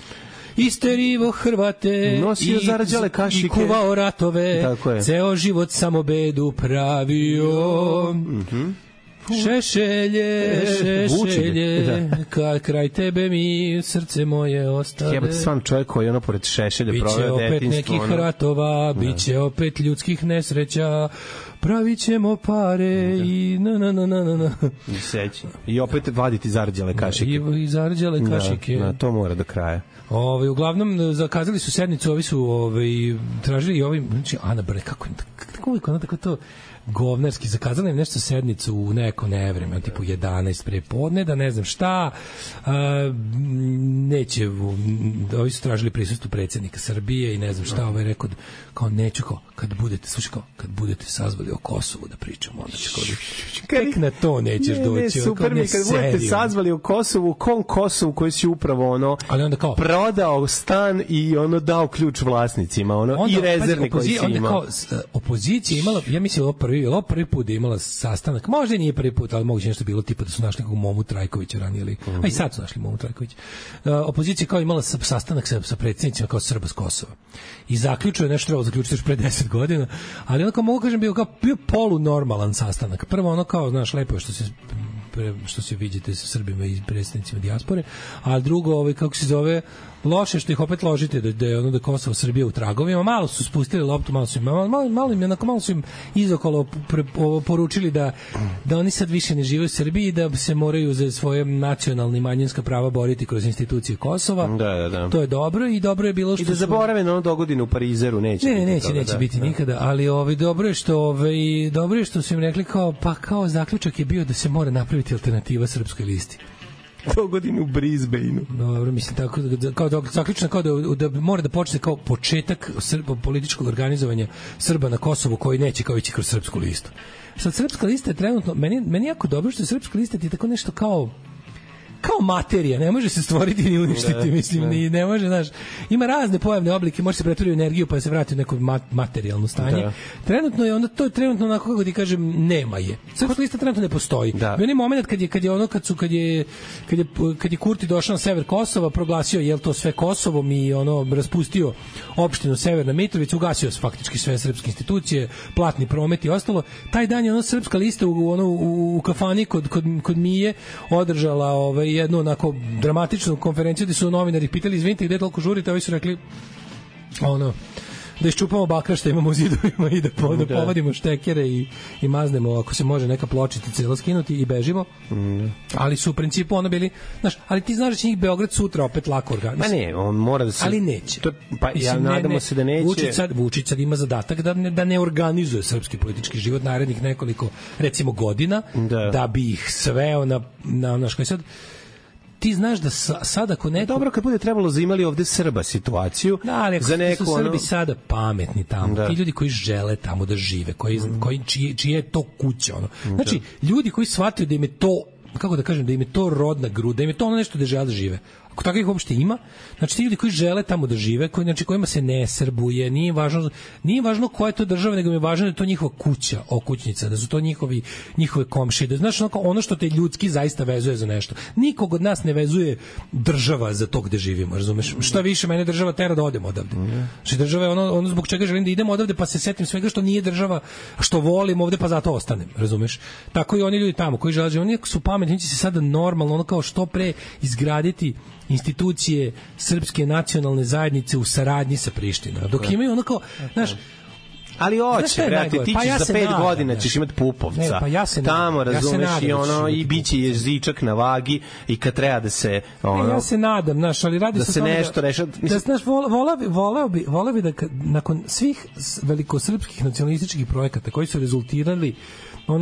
isterivo Hrvate, nosio zarđale kašike i kuvao ratove, ceo život samo bedu pravio. Šešelje, kad kraj tebe mi srce moje ostade. Jebate, sam čovjek koji je pored Šešelja proveo detinjstvo. Biće opet nekih ratova, biće opet ljudskih nesreća, pravit ćemo pare i i opet vaditi zarđale kašike. I zarđale kašike. To mora do kraja. Uglavnom zakazali su sednicu, ovi su tražili i ovim, znači Ana Brne, kako ona tako to govnarski, zakazali im nešto sednicu u neko nevreme, tipu 11 prepodne, da ne znam šta, neće, ovi su tražili prisustvo predsjednika Srbije i ne znam šta, ovaj rekao, kao neću, kao, kad budete sazvali o Kosovu da pričamo, onda će tek na to nećeš doći. Super mi, kad budete sazvali o Kosovu, Kosovu koji si upravo prodao stan i dao ključ vlasnicima, i rezervni koji si imao. Opozicija imala, ja mislim, ovo prvi put da je imala sastanak, možda nije prvi put, ali moguće nešto bilo tipa da su našli nekog Momu Trajkovića ranije, a i sad su našli Momu Trajkovića. Opozicija kao imala sastanak sa predsjednicima kao Srba s Kosova. I zaključio je nešto trebalo zaključiti još pre 10 godina, ali onako mogu kažem bio polunormalan sastanak. Prvo kao, znaš, lepo je što se viđete sa Srbima i predsjednicima dijaspore, a drugo, kako se zove, loše što ih opet ložite da je da Kosovo Srbija u tragovima, malo su spustili loptu, malo su im izokolo poručili da oni sad više ne žive u Srbiji i da se moraju za svoje nacionalne i manjinska prava boriti kroz institucije Kosova. Da. To je dobro i dobro je bilo što i da zaborave na dogodinu u Parizeru, neće biti nikada, ali dobro je što su im rekli kao zaključak je bio da se mora napraviti alternativa srpskoj listi. Dogodinu u Brisbaneu. Dobro, mislim, tako kao zaključno kao da mora da počne kao početak političkog organizovanja Srba na Kosovu koji neće kao ići kroz srpsku listu. Sad, srpska lista je trenutno, meni jako dobro što je srpska lista ti tako nešto kao materija, ne može se stvoriti ni uništiti, mislim, ni ne može, znaš, ima razne pojavne oblike, može se pretvoriti u energiju pa se vrati u neko materijalno stanje. Trenutno je onda, to je trenutno onako, kako ti kažem, nema je. Srpska lista trenutno ne postoji. U jednom moment kad je Kurti došao na sever Kosova, proglasio je to sve Kosovom i raspustio opštinu Severna Mitrovica, ugasio faktički sve srpske institucije, platni promet i ostalo. Taj dan je srpska lista u kafani kod Mije održala jednu onako dramatičnu konferenciju gde su novinari pitali, izvinite, gde toliko žurite, ovi su rekli da iščupamo bakra što imamo u zidovima i da povadimo štekere i maznemo, ako se može, neka pločica celo skinuti i bežimo. Ali su u principu bili, znaš, ali ti znaš da će njih Beograd sutra opet lako organizati. Ma ne, on mora da se... Ali neće. Nadamo se da neće. Vučić sad ima zadatak da ne organizuje srpski politički život narednih nekoliko, recimo, godina, da bi ih sveo na što je sad... Ti znaš da sada ako neko... Dobro, kad bude trebalo zaimali ovde Srba situaciju... Da, ali za neko, su Srbi sada pametni tamo. Ti ljudi koji žele tamo da žive, čije je to kuća. Znači, ljudi koji shvataju da im je to, kako da kažem, da im je to rodna gruda, da im je to nešto da žele da žive. Ako tako ih uopšte ima, znači ti ljudi koji žele tamo da žive, kojima se ne srbuje, nije važno koja je to država, nego je važno da je to njihova kuća, okućnica, da su to njihove komšije, da znaš ono što te ljudski zaista vezuje za nešto. Nikog od nas ne vezuje država za to gde živimo, razumeš? Šta više, mene država tera da odem odavde. Znači država je ono zbog čega želim da idem odavde, pa se setim svega što nije država, što volim ovde, pa zato ostanem, razumeš? Tako i oni ljudi tamo koji žele, oni su pametni, će se sada normalno, kao što pre izgraditi institucije srpske nacionalne zajednice u saradnji sa Prištinom. Dok imaju kao, znaš, ali hoće, brate, ti ćeš za 5 godina ćeš imati Pupovca. Tamo, razumeš, i biće jezičak na vagi i kad treba da se... Ja se nadam, znaš, ali radi se o tome nešto reša... Da, znaš, voleo bi da nakon svih velikosrpskih nacionalističkih projekata koji su rezultirali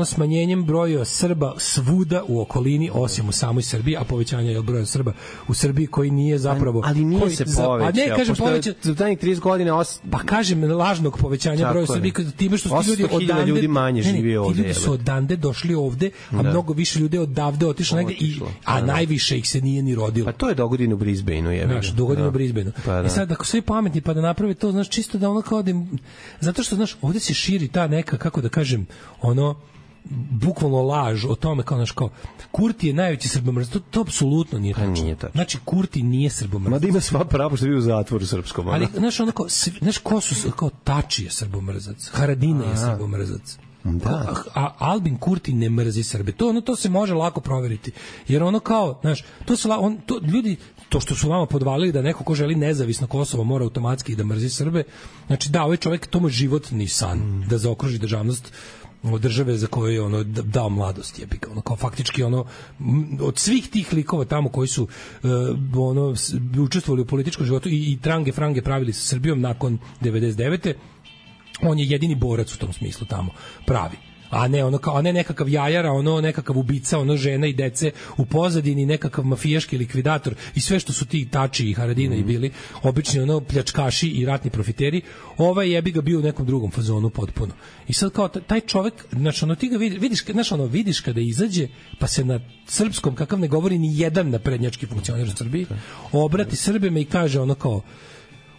smanjenjem broja Srba svuda u okolini, osim u samoj Srbiji, a povećanje je broja Srba u Srbiji koji nije zapravo... Ali nije se povećao. Ne, kažem povećao... Za tajnih 30 godina... Pa kažem, lažnog povećanja broja Srbiji, time što su ti ljudi odande... ljudi manje živi ovde. Ti ljudi su odande došli ovde, a mnogo više ljudi odavde otišlo negde, a najviše ih se nije ni rodilo. Pa to je dogodinu u Brisbaneu, je. Znaš, dogodinu u Brisbaneu. I sad, ako svi pametni pa da naprave to, znaš, čisto da kao da... Zato što, znaš, ovde se širi ta neka, kako da kažem, bukvalno laž o tome kao Kurti je najveći srbomrzac, to apsolutno nije tačno. Znači Kurti nije srbomrzac. Mada ima sva pravo što je bio u zatvoru srpskom. Ali znaš ko su, kao Tači je srbomrzac, Haradina je srbomrzac. A Albin Kurti ne mrzi Srbe. To se može lako proveriti. Jer kao, znaš, ljudi, to što su vama podvalili da neko ko želi nezavisno Kosovo mora automatski da mrzi Srbe, znači da, ovaj čovjek, to mu životni san da zaokruži državnost od države za koju je dao mladost, jebika, kao faktički od svih tih likova tamo koji su učestvovali u političkom životu i trange frange pravili sa Srbijom nakon 99. On je jedini borac u tom smislu tamo, pravi. a ne ono kao, a ne nekakav jajara, ono nekakav ubica, ono žena i dece u pozadini, nekakav mafijaški likvidator i sve što su ti Tači i Haradina i bili, obični ono pljačkaši i ratni profiteri, ovaj jebi ga bio u nekom drugom fazonu potpuno. I sad kao taj čovek, znači ono ti ga vidiš, znači ono vidiš kada izađe, pa se na srpskom, kakav ne govori ni jedan naprednjački funkcioner u Srbiji, obrati Srbima i kaže ono kao,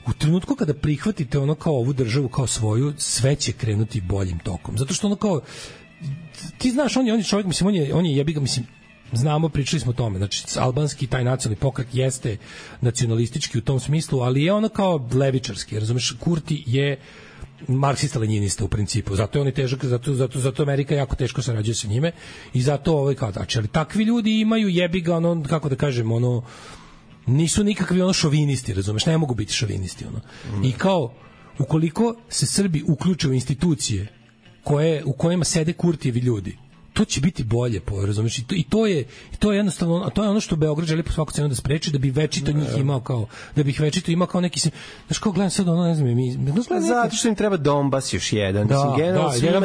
u trenutku kada prihvatite ono kao ovu državu kao svoju, sve će krenuti boljim tokom. Zato što ono kao, ti znaš, on je čovjek, mislim, on je jebiga, mislim, znamo, pričali smo o tome, znači albanski taj nacionalni pokret jeste nacionalistički u tom smislu, ali je ono kao levičarski, razumeš, Kurti je marksista-lenjinista u principu, zato je on težak, zato Amerika jako teško sarađuje sa njime i zato ovaj kao tači, ali takvi ljudi imaju jebiga, ono, kako da kažem, ono, nisu nikakvi ono šovinisti, razumeš, ne mogu biti šovinisti, ono. I kao, ukoliko se Srbi uključe u institucije u kojima sede Kurtijevi ljudi, to će biti bolje, razumeš, i to je jednostavno, a to je ono što Beograd želi po svaku cenu da spreči, da bi večito njih imao kao, da bi ih večito imao kao neki, znaš, kao gledam sad ono, ne znam, zato što im treba Donbas još jedan, jedan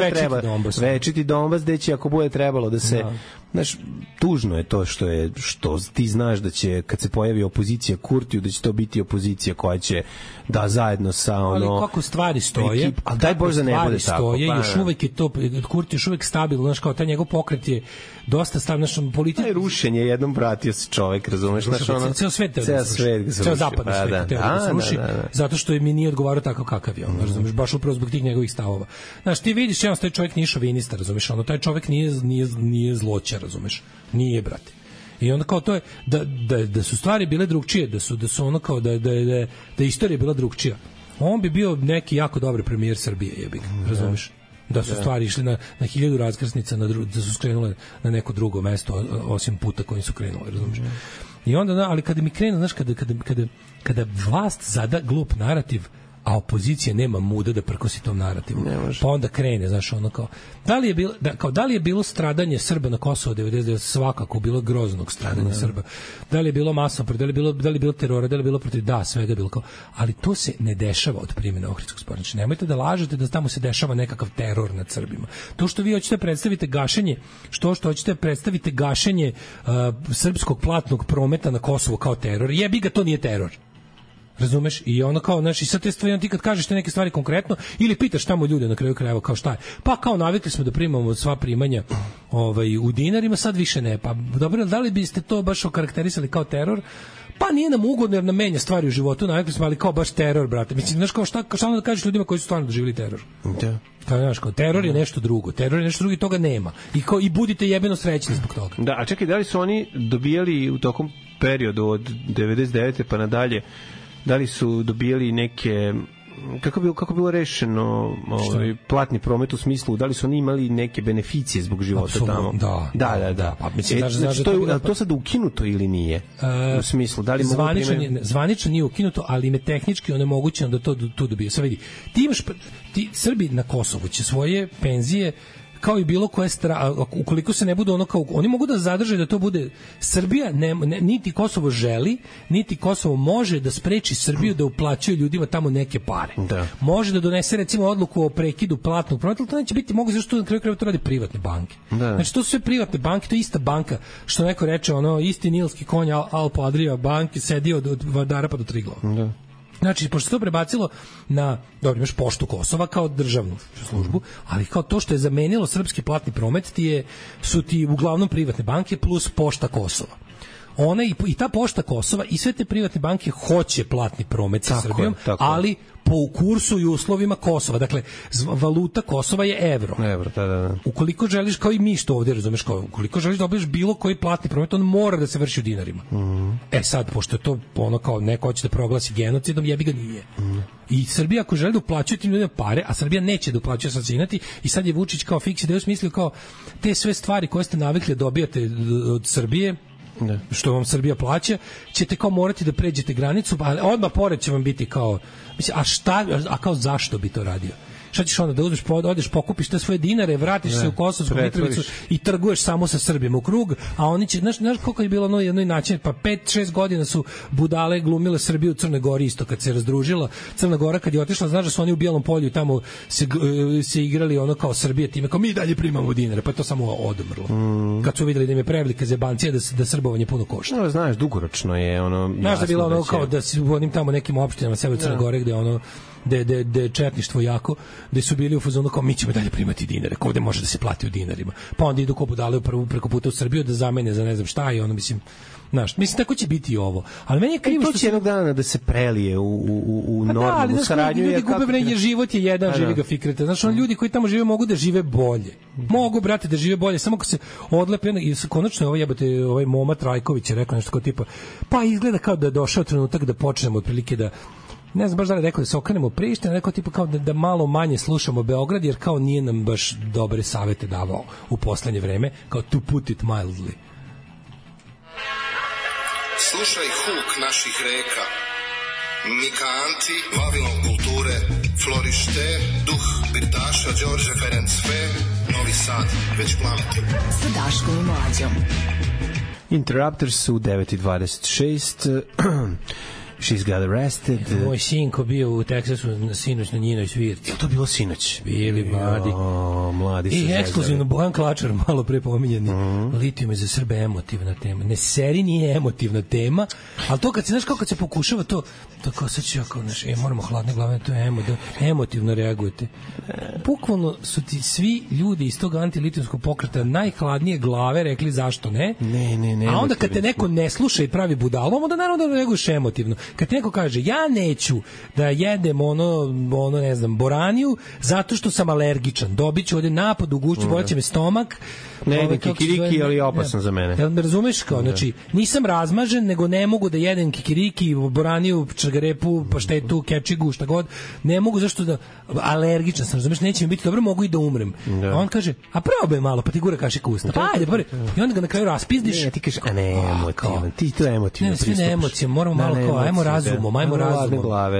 večiti Donbas, gde će, ako bude trebalo da se, znaš, tužno je to što ti znaš da će, kad se pojavi opozicija Kurtiju, da će to biti opozicija koja će da zajedno sa ono... Ali kako stvari stoje, ali daj Bože da ne bude tako. Još uvek je to, Kurti još uvek stabilno, znaš, kao taj njegov pokret je dosta stabilno, znaš, politika... Taj rušenje, jednom vratio se čovek, razumeš, znaš, ono... Ceo svet teo da se ruši. Ceo zapadni svet teo da se ruši, zato što mi nije odgovarao tako kakav je on, razumeš, baš upravo zbog tih njegovih stavova. Znaš, ti vidiš, taj čovek nije šovinista, razumeš, ono, taj čovek nije zloća, razumeš, nije, brate. I onda kao to je da su stvari bile drugčije, da su ono kao da je istorija bila drugčija. On bi bio neki jako dobar premijer Srbije, jebik, razumeš? Da su stvari išli na 1000 raskrsnica, da su skrenule na neko drugo mesto osim puta kojim su krenule, razumeš? I onda, ali kada mi krenu, znaš, kada vlast zada glup narativ, a opozicija nema muda da prkosi tom narativu. Pa onda krene, znaš, ono kao, da li je bilo stradanje Srba na Kosovo 99, svakako bilo groznog stradanja Srba. Da li je bilo masovno, da li je bilo terora, da li je bilo protiv, da, svega je bilo kao, ali to se ne dešava od primjene Ohridskog sporazuma. Znači, nemojte da lažete da tamo se dešava nekakav teror nad Srbima. To što vi hoćete predstavite gašenje, što hoćete predstavite gašenje srpskog platnog prometa na Kosovo kao teror, jebi ga, to nije teror. Razumeš? I ono kao, znaš, i sad te stvari, ti kad kažeš te neke stvari konkretno, ili pitaš tamo ljude na kraju krajeva kao šta je, pa kao navikli smo da primamo sva primanja u dinarima, sad više ne, pa dobro, da li biste to baš okarakterisali kao teror? Pa nije nam ugodno jer nam menja stvari u životu, navikli smo, ali kao baš teror, brate. Mislim, znaš, kao šta da kažeš ljudima koji su stvarno doživjeli teror? Da. Kao, znaš, kao, teror je nešto drugo, i toga nema. I budite jebeno srećni zbog toga. Da, a čekaj, da li su oni dobijali u tokom periodu od 99. pa nadalje, da li su dobijali neke, kako bilo rešeno platni promet u smislu, da li su oni imali neke beneficije zbog života tamo? Da. Pa, mislim, to sad ukinuto ili nije? U smislu, da li zvanično nije ukinuto, ali im je tehnički onemogućeno da to tu dobiju. Sad vidi, ti Srbi na Kosovu će svoje penzije kao i bilo koje ukoliko se ne bude ono kao, oni mogu da zadrže da to bude Srbija, niti Kosovo želi, niti Kosovo može da spreči Srbiju da uplaćuje ljudima tamo neke pare. Da. Može da donese recimo odluku o prekidu platnog prometa, ali to neće biti moguće, zašto na kraju krajeva to rade privatne banke. Da. Znači to su sve privatne banke, to je ista banka, što neko reče, ono, isti nilski konj Alpo Adria banke sedi od Vardara pa do Triglava. Da. Znači, pošto se to prebacilo na, dobro, imaš Poštu Kosova kao državnu službu, ali kao to što je zamenilo srpski platni promet su ti uglavnom privatne banke plus Pošta Kosova. Ona i ta Pošta Kosova i sve te privatne banke hoće platni promet sa Srbijom, ali po kursu i uslovima Kosova. Dakle, valuta Kosova je evro. Da. Ukoliko želiš, kao i mi što ovdje, razumeš, kao, ukoliko želiš da dobiješ bilo koji platni promet, on mora da se vrši u dinarima. Sad, pošto je to ono kao neko hoće da proglasi genocidom, jebi ga nije. I Srbija ako želi da uplaćuje tim ljudima pare, a Srbija neće da uplaćuje sacinati, i sad je Vučić kao fiks ideju smislio kao te sve stvari koje ste navikli da dobijate od Srbije, što vam Srbija plaća, ćete kao morati da pređete granicu, pa odmah pored će vam biti kao, mislim, a kao zašto bi to radio? Šta ćeš onda da uzmeš, odeš pokupiš te svoje dinare, vratiš se u Kosovsku Mitrovicu i trguješ samo sa Srbima u krug, a oni će, znaš koliko je bilo ono jednoj način, pa 5-6 godina su budale glumile Srbiju u Crnoj Gori isto kad se razdružila Crna Gora, kad je otišla, znaš da su oni u Bijelom polju tamo se igrali ono kao Srbija time, kao mi dalje primamo dinare, pa je to samo odmrlo. Kad su videli da im je prevelika zebancija da srbovanje puno košta. No, znaš, dugoročno je ono... Znaš da je bilo ono kao da su u onim tamo nekim opštinama sebe Crne Gore gde ono de četništvo jako, gde su bili u fazonu kao mi ćemo dalje primati dinare, kao ovde može da se plati u dinarima. Pa onda idu ko budale preko puta u Srbiju da zamene za ne znam šta i ono, mislim, tako će biti i ovo. Ali meni je krivo što će jednog dana da se prelije u normalnu saradnju. Ljudi gube vreme, život je jedan, živi ga fikrete. Znaš, ljudi koji tamo žive mogu da žive bolje. Mogu, brate, da žive bolje, samo kad se odlepe i konačno ovaj Moma Trajković je rekao nešto kao tipa, pa izgleda kao da je došao trenutak da počnemo otprilike da ne znam baš da li rekao da se okrenemo Prištini, rekao tipa kao da malo manje slušamo Beograd, jer kao nije nam baš dobre savete davao u poslednje vreme, kao to put it mildly. Slušaj huk naših reka, Mikanti, Vavilon kulture, Florište, duh Birtaša, Đorđe Ferencve, Novi Sad, već plamti. Sa Daškom i Mlađom. Interrupters u 9:26. She's got arrested. Moj sinko bio u Teksasu sinoć na njinoj svirci. Je to bilo sinoć? Bili mladi. Mladi su i ekskluzivno Bojan Klačar, malo pre pominjeni. Litijum je za Srbe emotivna tema. Ne, seri nije emotivna tema, ali to kad se, znaš, kao kad se pokušava to kao sad ću ja kao, znaš, moramo hladne glave, to je emotivno reagujete. Bukvalno su ti svi ljudi iz tog antilitijumskog pokreta najhladnije glave rekli zašto ne. Ne. A onda kad te neko ne sluša i pravi budalom, onda naravno da reaguješ emotivno. Kad ti neko kaže, ja neću da jedem ono ne znam, boraniju, zato što sam alergičan, dobit ću ovde napad u gušću, bolit će me stomak, ne jedem kikiriki, ali je opasan za mene. Jel me razumeš? Kao, znači, nisam razmažen, nego ne mogu da jedem kikiriki, boraniju, čargarepu, paštetu, kepčigu, šta god. Ne mogu, zašto da... Alergičan sam, razumeš? Neće mi biti dobro, mogu i da umrem. A on kaže, a probaj malo, pa ti gura kašika usta. Pa ajde, prvi. I onda ga na kraju raspizdiš. Ne, ti kažeš, a ne, emotivan. Ti to emotivno pristupaš. Ne, emocijom, moramo malo kao, ajmo razumom.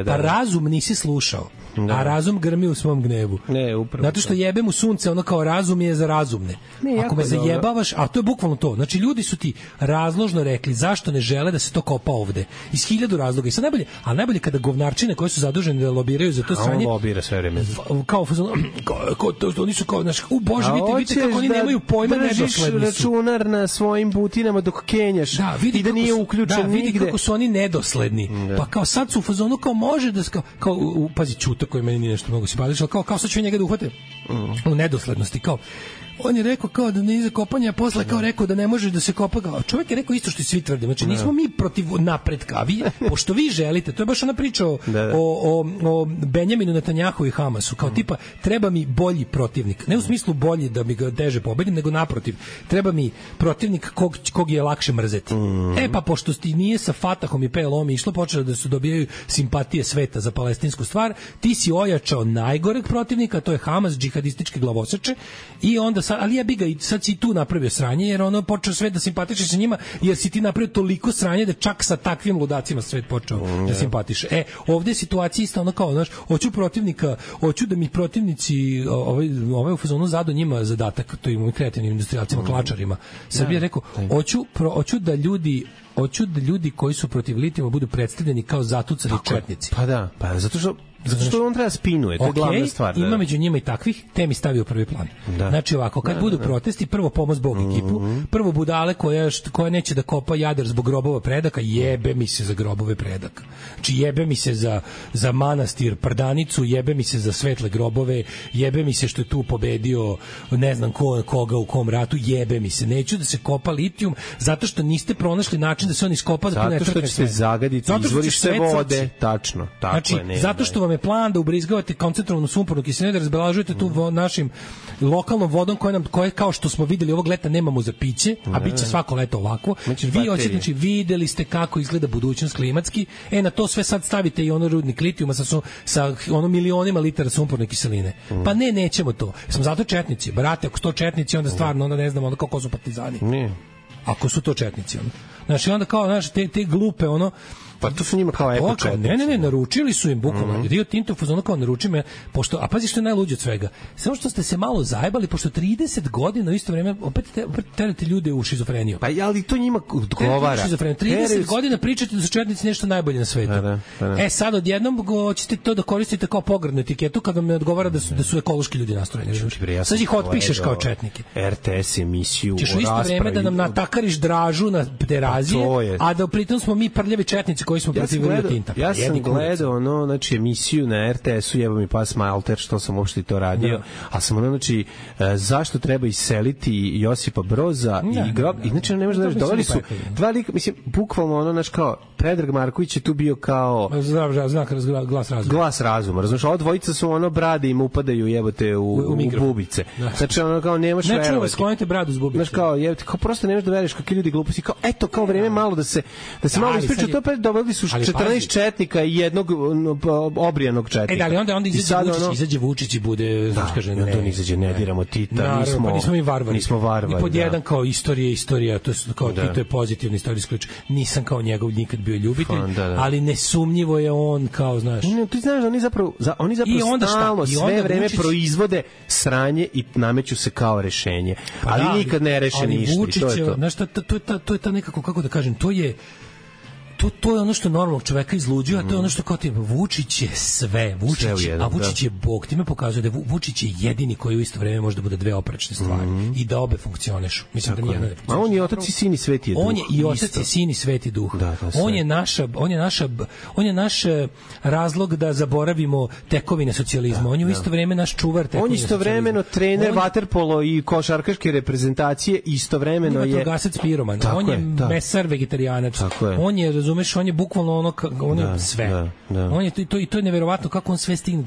Pa razum nisi slušao. A razum grmi u svom gnevu. Ne, upravo. Zato što jebe mu sunce, ono kao razum je za razumne. Ako me zajebavaš, a to je bukvalno to. Znači, ljudi su ti razložno rekli zašto ne žele da se to kopa ovde. Iz 1000 razloga. I sad najbolje kada govnarčine koje su zadužene da lobiraju za to stranje. On lobira sve vreme. Kao oni su kao, znaš, Bože, vidite kako oni nemaju pojma, nedosledni su. Računar na svojim butinama dok kenjaš i da nije uključen nigde. Vidi kako su oni nedosledni. Pa kao sad su u fazonu kao može da kao pazi Ćuta koji meni nije nešto mnogo simpatično, kao sad ću njega da uhvate u nedoslednosti, kao on je rekao kao da ne iza kopanja, a posle kao rekao da ne može da se kopa. A čovjek je rekao isto što i svi tvrde. Znači nismo mi protiv napretka, a vi, pošto vi želite, to je baš ona priča o Benjaminu Netanjahu i Hamasu, kao tipa treba mi bolji protivnik. Ne u smislu bolji da mi ga teže pobedim, nego naprotiv. Treba mi protivnik kog je lakše mrzeti. Pa pošto nije sa Fatahom i PLO-om išlo, počelo da su dobijaju simpatije sveta za palestinsku stvar, ti si ojačao najgoreg protivnika, to je Hamas, džihadističke glavoseče, i onda ali ja bi ga i sad si tu napravio sranje, jer ono počeo svet da simpatiše sa njima, jer si ti napravio toliko sranje da čak sa takvim ludacima svet počeo da simpatiše. Ovde je situacija isto ono kao, znaš, hoću da mi protivnici ovaj u fazonu zado njima zadatak, to im kreativnim industrijalcima, klačarima. Srbija rekao, hoću da ljudi koji su protiv litijuma budu predstavljeni kao zatucani četnici. Pa zato što on treba spinuje, to je glavna stvar. Ima među njima i takvih, te mi stavio prvi plan. Znači ovako, kad budu protesti, prvo pomoz Bog ekipu, prvo budale koja neće da kopa Jadar zbog grobova predaka, jebe mi se za grobove predaka. Znači jebe mi se za manastir Prdanicu, jebe mi se za svetle grobove, jebe mi se što je tu pobedio ne znam koga u kom ratu, jebe mi se. Neću da se kopa litijum, zato što niste pronašli način da se on iskopa za zato što ćete zagaditi izvorište vode. Tačno, tako znači, je. Zato što vam je plan da ubrizgavate koncentrovanu sumpornu kiselinu, da razbalažujete tu našim lokalnom vodom koje kao što smo videli ovog leta nemamo za piće, a biće svako leto ovako. Vi hoćete, znači videli ste kako izgleda budućnost klimatski. Na to sve sad stavite i ono rudnik litijuma sa ono milionima litara sumporne kiseline. Pa nećemo to. Smo zato četnici. Brate, ako su to četnici, onda stvarno onda ne znamo onda kako su partizani. Ako su to četnici, onda. Znači onda kao, znaš, te glupe, ono, Pa to su njima kao eko-četnici. Ne, naručili su im bukvalno. Rio Tinto fuzonu kao naruči me, pošto, a pazi što je najluđe od svega. Samo što ste se malo zajebali, pošto 30 godina u isto vreme opet terate ljude u šizofreniju. Pa ali to njima odgovara. 30 godina pričate da su četnici nešto najbolje na svetu. Sad odjednom hoćete to da koristite kao pogrdnu etiketu kad vam ne odgovara da su ekološki ljudi nastrojeni. Sad ih otpišeš kao četnike. RTS emisiju o raspravi. Ćeš u isto vreme da nam natakariš Dražu na Terazije, a da pritom smo mi prljavi četnici koji smo protiv Rio Tinta. Ja sam gledao znači emisiju na RTS-u, jebo mi pas Malter, što sam uopšte to radio, a sam znači zašto treba iseliti Josipa Broza i grob, i znači ne možeš da doveli su dva lika, mislim, bukvalno naš kao Predrag Marković je tu bio kao glas razuma, razumiješ, ova dvojica su brade im upadaju jebote u bubice. Znači kao nemaš verovati. Ne čuvaj, sklonite bradu s bubice. Znaš kao jebote, kao prosto nemaš da veriš kakvi ljudi gluposti, kao eto kao vreme malo da se malo ispriča, to pa doveli su 14 četnika i jednog obrijanog četnika. Da, ali onda izađe Vučić i bude, znaš kaže, ne izađe, ne diramo Tita, nismo mi varvari. Nismo varvari. I pod jedan kao istorija, to je kao Tito je pozitivni istorijski ključ. Nisam kao njegov nikad bio ljubitelj, ali nesumnjivo je on kao, znaš. Ti znaš da oni zapravo stalno sve vreme proizvode sranje i nameću se kao rešenje. Ali nikad ne reše ništa. Znaš, to je ta nekako, kako da kažem, to je ono što normalnog čoveka izluđuje, a to je ono što kao ti Vučić je sve, Vučić je Bog. Time pokazuje da Vučić je jedini koji u isto vreme može da bude dve oprečne stvari i da obe funkcionišu. Mislim da nijedna ne funkcioniše. A on je otac i sin i sveti duh. On je i otac i sin i sveti duh. On je naš razlog da zaboravimo tekovine socijalizma. On je u isto vreme naš čuvar tekovine. On je istovremeno trener vaterpolo i košarkaške reprezentacije, istovremeno je vatrogasac piroman. On je mesar vegetarijanac. On je, razumeš, on je bukvalno on je sve. On je to je neverovatno kako on sve stigne.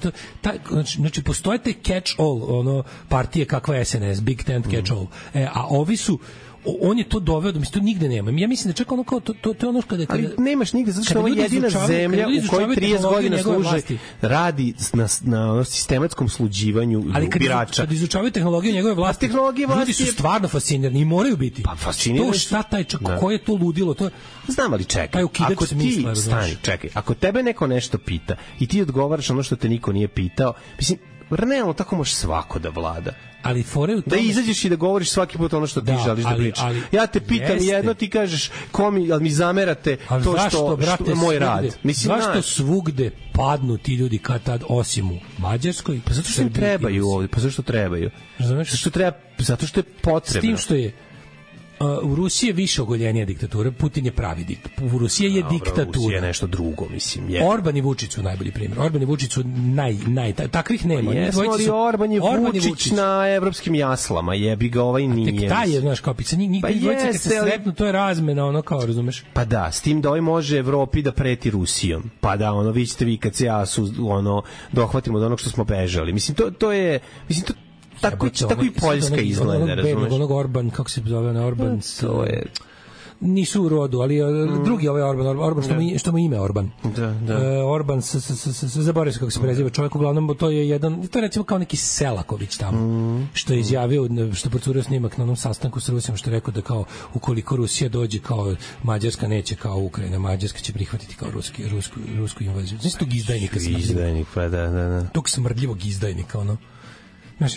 Znači postoje te catch all partije kakva je SNS, Big Tent catch all. A ovi su on je to doveo da mi to nigde nema. Ja mislim da čak ono kao to je ono kada ali nemaš nigde zato što ovo je jedina zemlja u kojoj 30 godina radi na sistematskom sluđivanju birača. Kad izučavaju tehnologiju njegove vlasti, ljudi su stvarno fascinirani i moraju biti. Pa fascinirani. To šta taj ko je to ludilo, to znam, ali čekaj. Ako ti čekaj, ako tebe neko nešto pita i ti odgovaraš ono što te niko nije pitao, mislim, realno tako može svako da vlada. Ali fore u tome... Da izađeš i da govoriš svaki put ono što ti želiš da pričaš. Ja te pitam jedno, ti kažeš ali mi zamerate to što je moj rad. Zašto svugde padnu ti ljudi kad tad, osim u Mađarskoj? Pa zato što im trebaju ovdje, pa zašto trebaju? Zato što je potrebno. S tim što je u Rusiji je više ogoljenija diktatura, Putin je pravi diktator. U Rusiji je diktatura. Rusija je nešto drugo, mislim. Orban i Vučić su najbolji primjer. Orban i Vučić su takvih nema. Ali Orban je Vučić na evropskim jaslama, jebi ga, ovaj nije. Tek taj je, znaš, kao pica, dvojica kad se sretnu, to je razmena, ono kao, razumeš? Pa da, s tim da ovaj može Evropi da preti Rusijom. Pa da, vi ćete vi kad se dohvatimo od onog što smo bežali. Mislim, to je, mislim, tako i Poljska izgleda, razumeš? Onog Orban, kako se zove, Orban, to je... Nisu u rodu, ali drugi ovaj Orban što mu ime Orban. Orban, zaboravio se kako se preziva čovjek, uglavnom to je recimo kao neki Selaković tamo, što je izjavio, što procurio snimak na onom sastanku s Rusijom, što je rekao da kao ukoliko Rusija dođe kao Mađarska neće kao Ukrajina, Mađarska će prihvatiti kao rusku invaziju. Znači tog izdajnika smrdljivog. Pa da. Tog smrdljivog izdajnika, ono.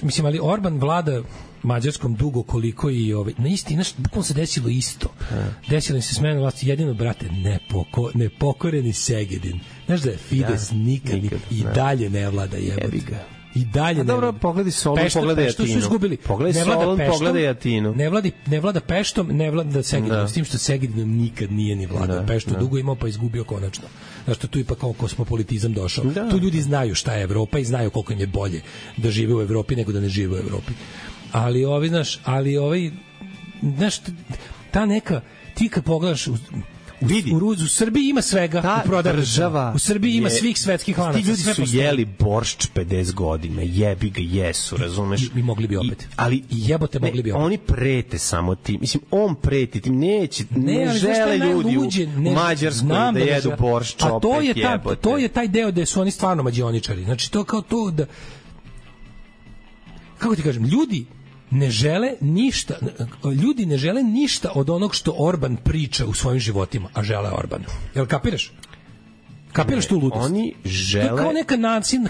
Mislim, ali Orban vlada Mađarskom dugo koliko i na isti, bukvalno se desilo isto. Desilo se smena vlasti, jedino, brate, nepokoreni Segedin. Znaš da je Fides nikad i dalje ne vlada, jebote. I dalje dobro, pogledaj Solun, pogledaj Atinu. Pogledaj Solun, pogledaj Atinu. Ne vlada Peštom, ne vlada Segedinom, s tim što Segedinom nikad nije ni vladao. Peštu dugo imao, pa izgubio konačno. Znaš, tu ipak kao kosmopolitizam došao. Tu ljudi znaju šta je Evropa i znaju koliko im je bolje da žive u Evropi nego da ne žive u Evropi. Ali ta neka, ti kad pogledaš u Srbiji ima svega, u Srbiji ima svih svetskih lanaca. Ti ljudi su jeli boršč 50 godina, jebi ga, jesu, razumeš? I mogli bi opet. Ali jebote mogli bi opet. Oni prete samo tim. Mislim, on preti tim, ne žele ljudi u Mađarskoj da jedu boršč opet, jebote. A to je taj deo gde su oni stvarno mađioničari. Znači, to kao to da... Kako ti kažem, ljudi ne žele ništa od onog što Orban priča u svojim životima, a žele Orbana. Jel kapiraš? Kapiraš tu ludost? Oni žele...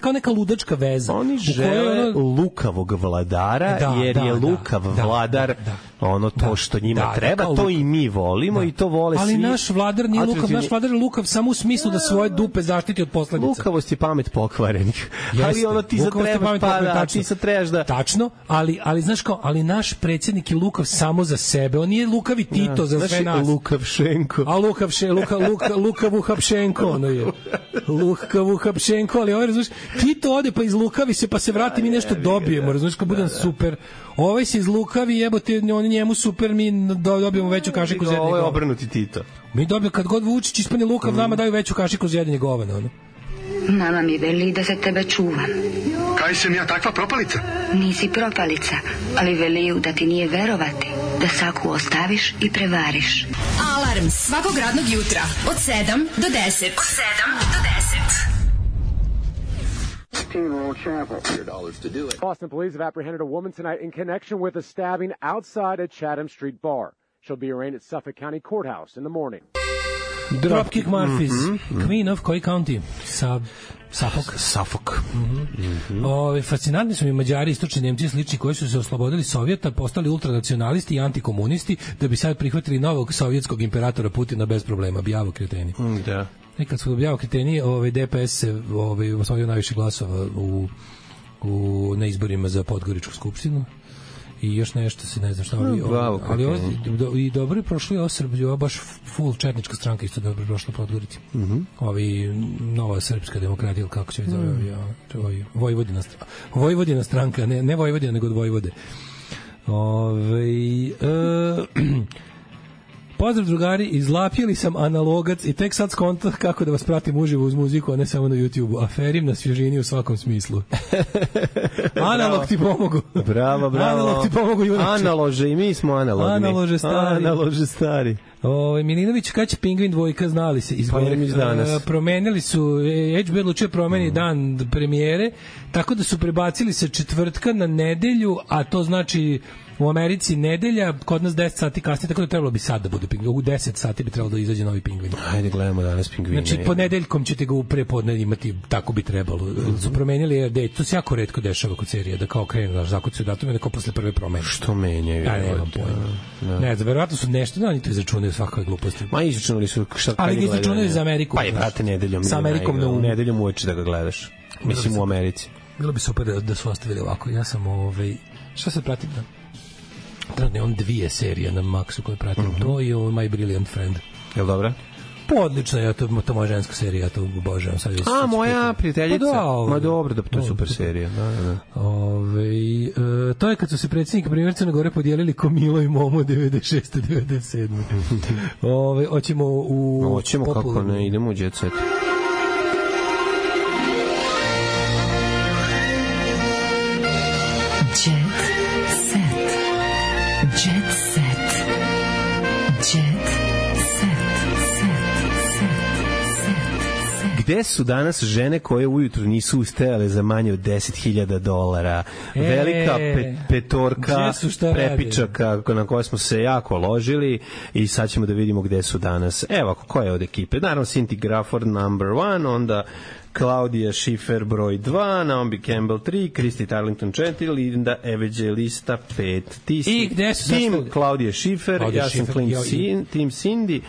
Kao neka ludačka veza. Oni žele lukavog vladara, jer je lukav vladar ono to što njima treba, to i mi volimo i to vole svi. Ali naš vladar nije lukav, naš vladar je lukav samo u smislu da svoje dupe zaštiti od posledica. Lukavost je pamet pokvarenih. Ali ono ti sad trebaš da... Tačno, ali znaš kao, ali naš predsjednik je lukav samo za sebe. On nije lukavi Tito za sve nas. Lukavšenko. A Lukavu Hapšenko, ono je. Lukavu Hapšenko, ali ovaj, razumiješ, Tito ode pa izlukavi se, pa se vrati, mi nešto dobijemo, razumiješ, kao budem super. Ovaj se izlukavi, jebote, on njemu super, mi dobijemo veću kašiku za jednog. Ovo je obrnuti Tito. Mi dobijemo, kad god Vučić ispane lukav, nama daju veću kašiku za jednog govana, ono. Mama mi veli da se tebe čuvam. Kaj sam ja takva propalica? Nisi propalica, ali veliju da ti nije verovati, da saku ostaviš i prevariš. Alarm svakog radnog jutra od 7 do 10. Od 7 do 10. Boston police have apprehended a woman tonight in connection with a stabbing outside a Chatham Street bar. She'll be arraigned at Suffolk County Courthouse in the morning. Dropkick Murphys, Queen of koji county? Suffolk. Fascinantni su mi Mađari, istočni Nemci slični koji su se oslobodili Sovjeta, postali ultranacionalisti i antikomunisti da bi sad prihvatili novog sovjetskog imperatora Putina bez problema. Bijavo kreteni. Da. Kad su bijavo kreteni, DPS se osvojio najviše glasova na izborima za Podgoričku skupštinu. I još nešto se ne znam šta ali i dobro je prošlo i Srbija, baš full četnička stranka isto dobro prošla Podgorici. Ovi nova srpska demokratija, ili kako će zove, Vojvodina stranka, ne Vojvodina nego od Vojvode. Pozdrav drugari, izlapjeli sam analogac i tek sad skonto kako da vas pratim uživo uz muziku, a ne samo na YouTube-u. Aferim na svježini u svakom smislu. Analog ti pomogu. Bravo. Analog ti pomogu, junače. Analože, i mi smo analogni. Analože stari. Milinović, kad će Pingvin dvojka, znali se izbori. Promenili su, HBO odlučio promeni dan premijere, tako da su prebacili sa četvrtka na nedelju, a to znači u Americi nedelja, kod nas 10 sati kasnije, tako da trebalo bi sad da bude Pingvin. U 10 sati bi trebalo da izađe novi Pingvin. Ajde, gledamo danas Pingvina. Znači, ponedeljkom ćete ga u prepodne imati, tako bi trebalo. Su promenili, to se jako retko dešava kod serije, da kao krenu, zakucaju datume, da kao posle prve promene. Što menjaju? Ja nemam pojma. Ne znam, verovatno su nešto, oni to izračunaju svakoj gluposti. Ma izračunali su šta ali ga izračunaju za Ameriku. Pa je, brate, nedeljom. Sa Amerikom na nedeljom uveče da ga gledaš. Mislim u Americi. Bilo bi super da su ostavili ovako. Ja sam šta se pratim da? Trenutno on 2 serije na Maxu koje pratim. To i My Brilliant Friend. Jel dobra? Odlično, ja to moja ženska serija, ja to obožavam. Moja prijateljica. Ma dobro, da to je super serija. To je kad su se predsjednik primjer Crne Gore podijelili ko Milo i Momo 96. 97. Hoćemo kako ne, idemo u Jet Set. Gde su danas žene koje ujutru nisu ustajale za manje od $10.000? Velika petorka prepičaka na koje smo se jako ložili i sad ćemo da vidimo gde su danas. Evo, ko je od ekipe? Naravno, Cindy Crawford number 1, onda Claudia Schiffer broj 2, Naomi Campbell 3, Christy Turlington 4, Linda Evangelista 5. Ti si tim Claudia Schiffer, ja sam tim Cindy.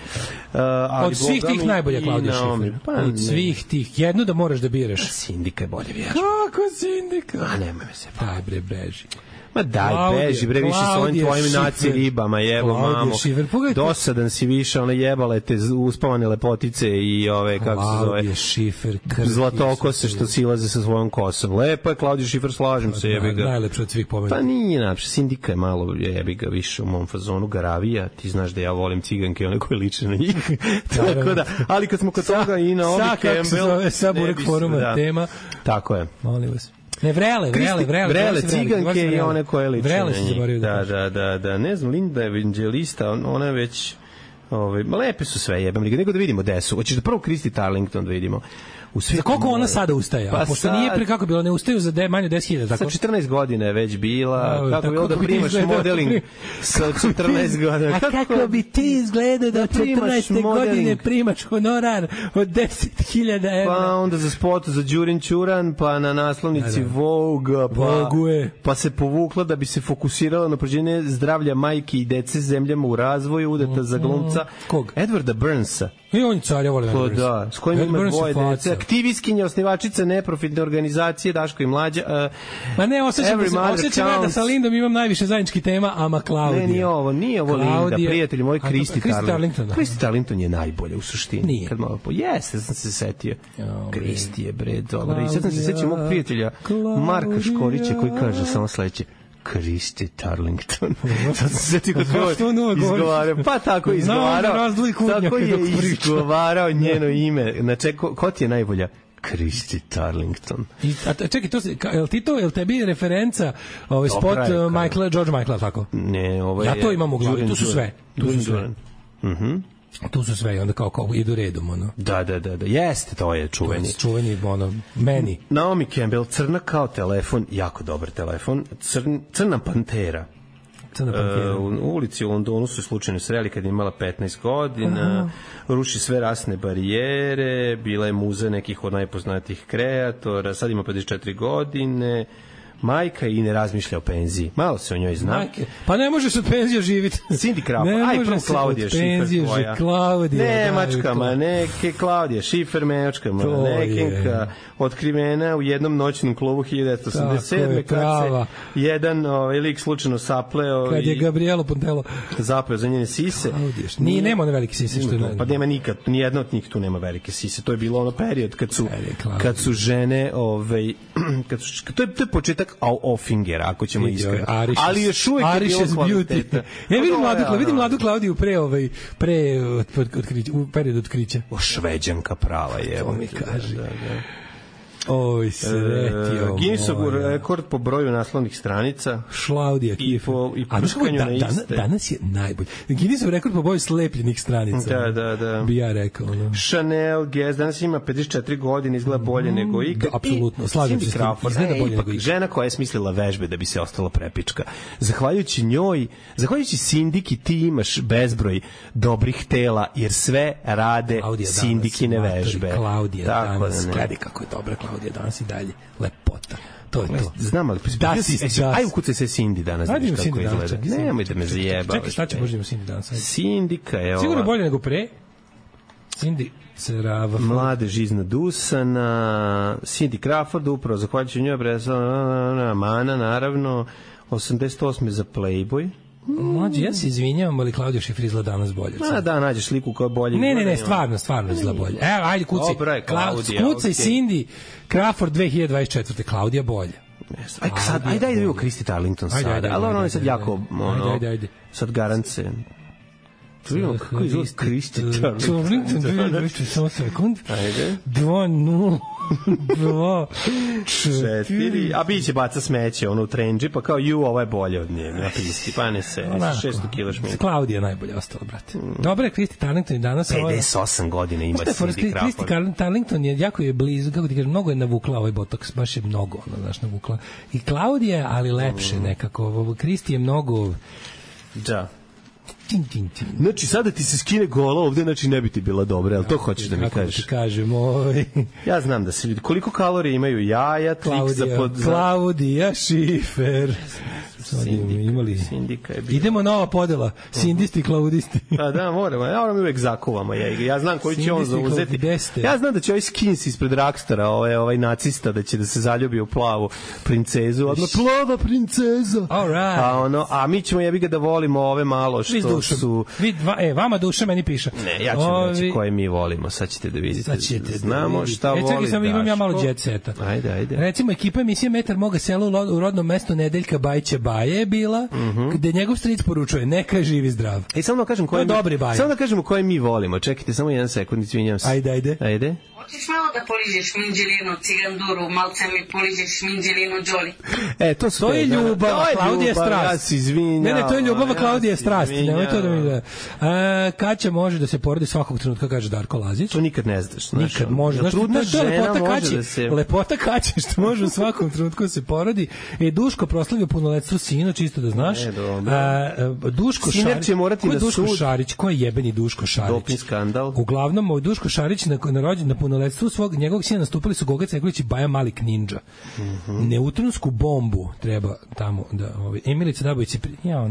Od svih tih najbolja Claudia Schiffer. Od svih tih. Jednu da moraš da biraš. Sindika je bolje vjera. Kako Sindika? A nemoj me se. Daj bre, beži. Ma daj, beži, bre, više s ovim tvojim naci ribama, jebo, mamo. Dosadan si više, ona jebale te uspavane lepotice i ove, kako se zove, zlatokose što silaze sa svojom kosom. Lepo je Claudia Schiffer, slažem se, jebi ga. Najlepše od svih pomena. Pa nije najlepše, Sindika je malo, jebi ga, više u mom fazonu, Garavija, ti znaš da ja volim ciganke, one koje liče na njih. Tako da, ali kad smo kod toga i na Obi Campbell. Sa, kako se zove, sa Burek foruma tema. Tako je. Molim vas. Ne, vrele ciganke i one koje liče na njih. Da, ne znam, Linda Evangelista, ona je već Lepe su sve, jebem li ga, nego da vidimo gde su. Hoćeš da prvo Christy Turlington da vidimo. Za koliko ona sada ustaje? Pa pošto nije pre kako bilo, ne ustaju za manje 10.000, tako? Sa 14 godina je već bila. Kako bilo da primaš modeling sa 14 godina? A kako bi ti izgledao da 14. godine primaš honorar od 10.000 evra? Pa onda za spot za Đurin Ćuran, pa na naslovnici Vogue, pa se povukla da bi se fokusirala na prođenje zdravlja majke i dece zemljama u razvoju, udata za glumca Edwarda Burnsa. I on je car, ja volim Edward Burns. Da, s kojim ima dvoje dece. Aktivistkinja, osnivačica neprofitne organizacije Daško i Mlađa. Ma ne, osjećam da sa Lindom imam najviše zajedničkih tema, ama Klaudija. Ne, nije ovo Linda, prijatelji moji, Christy Turlington. Christy Turlington je najbolje u suštini. Nije. Jeste, sam se setio. Christy je, bre, dobro. I sad sam se setio mog prijatelja Marka Škorića koji kaže samo sledeće. Christy Turlington. Sad se sjetio kod ovo izgovarao. Pa tako izgovarao. Tako je izgovarao njeno ime. Znači, ko ti je najbolja? Christy Turlington. Čekaj, jel tebi referenca spot George Michaela, tako? Ne, ovo je... Ja to imam u glavi, tu su sve. Tu su sve i onda kao idu redom, ono. Da, jeste, to je čuveni. Čuveni, ono, meni. Naomi Campbell, crna kao telefon, jako dobar telefon, crna pantera. U ulici u Londonu su slučajno sreli kad je imala 15 godina, ruši sve rasne barijere, bila je muza nekih od najpoznatijih kreatora, sad ima 54 godine, majka i ne razmišlja o penziji. Malo se o njoj zna. Majke. Pa ne možeš od penzije živjeti. Cindy Crawford. Aj, prvo Klaudija Schiffer tvoja. Nemačka maneke, Klaudija Schiffer, nemačka manekenka, otkrivena u jednom noćnom klubu 1987. Kad se jedan lik slučajno sapleo. Kad je Gabrielo Pontello zapleo za njene sise. Nije, nema one velike sise. Što je pa nema nikad, nijedna od njih tu nema velike sise. To je bilo ono period kad su žene, to je početak Offingera, ako ćemo iskreno. Ali još uvijek je bilo kvaliteta. Ja vidim mladu Klaudiju u periodu otkrića. Šveđanka prava je. To mi kaže. Oj, sretio. Guinnessov rekord po broju naslovnih stranica. Šlaudija Kiefer. I prškanju na iste. Danas je najbolji. Guinnessov rekord po broju slepljenih stranica. Da. Bi ja rekao. No. Chanel Guess danas ima 54 godine, izgleda bolje nego ikad. Apsolutno, slažem se. Izgleda bolje nego ikad. Žena koja je smislila vežbe da bi se ostala prepička. Zahvaljujući njoj, zahvaljujući Sindiki, ti imaš bezbroj dobrih tela, jer sve rade Sindikine vežbe. Klaudija danas, gledaj kako je dobra Klaudija danas i dalje, lepota. To je to. Znam, ali aj ukucaj se Cindy danas. Ajde kako izgleda. Nemoj da me zajebavaš. Čekaj, šta će možemo Cindy danas? Sindika je ova. Sigurno bolje nego pre. Cindy Serava. Mladež iznad Dusana. Cindy Crawford, upravo zahvaljujući njoj, Mana, naravno. 88. za Playboy. Mlađe, ja se izvinjavam, ali Klaudija Schiffer izgleda danas bolje. Da, nađeš sliku koja je bolje. Ne, stvarno izgleda bolje. Evo, ajde, kucaj. Kucaj Cindy Crawford 2024. Klaudija bolje. Ajde da vidimo Christy Turlington sada. Ali ono je sad jako, sad garance. Vidimo kako izgleda Christy Turlington. Samo sekund. Ajde. 2-0. 4. A biće baca smeće ono u trendži, pa kao ovo je bolje od nje na pisti, pa ne se 600 kg šminka. Klaudija najbolje ostala, brate. Dobre, Christy Turlington i danas 58 godina ima Cindy Crawford. Christy Turlington je jako je blizu, kako ti kažem, mnogo je navukla ovaj botoks, baš je mnogo, navukla. I Klaudija, ali lepše nekako. Christy je mnogo. Da. Znači, sada ti se skine gola ovde, znači ne bi ti bila dobra, ali to hoćeš da mi kažeš? Kako ti kažem, ja znam da se ljudi, koliko kalorija imaju jaja, Klaudija Schiffer. Sindika je bila. Idemo nova podela, sindisti, klaudisti. Pa da, moramo, ja moram uvek zakuvamo. Ja znam koji će on zauzeti. Ja znam da će ovaj skins ispred Rockstara, ovaj nacista, da će da se zaljubi u plavu princezu. Odmah, plava princeza. A mi ćemo jebi ga da volimo ove malo što su... Vama duša meni piše. Ne, ja ću reći koje mi volimo, sad ćete da vidite. Znamo šta voli Daško. Čekaj, imam ja malo jet seta. Ajde. Recimo, ekipa emisije Metar moga sela u rodnom mestu Nedeljka Bajića Baje je bila, gde njegov stric poručuje, neka je živ i zdrav. Samo da kažemo koje mi volimo. Čekajte, samo jedan sekund, izvinjam se. Ajde. Hoćeš malo da poližeš minđelinu, ciganduru, malce mi poližeš minđelinu, Đoli. To je ljubav, Klaudija strast. Ja se izvinjam. Ne, to je ljubav, Klaudija strast. Nemoj to da mi da. Kaća može da se porodi svakog trenutka, kaže Darko Lazić. To nikad ne znaš. Nikad može. Trudna žena može da se... Lepota Kaće, što može u svakom trenutku da se porodi. Duško proslavio punoletstvo sina, čisto da znaš. Duško Šarić. Će morati ko je Duško Šarić? Ko je jebeni Duško Šarić? Doping skandal. Uglavnom, Duško Šarić na punoletstvu njegovog sina nastupili su Goga Cegolić i Baja Malik Ninja. Neutronsku bombu treba tamo da... Emilica Dabović je... A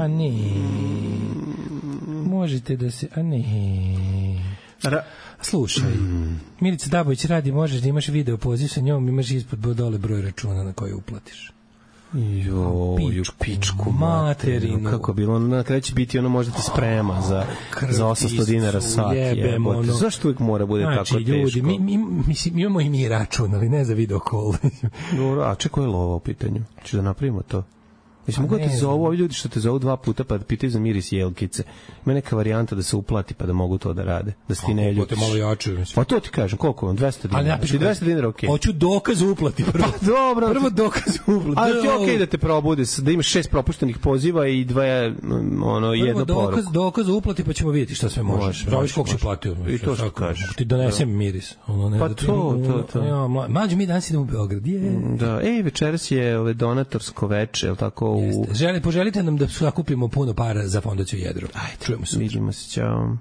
ne... Možete da se... Slušaj, Milica Dabović radi, možeš da imaš video poziv sa njom, imaš ispod dole broj računa na koji uplatiš. Pičku materinu. Kako bilo, na kraju će biti ono možda ti sprema za 800 dinara sat. Zašto uvijek mora bude tako teško? Ljudi, mi imamo i mi račun, ali ne za video call. A čekaj, je lova u pitanju? Ću da napravimo to. Mislim, mogu da te zovu, ovi ljudi što te zovu 2 puta pa da pitaju za miris jelkice. Ima neka varijanta da se uplati pa da mogu to da rade. Da se ti ne ljutiš. Malo jače. Pa to ti kažem, koliko vam? 200 dinara. 200 dinara, okej. Hoću dokaz uplati prvo. Pa dobro. Prvo dokaz uplati. Ali ti okej da te probude, da imaš 6 propuštenih poziva i jedno poruku. Dokaz uplati pa ćemo vidjeti šta sve može. Praviš koliko si platio. I to što kažeš. Ti donesem miris. Pa to. Mađo, mi danas idemo u Beograd. Da, večeras je donatorsko veče, je li tako? Poželite nam da sakupimo puno para za fondaciju Jedro. Ajde, čujemo se. Vidimo se, ćao.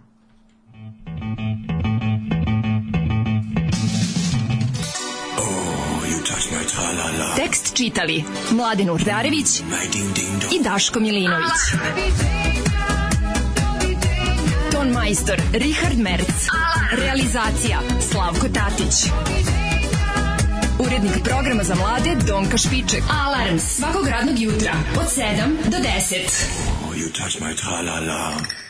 Tekst čitali Mladen Urdarević i Daško Milinović. Ton majstor Richard Merc. Realizacija Slavko Tatić. Urednik programa za mlade Donka Špiček. Alarms svakog radnog jutra od 7 do 10. Oh, you touch my tra-la-la.